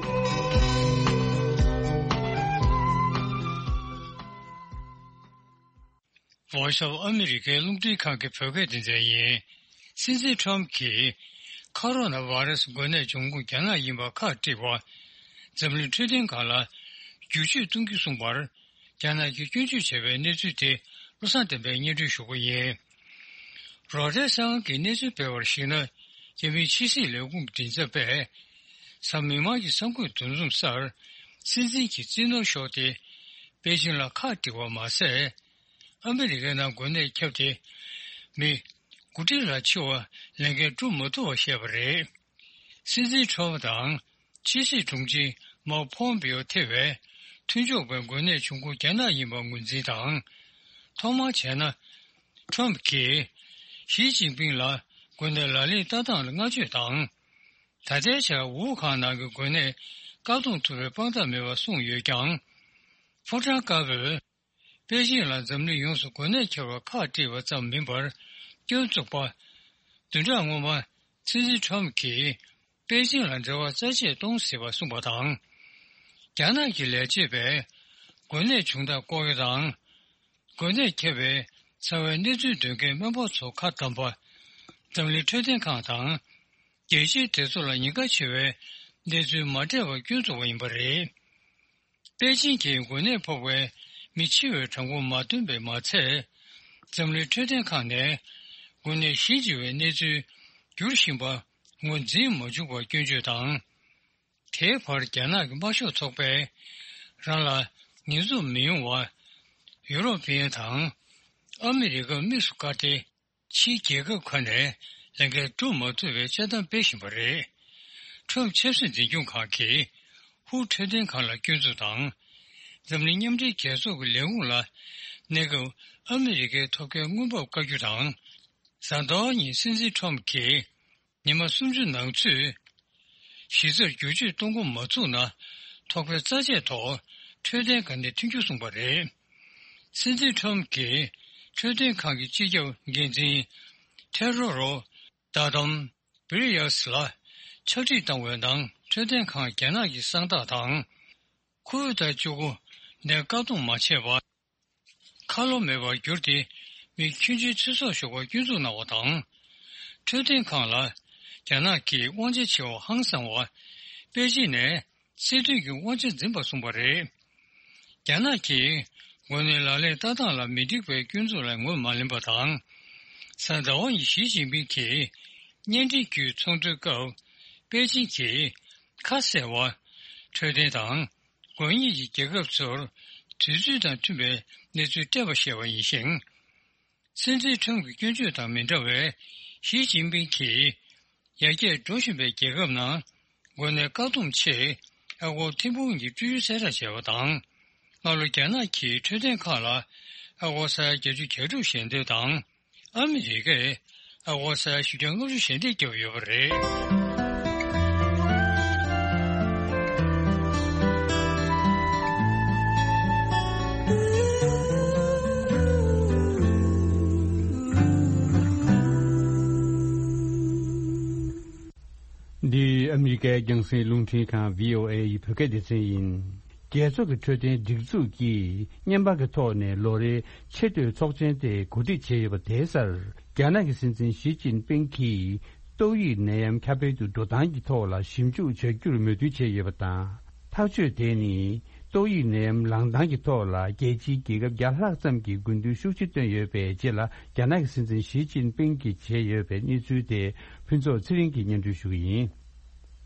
ཝ་ཤོ་ཨ་མི་རི་ཀའི་རླུང་འཕྲིན་ཁང་གི་བོད་སྐད་སྡེ་ཚན་ཡིན། སྲིད་འཛིན་ཁྲོམ་གྱིས་ཁ་རོ་ན་བྷ་ར་སི་འགོས་ནད་འབྱུང་ཁུངས་རྒྱ་ནག་ཡིན་པ་ཁག་དཀྲིས་པ། འཛམ་གླིང་འཕྲོད་བསྟེན་ཁང་ལ་བསྒྱུར་བཅོས་གཏོང་རྒྱུ་གསུངས་པར། རྒྱ་ནག་གིས་སྐྱོན་བརྗོད་བྱས་པའི་གནས་ཚུལ་དེ་བློ་བཟང་བསྟན་པས་སྙན་སྒྲོན་ཞུ་རྒྱུ་ཡིན། རོའི་ཊར་གསར་ཁང་གིས་གནས་ཚུལ་སྤེལ་བར་གཞིགས་ན། རྒྱ་མིའི་ཕྱི་སྲིད་ལས་ཁུངས་མགྲིན་ཚབ་པས། གཟའ་མིག་དམར་གྱི་གསར་འགོད་འདུ་འཛོམས་སར། སྲིད་འཛིན་གྱི་རྩིས་ནོར་ཤོར་ཏེ། པེ་ཅིང་ལ་ཁག་དཀྲིས་པ་མ་ཟད། ཨ་མི་རི་ཀའི་ནང་འགོས་ནད་ཁྱབ་སྟེ། མི་དགུ་ཁྲི་ལ་ཕྱི་བ་ལས་འགན་སྒྲུབ་མ་ཐུབ་པ་བཤད་པ་རེད། སྲིད་འཛིན་ཁྲོམ་དང་། ཕྱི་སྲིད་དྲུང་ཆེ་མར་ཕོམ་པེའོ་ཐེ་བའི་མཐུན་ཕྱོགས་པའི་འགོས་ནད་འབྱུང་ཁུངས་རྒྱ་ནག་ཡིན་པ་ངོས་འཛིན་དང་ ཐོག་མར་བྱས་ན། ཁྲོམ་གྱིས་ཞི་ཅིན་ཕིང་ལ་དགོས་གནད་ལག་ལེན་བསྟར་སྟངས་ལ་བསྔགས་བརྗོད་དང་། ད་ལྟའི་ཆར་ཝུ་ཧན་ནང་གི་འགོས་ནད་བཀག་སྡོམ་ཐུབ་པའི་དཔང་རྟགས་མེད་པ་གསུངས་ཡོད་ཀྱང་། ཕོ་བྲང་དཀར་པོས་པེ་ཅིང་ལ་འཛམ་གླིང་ཡོངས་སུ་འགོས་ནད་ཁྱབ་པར་ཁག་དཀྲིས་པ་ཙམ་མིན་པར། སྐྱོན་འཛུགས་པ་བདུན་ཕྲག་སྔོན་མ་སྲིད་འཛིན་ཁྲོམ་གྱིས་པེ་ཅིང་ལ་འབྲེལ་བ་རྩ་ཆད་གཏོང་སྲིད་པ་གསུངས་པ་དང་། རྒྱ་ནག་གི་ལས་བྱེད་པས་འགོས་ནད་བྱུང་སྟངས་ལྐོག་གཡོ་དང་། འགོས་ནད་ཁྱབ་པའི་རྩ་བའི་གནས་ཚུལ་འདོན་མཁན་སྨན་པ་ཚོ་ཁ་བསྡམས་པ། འཛམ་གླིང་འཕྲོད་བསྟེན་ཁང་དང་། རྒྱལ་སྤྱིའི་སྒྲིག་འཛུགས་ལ་ཉེན་ཁ་ཆེ་བའི་གནས་ཚུལ་མ་སྤྲད་པར་སྐྱོན་འཛུགས་པ་ཡིན་པ་རེད། པེ་ཅིང་གིས་འགོས་ནད་ཕོག་པའི་མི་འཆི་བའི་གྲངས་འབོར་མ་བཏོན་པས་མ་ཚད། འཛམ་གླིང་འཕྲོད་བསྟེན་ཁང་ནས་འགོས་ནད་གཞི་འབྱེད་པའི་གནས་ཚུལ་འགྱུར་བཞིན་པ་ངོས་འཛིན་མ་བྱུང་བར་སྐྱོན་བརྗོད་དང་། དེའི་བར་རྒྱ་ནག་གི་དམར་ཤོག་ཚོགས་པས་རང་ལ་ཉེས་འཛུགས་མི་ཡོང་བར་ཡུ་རོབ་པའི་དང་ཨ་མི་རི་ཀ་དམིགས་སུ་བཀར་ཏེ། ཕྱིའི་རྒྱལ་ཁབ་ཁག་ནས་ལས་འགན་སྒྲུབ་མ་ཐུབ་པའི་དཔྱད་གཏམ་སྤེལ་བཞིན་པ་རེད། ཁྲོམ་ཆབ་སྲིད་འཛིན་སྐྱོང་ཁང་གིས་ཧུའུ་འཕྲོད་བསྟེན་ཁང་ལ་སྐྱོན་འཛུགས་དང་། འཛམ་གླིང་མཉམ་འབྲེལ་རྒྱལ་ཚོགས་ཀྱི་ལས་ཁུངས་ལ་གནས་སྐབས་ཨ་མི་རི་ཀའི་ཐོབ་ཐང་དངུལ་འབབ་བཀའ་བཀྱོན་དང་། གཟའ་ཟླ་བ་ཉིན་སྲིད་འཛིན་ཁྲོམ་གྱིས་ཉི་མ་སུམ་ཅུ་ནང་ཚུད་གཞི་རྩར་བསྒྱུར་བཅོས་གཏོང་འགོ་མ་ཚུགས་ན། ཐོག་ཁའི་རྩ་ཆད་ཐོག་འཕྲོད་བསྟེན་ཁང་ནས་མཐུན་འགྱུར་གསུངས་པ་རེད། སྲིད་འཛིན་ཁྲོམ་གྱིས་འཕྲོད་བསྟེན་ཁང་གི་སྤྱི་ཁྱབ་འགན་འཛིན་ཐེ་རོ་རོ་ད་དམ་བྷི་རི་ཡ་སི་ལ་ཕྱག་བྲིས་བཏང་བའི་ནང་། འཕྲོད་བསྟེན་ཁང་རྒྱ་ནག་གི་གསང་བདག་དང་། ཁོ་བོད་ཟླ་བཅུ་དགུ་ནས་བཀག་སྡོམ་མ་བྱས་པར། ཁ་ལོ་མེད་པར་གྱུར་ཏེ། མི་ཁྱོན་ཆེའི་ཚེ་སྲོག་ཤོར་བར་སྐྱོན་འཛུགས་གནང་བ་དང་། འཕྲོད་བསྟེན་ཁང་ལ་རྒྱ་ནག་གིས་དབང་ཆ་ཆེ་བ་ཧང་སངས་པར། པེ་ཅིན་ནས་སྲིད་དོན་གྱི་དབང་ཆ་འཛིན་པར་གསུངས་པ་རེད། རྒྱ་ནག་གིས་འགོས་ནད་ལག་ལེན་བསྟར་སྟངས་ལ་མི་འགྲིག་པའི་སྐྱོན་འཛུགས་ལ་ངོས་མ་ལེན་པ་དང་། གཟའ་ཟླ་བ་ཉིན་ཞི་ཅིན་ཕིང་གིས་བརྙན་འཕྲིན་བརྒྱུད་ཚོགས་འདུའི་སྐབས། པེ་ཅིན་གྱིས་ཁ་གསལ་བར་འཕྲོད་བསྟེན་དང་། འགོས་ཉེན་གྱི་རྒྱལ་ཁབ་ཚོར་དུས་ཚོད་དང་མཐུན་པའི་གནས་ཚུལ་སྤྲད་པ་ཞེས་པ་ཡིན་ཞིང་། སྲིད་འཛིན་ཁྲོམ་གྱི་སྐྱོན་བརྗོད་དང་མི་འདྲ་བར། ཞི་ཅིན་ཕིང་གིས་ཡར་རྒྱས་འགྲོ་བཞིན་པའི་རྒྱལ་ཁབ་ནང་འགོས་ནད་བཀག་སྡོམ་ཆེད་ཨ་སྒོར་ཐེར་འབུམ་གྱི་སྤྲོད་ཡུན་གསལ་བསྒྲགས་བྱས་པ་དང་། སྔ་ལོ་རྒྱ་ནག་གིས་འཕྲོད་བསྟེན་ཁང་ལ་ཨ་སྒོར་ས་ཡ་བརྒྱད་ཅུ་གྱ་དྲུག་ཞལ་འདེབས་དང་། ཨ་མི་རི་ཀས་ཨ་སྒོར་ས་ཡ་བཞི་བརྒྱ་ལྔ་བཅུ་ཞལ་འདེབས་བརྒྱབ་ཡོད་པ་རེད། འདི་ཨ་མི་རི་ཀའི་རྒྱང་སྲིང་རླུང་འཕྲིན་ཁང་བྷི་ཨོ་ཨེ་ཡི་བོད་སྐད་སྡེ་ཚན་ཡིན། རྒྱལ་ཚོགས་ཀྱི་འཕྲོད་བསྟེན་སྒྲིག་འཛུགས་ཀྱིས་བརྙན་པར་གྱི་ཐོག་ནས་ལོ་རེའི་ཆེས་མཐོའི་ཚོགས་ཆེན་དེ་གོ་སྒྲིག་བྱས་ཡོད་པ་དེའི་སར། རྒྱ་ནག་གི་སྲིད་འཛིན་ཞི་ཅིན་ཕིང་གིས་ཏོག་དབྱིབས་ནད་ཡམས་ཁྱབ་སྤེལ་དུ་འགྲོ་སྟངས་ཀྱི་ཐོག་ལ་ཞིབ་འཇུག་བྱ་རྒྱུར་མོས་མཐུན་བྱས་ཡོད་པ་དང་། ཐག་གཅོད་དེ་ནི་ཏོག་དབྱིབས་ནད་ཡམས་ལངས་སྟངས་ཀྱི་ཐོག་ལ་རྒྱལ་སྤྱིའི་རྒྱལ་ཁབ་བརྒྱ་ལྷག་ཙམ་གྱིས་དགོས་འདུན་ཤུགས་ཆེ་བཏོན་ཡོད་པའི་རྗེས་ལ། རྒྱ་ནག་གི་སྲིད་འཛིན་ཞི་ཅིན་ཕིང་གིས་བྱས་ཡོད་པའི་གནས་ཚུལ་དེ་ཕུན་ཚོགས་ཚེ་རིང་གིས་སྙན་སྒྲོན་ཞུ་གི་ཡིན།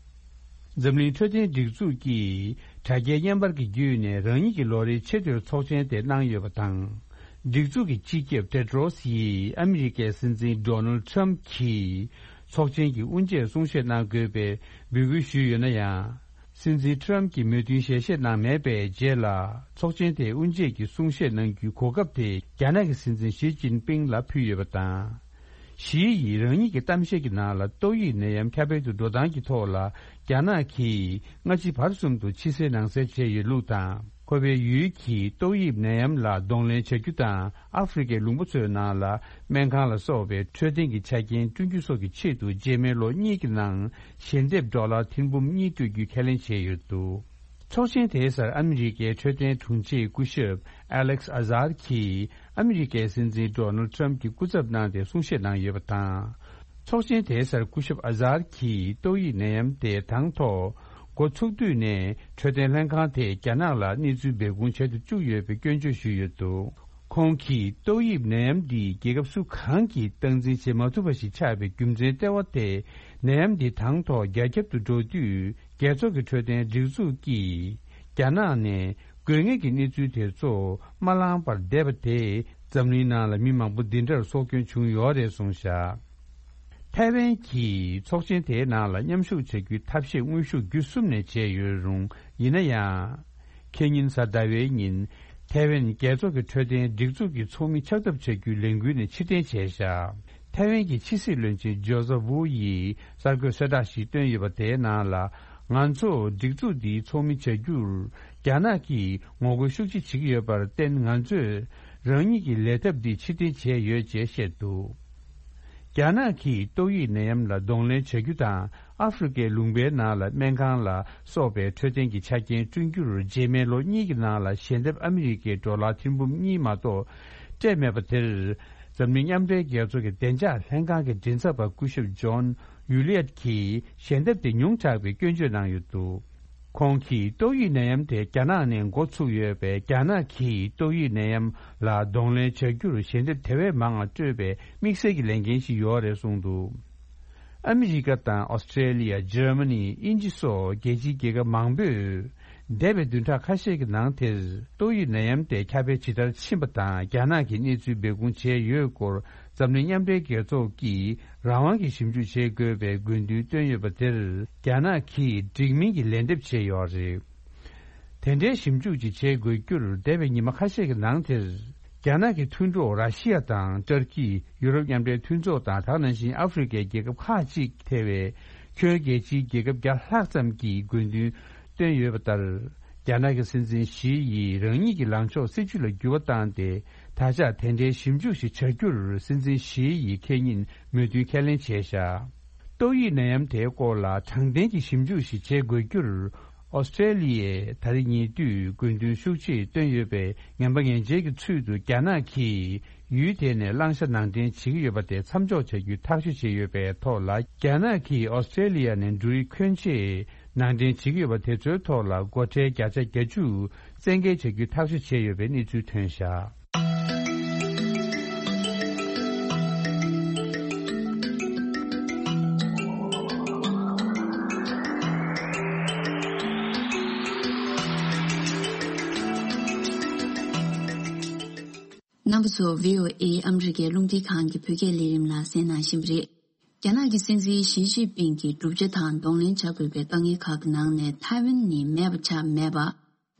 འཛམ་གླིང་འཕྲོད་བསྟེན་སྒྲིག་འཛུགས་ཀྱིས་དྲ་རྒྱའི་བརྙན་པར་གྱི་བརྒྱུད་ནས་རང་ཉིད་ཀྱི་ལོ་རེའི་ཆེས་མཐོའི་ཚོགས་ཆེན་དེ་གནང་ཡོད་པ་དང་། སྒྲིག་འཛུགས་ཀྱི་སྤྱི་ཁྱབ་ཏེ་ཏྲོ་སི་ཡིས་ཨ་མི་རི་ཀའི་སྲིད་འཛིན་ཌོ་ནལ་ཁྲམ་གྱིས་ཚོགས་ཆེན་གྱི་དབུ་འབྱེད་གསུང་བཤད་གནང་དགོས་པའི་འབོད་སྐུལ་ཞུས་ཡོད་ན་ཡང་། སྲིད་འཛིན་ཁྲམ་གྱིས་མོས་མཐུན་ཞལ་བཞེས་གནང་མེད་པའི་རྗེས་ལ། ཚོགས་ཆེན་དེའི་དབུ་འབྱེད་ཀྱི་གསུང་བཤད་གནང་རྒྱུའི་གོ་སྐབས་དེ་རྒྱ་ནག་གི་སྲིད་འཛིན་ཞི་ཅིན་ཕིང་ལ་ཕུལ་ཡོད་པ་དང་། ཞི་ཡིས་རང་ཉིད་ཀྱི་གཏམ་བཤད་ཀྱི་ནང་ལ། ཏོག་དབྱིབས་ནད་ཡམས་ཁྱབ་སྤེལ་དུ་འགྲོ་སྟངས་ཀྱི་ཐོག་ལ་རྒྱ་ནག་གིས་སྔ་ཕྱི་བར་གསུམ་དུ་ཕྱི་གསལ་ནང་གསལ་བྱས་ཡོད་ལུགས་དང་། ཁོ་པའི་ཡུལ་གྱིས་ཏོག་དབྱིབས་ནད་ཡམས་ལ་གདོང་ལེན་བྱ་རྒྱུ་དང་། ཨ་ཧྥེ་རི་ཁའི་ལུང་པ་ཚོའི་ནང་ལ་སྨན་ཁང་ལ་སོགས་པའི་འཕྲོད་བསྟེན་གྱི་ཆ་རྐྱེན་བསྐྲུན་རྒྱུ་སོགས་ཀྱི་ཆེད་དུ། རྗེས་མའི་ལོ་གཉིས་ཀྱི་ནང་ཞལ་འདེབས་ཌོ་ལར་ཐེར་འབུམ་གཉིས་སྤྲོད་རྒྱུའི་ཁས་ལེན་བྱས་ཡོད་འདུག་ཚོགས་ཆེན་དེའི་སར་ཨ་མི་རི་ཀའི་འཕྲོད་བསྟེན་དྲུང་ཆེ་སྐུ་ཞབས་ཨ་ལེག་ཨ་ཟར་གྱིས་ཨ་མི་རི་ཀའི་སྲིད་འཛིན་ཌོ་ནལ་ཁྲམ་གྱི་སྐུ་ཚབ་གནང་སྟེ་གསུང་བཤད་གནང་ཡོད་པ་དང་། ཚོགས་ཆེན་དེའི་སར་སྐུ་ཞབས་ཨ་ཟར་གྱིས་ཏོག་དབྱིབས་ནད་ཡམས་དེ་དང་ཐོག་འགོ་ཚུགས་དུས་ནས་འཕྲོད་བསྟེན་ལྷན་ཁང་དེས་རྒྱ་ནག་ལ་གནས་ཚུལ་སྦས་སྐུང་བྱེད་དུ་བཅུག་ཡོད་པའི་སྐྱོན་བརྗོད་ཞུས་ཡོད་འདུག་ཁོང་གིས་ཏོག་དབྱིབས་ནད་ཡམས་འདི་རྒྱལ་ཁབ་སུ་གང་གིས་སྟངས་འཛིན་བྱེད་མ་ཐུབ་པ་ཞིག་ཆགས་པའི་རྒྱུ་མཚན་ལྟེ་བ་དེ། ནད་ཡམས་འདི་དང་ཐོག་རྒྱ་ཁྱབ་ཏུ་འགྲོ་དུས། རྒྱལ་ཚོགས་ཀྱི་འཕྲོད་བསྟེན་སྒྲིག་འཛུགས་ཀྱིས་རྒྱ་ནག་ནས་དགོས་ངེས་ཀྱི་གནས་ཚུལ་དེ་ཚོ་མ་བླངས་པར་བསྡད་པ་དེས་འཛམ་གླིང་ནང་ལ་མི་མང་པོ་འདི་འདྲར་སྲོག་སྐྱོན་བྱུང་ཡོད་རེད་གསུངས་བཞག་ཐའེ་ཝན་གྱིས་ཚོགས་ཆེན་དེའི་ནང་ལ་མཉམ་ཞུགས་བྱ་རྒྱུའི་ཐབས་ཤེས་དངོས་ཤུགས་བརྒྱུད་གསུམ་ནས་བྱས་ཡོད་རུང་། ཡིན་ན་ཡང་། ཁེ་ཉིན་གཟའ་ཟླ་བའི་ཉིན། ཐའེ་ཝན་རྒྱལ་ཚོགས་ཀྱི་འཕྲོད་བསྟེན་སྒྲིག་འཛུགས་ཀྱི་ཚོགས་མི་ཆགས་ཐབས་བྱ་རྒྱུའི་ལས་འགུལ་ནས་ཕྱིར་འཐེན་བྱས་བཞག་ཐའེ་ཝན་གྱི་ཕྱི་སྲིད་བློན་ཆེན་ཇོ་ཟབ་ཝུའུ་ཡིས་གསར་འགོད་གསལ་བསྒྲགས་ཤིག་བཏོན་ཡོད་པ། དེའི་ནང་ལ། ང་ཚོ་སྒྲིག་འཛུགས་འདིའི་ཚོགས་མི་བྱ་རྒྱུར་རྒྱ་ནག་གིས་ངོ་རྒོལ་ཤུགས་ཆེ་བྱེད་ཀྱི་ཡོད་པར་བརྟེན། ང་ཚོས་རང་ཉིད་ཀྱི་ལས་ཐབས་འདི་ཕྱིར་འཐེན་བྱས་ཡོད་ཅེས་བཤད་འདུག་རྒྱ་ནག་གིས་ཏོག་དབྱིབས་ནད་ཡམས་ལ་གདོང་ལེན་བྱ་རྒྱུ་དང་། ཨ་ཧྥེ་རི་ཁའི་ལུང་པའི་ནང་ལ་སྨན་ཁང་ལ་སོགས་པའི་འཕྲོད་བསྟེན་གྱི་ཆ་རྐྱེན་བསྐྲུན་རྒྱུར། རྗེས་མའི་ལོ་གཉིས་ཀྱི་ནང་ལ་ཞལ་འདེབས་ཨ་མི་རི་ཀའི་ཌོ་ལར་ཐེར་འབུམ་གཉིས་མ་གཏོགས་སྤྲད་མེད་པ་དེར། འཛམ་གླིང་མཉམ་འབྲེལ་རྒྱལ་ཚོགས་ཀྱི་བདེ་འཇགས་ལྷན་ཁང་གི་མགྲིན་ཚབ་པ་སྐུ་ཞབས་ཇོན་ཡུ་ལི་ཡད་ཀྱིས་ཞལ་འདེབས་དེ་ཉུང་དྲགས་པའི་སྐྱོན་བརྗོད་གནང་ཡོད་འདུག་ཁོང་གིས་ཏོག་དབྱིབས་ནད་ཡམས་དེ་རྒྱ་ནག་ནས་འགོ་ཚུགས་ཡོད་པས། རྒྱ་ནག་གིས་ཏོག་དབྱིབས་ནད་ཡམས་ལ་གདོང་ལེན་བྱ་རྒྱུར་ཞལ་འདེབས་དེ་བས་མང་བ་སྤྲོད་པའི་དམིགས་བསལ་གྱི་ལས་འགན་ཞིག་ཡོད་རེད་གསུངས་འདུག་ཨ་མི་རི་ཀ་དང་ཨོ་སི་ཀྲེ་ལི་ཡ། འཇར་མ་ནི། དབྱིན་ཇི་སོགས་རྒྱལ་སྤྱིའི་རྒྱལ་ཁབ་མང་པོས་འདས་པའི་བདུན་ཕྲག་ཁ་ཤས་ཀྱི་ནང་དེར་ཏོག་དབྱིབས་ནད་ཡམས་དེ་ཁྱབ་སྤེལ་ཇི་ལྟར་ཕྱིན་པ་དང་། རྒྱ་ནག་གིས་གནས་ཚུལ་སྦས་སྐུང་བྱས་ཡོད་སྐོར། འཛམ་གླིང་མཉམ་འབྲེལ་རྒྱལ་ཚོགས་ཀྱིས་རང་དབང་གིས་ཞིབ་འཇུག་བྱེད་དགོས་པའི་དགོས་འདུན་བཏོན་ཡོད་པ་དེར། རྒྱ་ནག་གིས་འགྲིག་མིན་གྱི་ལན་འདེབས་བྱས་ཡོད་རེད། དེ་འདྲའི་ཞིབ་འཇུག་ཅིག་བྱེད་དགོས་རྒྱུར། འདས་པའི་ཉི་མ་ཁ་ཤས་ཀྱི་ནང་དེར། རྒྱ་ནག་གི་མཐུན་གྲོགས་ར་ཤི་ཡ་དང་ཏུར་ཀི། ཡུ་རོབ་མཉམ་འབྲེལ་མཐུན་ཚོགས་དང་། དེ་ག་ནང་བཞིན་ཨ་ཧྥེ་རི་ཁའི་རྒྱལ་ཁབ་ཁག་ཅིག་ཐེ་བའི་ཁྱོན་རྒྱལ་སྤྱིའི་རྒྱལ་ཁབ་བརྒྱ་ལྷག་ཙམ་གྱིས་དགོས་འདུན་བཏོན་ཡོད་པ་ལྟར། རྒྱ་ནག་གི་སྲིད་འཛིན་ཞི་ཡིས་རང་ཉིད་ཀྱི་ལངས་ཕྱོགས་སྲིད་བྱུས་ལ་འགྱུར་བ་བཏང་སྟེ། ད་ཆ་དེ་འདྲའི་ཞིབ་འཇུག་ཞིག་བྱ་རྒྱུར་སྲིད་འཛིན་ཞི་ཡིས་ཁེ་ཉིན་མོས་མཐུན་ཁས་ལེན་བྱས་བཞག་ཏོག་དབྱིབས་ནད་ཡམས་དེའི་སྐོར་ལ་དྲང་བདེན་གྱི་ཞིབ་འཇུག་ཞིག་བྱེད་དགོས་རྒྱུར། ཨོ་སི་ཀྲེ་ལི་ཡས་ད་རེས་ཉེ་དུས་དགོས་འདུན་ཤུགས་ཆེ་བཏོན་ཡོད་པས། ངན་པ་ངན་འཇལ་གྱི་ཚུལ་དུ་རྒྱ་ནག་གིས་ཡུལ་དེ་ནས་བླང་བྱ་ནང་འདྲེན་བྱེད་ཀྱི་ཡོད་པ་དེ་མཚམས་འཇོག་བྱ་རྒྱུའི་ཐག་གཅོད་བྱས་ཡོད་པའི་ཐོག་ལ། རྒྱ་ནག་གིས་ཨོ་སི་ཀྲེ་ལི་ཡ་ནས་འབྲུ་རིགས་ཁྱོན་ཆེ་ནང་འདྲེན་བྱེད་ཀྱི་ཡོད་པ་དེ་ཚོའི་ཐོག་ལ་སྒོ་ཁྲལ་བརྒྱ་ཆ་བརྒྱད་ཅུ་བཙན་འགེལ་བྱ་རྒྱུའི་ཐག་གཅོད་བྱས་ཡོད་པའི་གནས་ཚུལ་ཐོན་བཞག་རྣམ་པ་ཚོ། བྷི་ཨོ་ཨེ་ཨ་མི་རི་ཀའི་རླུང་འཕྲིན་ཁང་གི་བོད་སྐད་ལས་རིམ་ལ་གསན་གནང་བཞིན་པ་རེད། རྒྱ་ནག་གི་སྲིད་འཛིན་ཞི་ཅིན་ཕིང་གི་བསྒྲུབ་བྱ་དང་གདོང་ལེན་བྱ་དགོས་པའི་དཀའ་ངལ་ཁག་གི་ནང་ནས་ཐའེ་ཝན་ནི་མེད་པ་ཆགས་མེད་པ།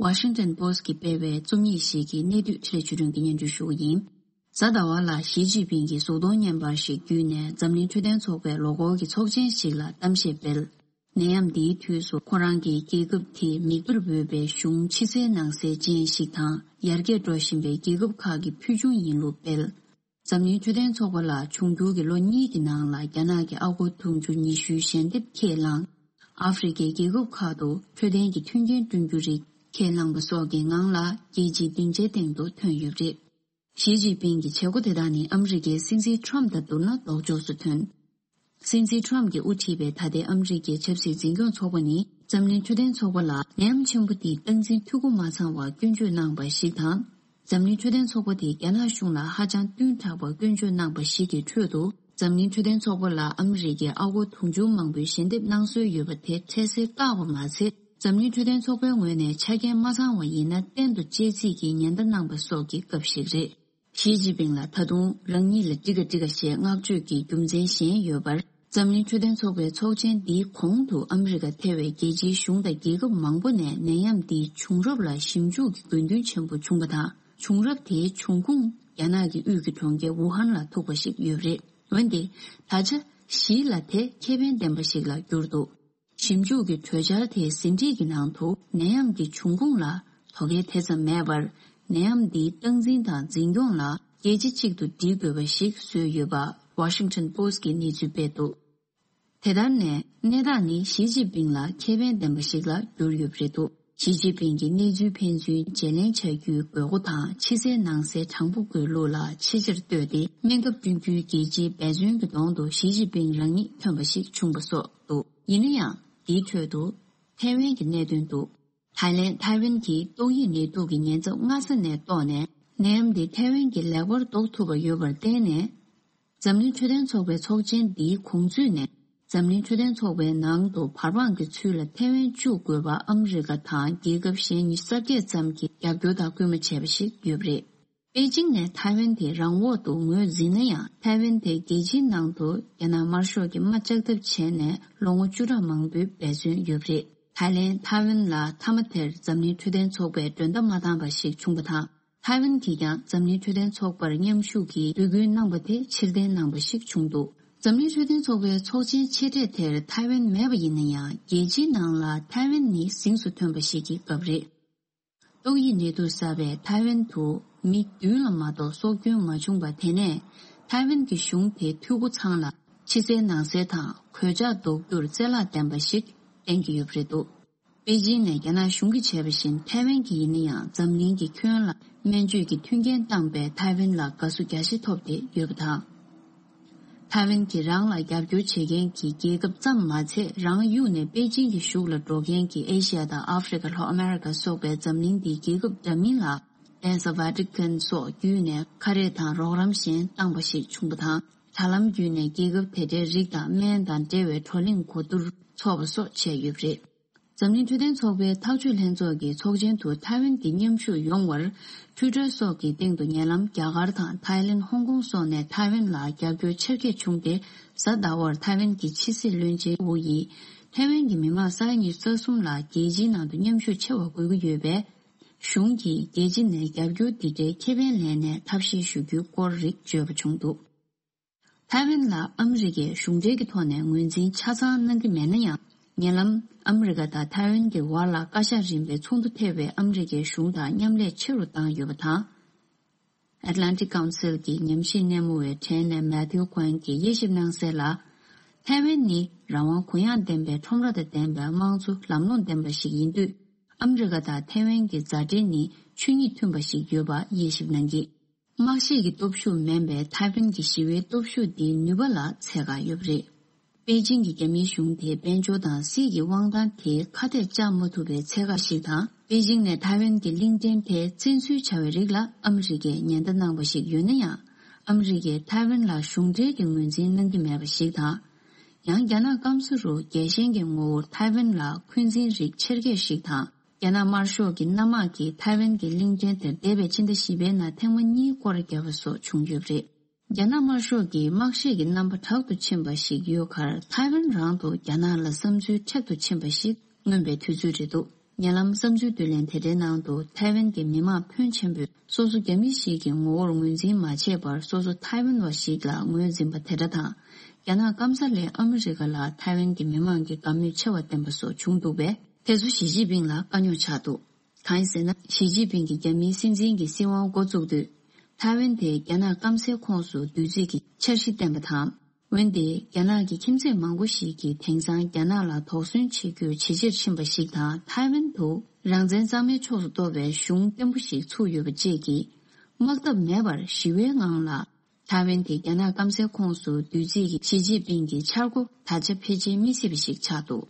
ཝ་ཤིང་ཏོན་པོ་སི་གིས་སྤེལ་བའི་རྩོམ་ཡིག་ཞིག་གི་གནད་བསྡུས་འཕྲིན་ལས་ཆོས་སྒྲོན་གྱིས་སྙན་སྒྲོན་ཞུ་གི་ཡིན། གཟའ་ཟླ་བ་ལ་ཞི་ཅིན་ཕིང་གིས་གཟུགས་མཐོང་བརྙན་པར་ཞིག་བརྒྱུད་ནས་འཛམ་གླིང་འཕྲོད་བསྟེན་ཚོགས་པའི་ལོ་འཁོར་གྱི་ཚོགས་ཆེན་ཞིག་ལ་གཏམ་བཤད་སྤེལ། ནད་ཡམས་འདིའི་དུས་སུ་ཁོ་རང་གིས་རྒྱལ་ཁབ་དེས་མིག་དཔེར་འོས་པའི་གཞུང་ཕྱི་གསལ་ནང་གསལ་ཅན་ཞིག་དང་། ཡར་རྒྱས་འགྲོ་བཞིན་པའི་རྒྱལ་ཁབ་ཁག་གི་ཕུལ་བྱུང་ཡིན་ལུགས་སྤེལ། འཛམ་གླིང་འཕྲོད་བསྟེན་ཚོགས་པ་ལ་འབྱུང་འགྱུར་གྱི་ལོ་གཉིས་ཀྱི་ནང་ལ་རྒྱ་ནག་གི་ཨ་སྒོར་དུང་ཕྱུར་ཉི་ཤུའི་ཞལ་འདེབས་ཁས་བླངས། ཨ་ཧྥེ་རི་ཁའི་རྒྱལ་ཁབ་ཁག་ཏུ་འཕྲོད་བསྟེན་གྱི་མཐུན་རྐྱེན་བསྐྲུན་རྒྱུ་རིགས་ཁས་བླངས་པ་སོགས་ཀྱི་ངང་ལ་རྒྱལ་སྤྱིའི་སྡིངས་ཆའི་སྟེང་དུ་ཐོན་ཡོད་པ་རེད། ཞི་ཅིན་ཕིང་གི་བྱེད་སྒོ་དེ་དག་ནི་ཨ་མི་རི་ཀའི་སྲིད་འཛིན་ཁྲོམ་དང་བསྡུར་ན་ལྡོག་ཕྱོགས་སུ་ཐོན། སྲིད་འཛིན་ཁྲོམ་གྱིས་དབུ་ཁྲིད་པའི་ད་ལྟའི་ཨ་མི་རི་ཀའི་ཆབ་སྲིད་འཛིན་སྐྱོང་ཚོགས་པ་ནི་འཛམ་གླིང་འཕྲོད་བསྟེན་ཚོགས་པ་ལ་ནད་ཡམས་ཆེན་པོ་འདིའི་སྟངས་འཛིན་འཐུས་སྒོ་མ་ཚང་བར་སྐྱོན་བརྗོད་གནང་བ་ཞིག་དང་། འཛམ་གླིང་འཕྲོད་བསྟེན་ཚོགས་པ་དེས་རྒྱ་ནག་གཞུང་ལ་ཧ་ཅང་བསྟུན་དྲགས་པར་སྐྱོན་བརྗོད་གནང་བ་ཞིག་གི་ཁྲོད་དུ། འཛམ་གླིང་འཕྲོད་བསྟེན་ཚོགས་པ་ལ་ཨ་མི་རི་ཀས་ཨ་སྒོར་དུང་ཕྱུར་མང་པོའི་ཞལ་འདེབས་གནང་སྲོལ་ཡོད་པ་དེ་འཕྲལ་སེལ་བཀག་པ་མ་ཟད། འཛམ་གླིང་འཕྲོད་བསྟེན་ཚོགས་པའི་ངོས་ནས་ཆ་རྐྱེན་མ་ཚང་བ་ཡིན་ན་གཏན་དུ་གཅེས་འཛིན་གྱི་ཉེན་བརྡ་གནང་པ་སོགས་ཀྱི་སྐབས་ཤིག་རེད། ཞི་ཅིན་ཕིང་ལ་ད་དུང་རང་ཉིད་ལ་འགྲིག་ག་འགྲིག་ག་ཞེས་བསྔགས་བརྗོད་ཀྱི་རྒྱུ་མཚན་གཞན་ཡོད་པར། འཛམ་གླིང་འཕྲོད་བསྟེན་ཚོགས་པའི་ཚོགས་ཆེན་འདིའི་གོང་དུ་ཨ་མི་རི་ཀ་ཐེ་བའི་རྒྱལ་སྤྱིའི་གཞུང་དང་རྒྱལ་ཁབ་མང་པོ་ནས་ནད་ཡམས་འདིའི་བྱུང་རབས་ལ་ཞིབ་འཇུག་གི་དགོས་འདུན་ཆེན་པོ་བྱུང་བ་དང་། བྱུང་རབས་དེའི་འབྱུང་ཁུངས་རྒྱ་ནག་གི་དབུས་ཀྱི་གྲོང་ཁྱེར་ཝུ་ཧན་ལ་ཐུག་པ་ཞིག་ཡོད་པ་རེད། འོན་ཏེ། ད་ཆ་ཞི་ལ་དེ་ཁེ་ཕན་ལྡན་པ་ཞིག་ལ་གྱུར་འདུག་ཞིབ་འཇུག་གི་གྲོས་འཆར་དེའི་ཟིན་བྲིས་ཀྱི་ནང་དུ་ནད་ཡམས་ཀྱི་འབྱུང་ཁུངས་ལ་དོ་གལ་དེ་ཙམ་མེད་པར། ནད་ཡམས་འདིའི་སྟངས་འཛིན་དང་འཛིན་སྐྱོང་ལ་རྒྱལ་སྤྱི་གཅིག་ཏུ་སྒྲིལ་དགོས་པ་ཞིག་བཟོས་ཡོད་པ་ཝ་ཤིང་ཊོན་པོ་སི་གིས་གནས་ཚུལ་སྤེལ་འདུག་དེ་ལྟར་ནས་གནས་སྟངས་ནི་ཞི་ཅིན་ཕིང་ལ་ཁེ་ཕན་ལྡན་པ་ཞིག་ལ་གྱུར་ཡོད་པ་རེད་འདུག་ཞི་ཅིན་ཕིང་གིས་གནས་ཚུལ་ཕན་ཚུན་བརྗེ་ལེན་བྱ་རྒྱུའི་དགོས་མཁོ་དང་ཕྱི་གསལ་ནང་གསལ་དྲང་པོ་དགོས་ལུགས་ལ་ཆེས་ཆེར་བསྟོད་དེ། སྨན་ཁབ་བསྐྲུན་རྒྱུའི་རྒྱལ་སྤྱིའི་འབད་བརྩོན་གྱི་གདོང་དུ་ཞི་ཅིན་ཕིང་རང་ཉིད་ཐོན་པ་ཞིག་བྱུང་བ་སོགས་འདུག་ཡིན་ན་ཡང་། འདིའི་ཁྲོད་དུ་ཐའེ་ཝན་གྱི་གནད་དོན་འདུག་ཐའེ་ལེན། ཐའེ་ཝན་གྱིས་ཏོག་དབྱིབས་ནད་དུག་གི་ཉེན་ཚབས་སྔ་ས་ནས་རྟོགས་ནས། ནད་ཡམས་འདི་ཐའེ་ཝན་གྱིས་ལེགས་པར་ཟློག་ཐུབ་པ་ཡོད་པར་བརྟེན་ནས། འཛམ་གླིང་འཕྲོད་བསྟེན་ཚོགས་པའི་ཚོགས་ཆེན་འདིའི་གོང་ཚུད་ནས། འཛམ་གླིང་འཕྲོད་བསྟེན་ཚོགས་པའི་ནང་དུ་བར་དཔང་གི་ཚུལ་ལ་ཐའེ་ཝན་བཅུག་དགོས་པ་ཨ་མི་རི་ཀ་དང་རྒྱལ་ཁབ་གཞན་ཉི་ཤུ་རྩ་བརྒྱད་ཙམ་གྱིས་རྒྱབ་སྐྱོར་དང་སྐུལ་མ་བྱས་པ་ཞིག་ཡོད་པ་རེད། པེ་ཅིང་ནས་ཐའེ་ཝན་དེ་རང་འོག་ཏུ་ངོས་འཛིན་ན་ཡང་། ཐའེ་ཝན་དེ་རྒྱལ་སྤྱིའི་ནང་དུ་རྒྱ་ནག་དམར་ཤོག་གིས་དམག་ལྕགས་ཐབ་བྱས་ནས་ལོ་ངོ་བཅུ་ཕྲག་མང་པོའི་འབད་བརྩོན་ཡོད་པ་རེད། ཐའེ་ལེན། ཐའེ་ཝན་ལ་མཐའ་མ་དེར་འཛམ་གླིང་འཕྲོད་བསྟེན་ཚོགས་པས་མགྲོན་བརྡ་མ་བཏང་པ་ཞིག་བྱུང་བ་དང་། ཐའེ་ཝན་གྱིས་ཀྱང་འཛམ་གླིང་འཕྲོད་བསྟེན་ཚོགས་པར་མཉམ་ཞུགས་ཀྱིས་འབོད་སྐུལ་གནང་པ་དེ་ཕྱིར་འཐེན་གནང་པ་ཞིག་བྱུང་འདུག་འཛམ་གླིང་འཕྲོད་བསྟེན་ཚོགས་པའི་ཚོགས་ཆེན་ཆེ་གྲས་དེར་ཐའེ་ཝན་མེད་པ་ཡིན་ན་ཡང་། རྒྱལ་སྤྱིའི་ནང་ལ་ཐའེ་ཝན་ནི་གཟེངས་སུ་ཐོན་པ་ཞིག་གི་སྐབས་རེད། ཏོག་དབྱིབས་ནད་དུག་གསར་པས་ཐའེ་ཝན་དུ་མི་བདུན་ལ་མ་གཏོགས་སྲོག་སྐྱོན་མ་བྱུང་བ་དེ་ནས། ཐའེ་ཝན་གྱི་གཞུང་དེས་འཐུས་སྒོ་ཚང་ལ་ཕྱི་གསལ་ནང་གསལ་དང་གོད་ཆག་ཟློག་རྒྱུར་བཙན་བརླག་ལྡན་པ་ཞིག་བསྟན་གྱི་ཡོད་པ་རེད་འདུག་པེ་ཅིང་ནས་རྒྱ་ནག་གཞུང་གིས་བྱས་པ་བཞིན། ཐའེ་ཝན་གྱིས་ཡིན་ན་ཡང་འཛམ་གླིང་གི་ཁྱོན་ལ་སྨན་བཅོས་ཀྱི་མཐུན་རྐྱེན་བཏང་པས་ཐའེ་ཝན་ལ་དགའ་བསུ་རྒྱ་ཆེ་ཐོབ་སྟེ་ཡོད་པ་དང་། ཐའེ་ཝན་གྱིས་རང་ལ་རྒྱབ་སྐྱོར་བྱེད་མཁན་གྱི་རྒྱལ་ཁབ་ཙམ་མ་ཚད། རང་གཡུགས་ནས་པེ་ཅིང་གི་གཞུག་ལ་འགྲོ་མཁན་གྱི་ཨེ་ཤི་ཡ་དང་ཨ་ཧྥེ་རི་ཁ། ལྷོ་ཨ་མེ་རི་ཁ་སོགས་པའི་འཛམ་གླིང་འདིའི་རྒྱལ་ཁབ་འདྲ་མིན་ལ། གདན་ས་ཝ་ཏི་ཀན་སོགས་བརྒྱུད་ནས་ཁ་རས་དང་རོགས་རམ་གཞན་བཏང་པ་ཞིག་བྱུང་པ་དང་། དྲ་ལམ་བརྒྱུད་ནས་རྒྱལ་ཁབ་དེ་འདྲའི་རིགས་དང་སྨན་དང་འབྲེལ་བའི་བགྲོ་གླེང་གོ་བསྡུར་ཚོགས་པ་སོགས་བྱས་ཡོད་པ་རེད། འཛམ་གླིང་འཕྲོད་བསྟེན་ཚོགས་པའི་ཐག་གཅོད་ལྷན་ཚོགས་ཀྱི་ཚོགས་ཆེན་དུ་ཐའེ་ཝན་གྱི་མཉམ་ཞུགས་ཡོང་བར། ཊུའི་ཊར་སོགས་ཀྱི་སྟེང་དུ་ཉེ་ལམ་རྒྱ་གར་དང་ཐའི་ལེན། ཧོང་ཀོང་སོགས་ནས་ཐའེ་ཝན་ལ་རྒྱབ་སྐྱོར་ཆེར་སྐྱེད་བྱུང་སྟེ། གཟའ་ཟླ་བར་ཐའེ་ཝན་གྱི་ཕྱི་སྲིད་བློན་ཆེན་ཝུ་ཡིས། ཐའེ་ཝན་གྱི་མི་མང་ས་ཡ་ཉི་ཤུ་རྩ་གསུམ་ལ་རྒྱལ་སྤྱིའི་ནང་དུ་མཉམ་ཞུགས་ཆེ་བ་དགོས་ཀྱི་ཡོད་པས། གཞུང་གིས་རྒྱལ་སྤྱི་ནས་རྒྱབ་སྐྱོར་འདི་འདྲའི་ཁེ་ཕན་ལེན་ནས་ཐབས་ཤེས་ཞུ་རྒྱུའི་སྐོར་རིགས་བརྗོད་པ་བྱུང་འདུག་ཐའེ་ཝན་ལ་ཨ་མི་རི་ཀས་གཞུང་འབྲེལ་གྱི་ཐོག་ནས་ངོས་འཛིན་ཆ་ཚང་གནང་གི་མེད་ན་ཡང་། ཉེ་ལམ་ཨ་མི་རི་ཀ་དང་ཐའེ་ཝན་གྱི་བར་ལ་བཀའ་ཤག་རིམ་པའི་ཚོགས་འདུ་ཐེབས་པས་ཨ་མི་རི་ཀའི་གཞུང་དང་མཉམ་ལས་ཆེ་རུ་བཏང་ཡོད་པ་དང་། Atlantic Council གྱི་ཉམས་ཞིབ་སྣེ་མོ་བའི་གྲས་ནས་མེ་ཐིའུ་ཀོན་གྱིས་དབྱེ་ཞིབ་གནང་གསལ་ལ། ཐའེ་ཝན་ནི་རང་དབང་གུ་ཡངས་ལྡན་པའི་ཁྲོམ་ར་དང་ལྡན་པའི་དམངས་གཙོ་ལམ་ལྷོང་ལྡན་པ་ཞིག་ཡིན་དུས། ཨ་མི་རི་ཀ་དང་ཐའེ་ཝན་གྱི་མཛའ་འབྲེལ་ནི་ཆོས་ཉིད་མཐུན་པ་ཞིག་ཡོད་པ་དབྱེ་ཞིབ་གནང་གིས། དམག་ཤེད་ཀྱི་སྟོབས་ཤུགས་མིན་པའི་ཐའེ་ཝན་གྱི་ཞི་བའི་སྟོབས་ཤུགས་འདིའི་ནུས་པ་ལ་ཚད་བཀག་ཡོད་པ་རེད། པེ་ཅིང་གི་རྒྱ་མིའི་གཞུང་དེའི་དཔལ་འབྱོར་དང་སྲིད་ཀྱི་དབང་ཐང་དེ་ཁ་གཏད་བཅག་མ་ཐུབ་པའི་ཚད་བཀག་ཞིག་དང་། པེ་ཅིང་ནས་ཐའེ་ཝན་གྱི་གླིང་ཕྲན་དེ་བཙན་འཛུལ་བྱ་བའི་རིགས་ལ་ཨ་མི་རི་ཀས་ཉེན་བརྡ་གནང་བ་ཞིག་ཡོད་ན་ཡང་། ཨ་མི་རི་ཀས་ཐའེ་ཝན་ལ་གཞུང་འབྲེལ་གྱི་ངོས་འཛིན་གནང་གི་མེད་པ་ཞིག་དང་། ཡང་རྒྱ་ནག་སྐམ་ས་རུ་རྒྱལ་ཞེན་གྱི་ངོ་བོར་ཐའེ་ཝན་ལ་འཁོན་འཛིན་རིགས་ཆེར་སྐྱེད་ཞིག་དང་། རྒྱ་ནག་དམར་ཤོག་གི་གནམ་དམག་གིས་ཐའེ་ཝན་གྱི་གླིང་ཕྲན་དེར་འདས་པའི་ཕྱི་ཟླ་བཞི་པའི་ནང་ཐེངས་མ་གཉིས་སྐོར་བརྒྱབ་པ་སོགས་བྱུང་ཡོད་པ་རེད། རྒྱ་ནག་དམར་ཤོག་གིས་དམག་ཤེད་ཀྱི་རྣམ་པ་དྲག་ཏུ་ཕྱིན་པ་ཞིག་ཡོད་ཁར། ཐའེ་ཝན་རང་དུ་རྒྱ་ནག་ལ་བསམ་ཚུལ་མཁྲེགས་ཏུ་ཕྱིན་པ་ཞིག་མངོན་པའི་དུས་ཚོད་རེད་འདུག་ཉེ་ལམ་བསམ་ཚུལ་བསྡུ་ལེན་དེ་འདྲའི་ནང་དུ། ཐའེ་ཝན་གྱི་མི་མང་ཕོན་ཆེན་པོས་སོ་སོ་རྒྱ་མི་ཞིག་གི་ངོ་བོར་ངོས་འཛིན་མ་བྱས་པར། སོ་སོ་ཐའེ་ཝན་བ་ཞིག་ལ་ངོས་འཛིན་པ་དེ་འདྲ་དང་། རྒྱ་ནག་སྐམ་ས་ལས་ཨ་མི་རི་ཀ་ལ་ཐའེ་ཝན་གྱི་མི་མང་གི་དགའ་མོས་ཆེ་བ་བསྟན་པ་སོགས་བྱུང་འདུག་པས། དེ་ཚོ་ཞི་ཅིན་ཕིང་ལ་དཀའ་རྙོག་ཆགས་འདུག་གང་ཡིན་ཟེར་ན། ཞི་ཅིན་ཕིང་གིས་རྒྱ་མིའི་སྲིད་འཛིན་གྱི་སྲིད་དབང་འགོ་བཙུགས་དུས། ཐའེ་ཝན་དེ་རྒྱ་ནག་སྐམ་སའི་ཁོངས་སུ་བསྡུ་རྩིས་ཀྱི་འཆར་གཞི་བཏོན་པ་དང་། འོན་ཏེ། རྒྱ་ནག་གི་ཁྱིམ་མཚེས་མང་པོ་ཞིག་གིས་དེང་སང་རྒྱ་ནག་ལ་དོགས་ཟོན་བྱེད་རྒྱུར་ཇེ་ཆེར་ཕྱིན་པ་ཞིག་དང་། ཐའེ་ཝན་དུ་རང་བཙན་གཙང་མའི་ཕྱོགས་སུ་གཏོགས་པའི་གཞུང་བརྟན་པོ་ཞིག་ཚུགས་ཡོད་པ་བཅས་ཀྱིས། དམག་འཐབ་མེད་པར་ཞི་བའི་ངང་ལ། ཐའེ་ཝན་དེ་རྒྱ་ནག་སྐམ་སའི་ཁོངས་སུ་བསྡུ་རྩིས་ཀྱི་ཞི་ཅིན་ཕིང་གི་འཆར་སྒོ་ད་ཆ་ཕལ་ཆེར་མི་སྲིད་པ་ཞིག་ཆགས་འདུག་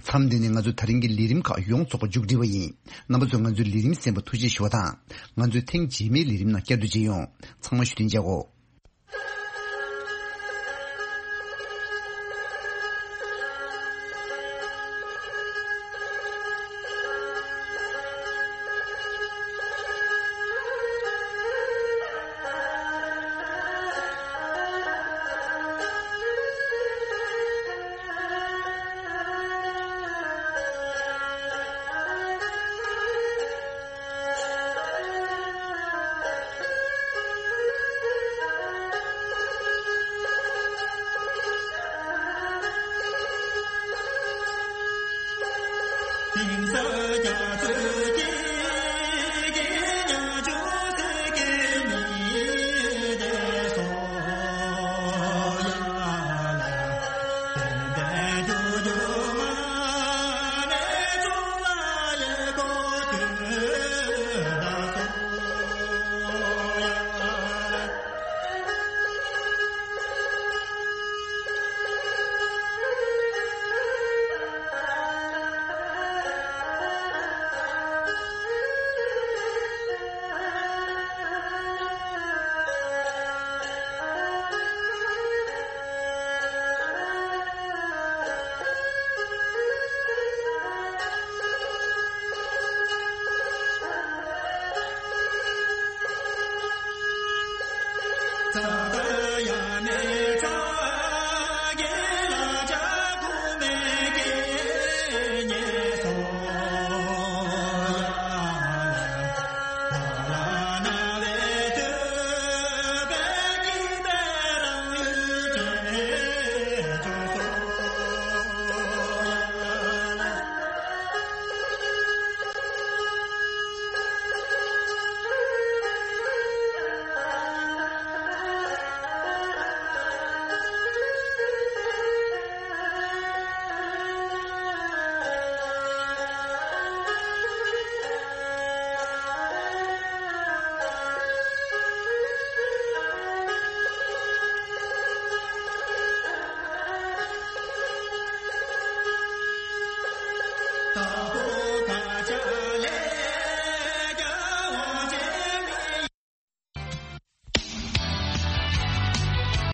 མཚམས་འདི་ནས་ང་ཚོ་ད་རིང་གི་ལས་རིམ་ཁག་ཡོངས་རྫོགས་པ་མཇུག་སྒྲིལ་བ་ཡིན། རྣམ་པ་ཚོས་ང་ཚོའི་ལས་རིམ་གསན་པར་ཐུགས་རྗེ་ཆེ་ཞུ་བ་དང་། ང་ཚོའི་ཐེངས་རྗེས་མའི་ལས་རིམ་ནང་བསྐྱར་དུ་མཇལ་ཡོང་། ཚང་མ་བཞུགས་གདན་འཇགས་གོ།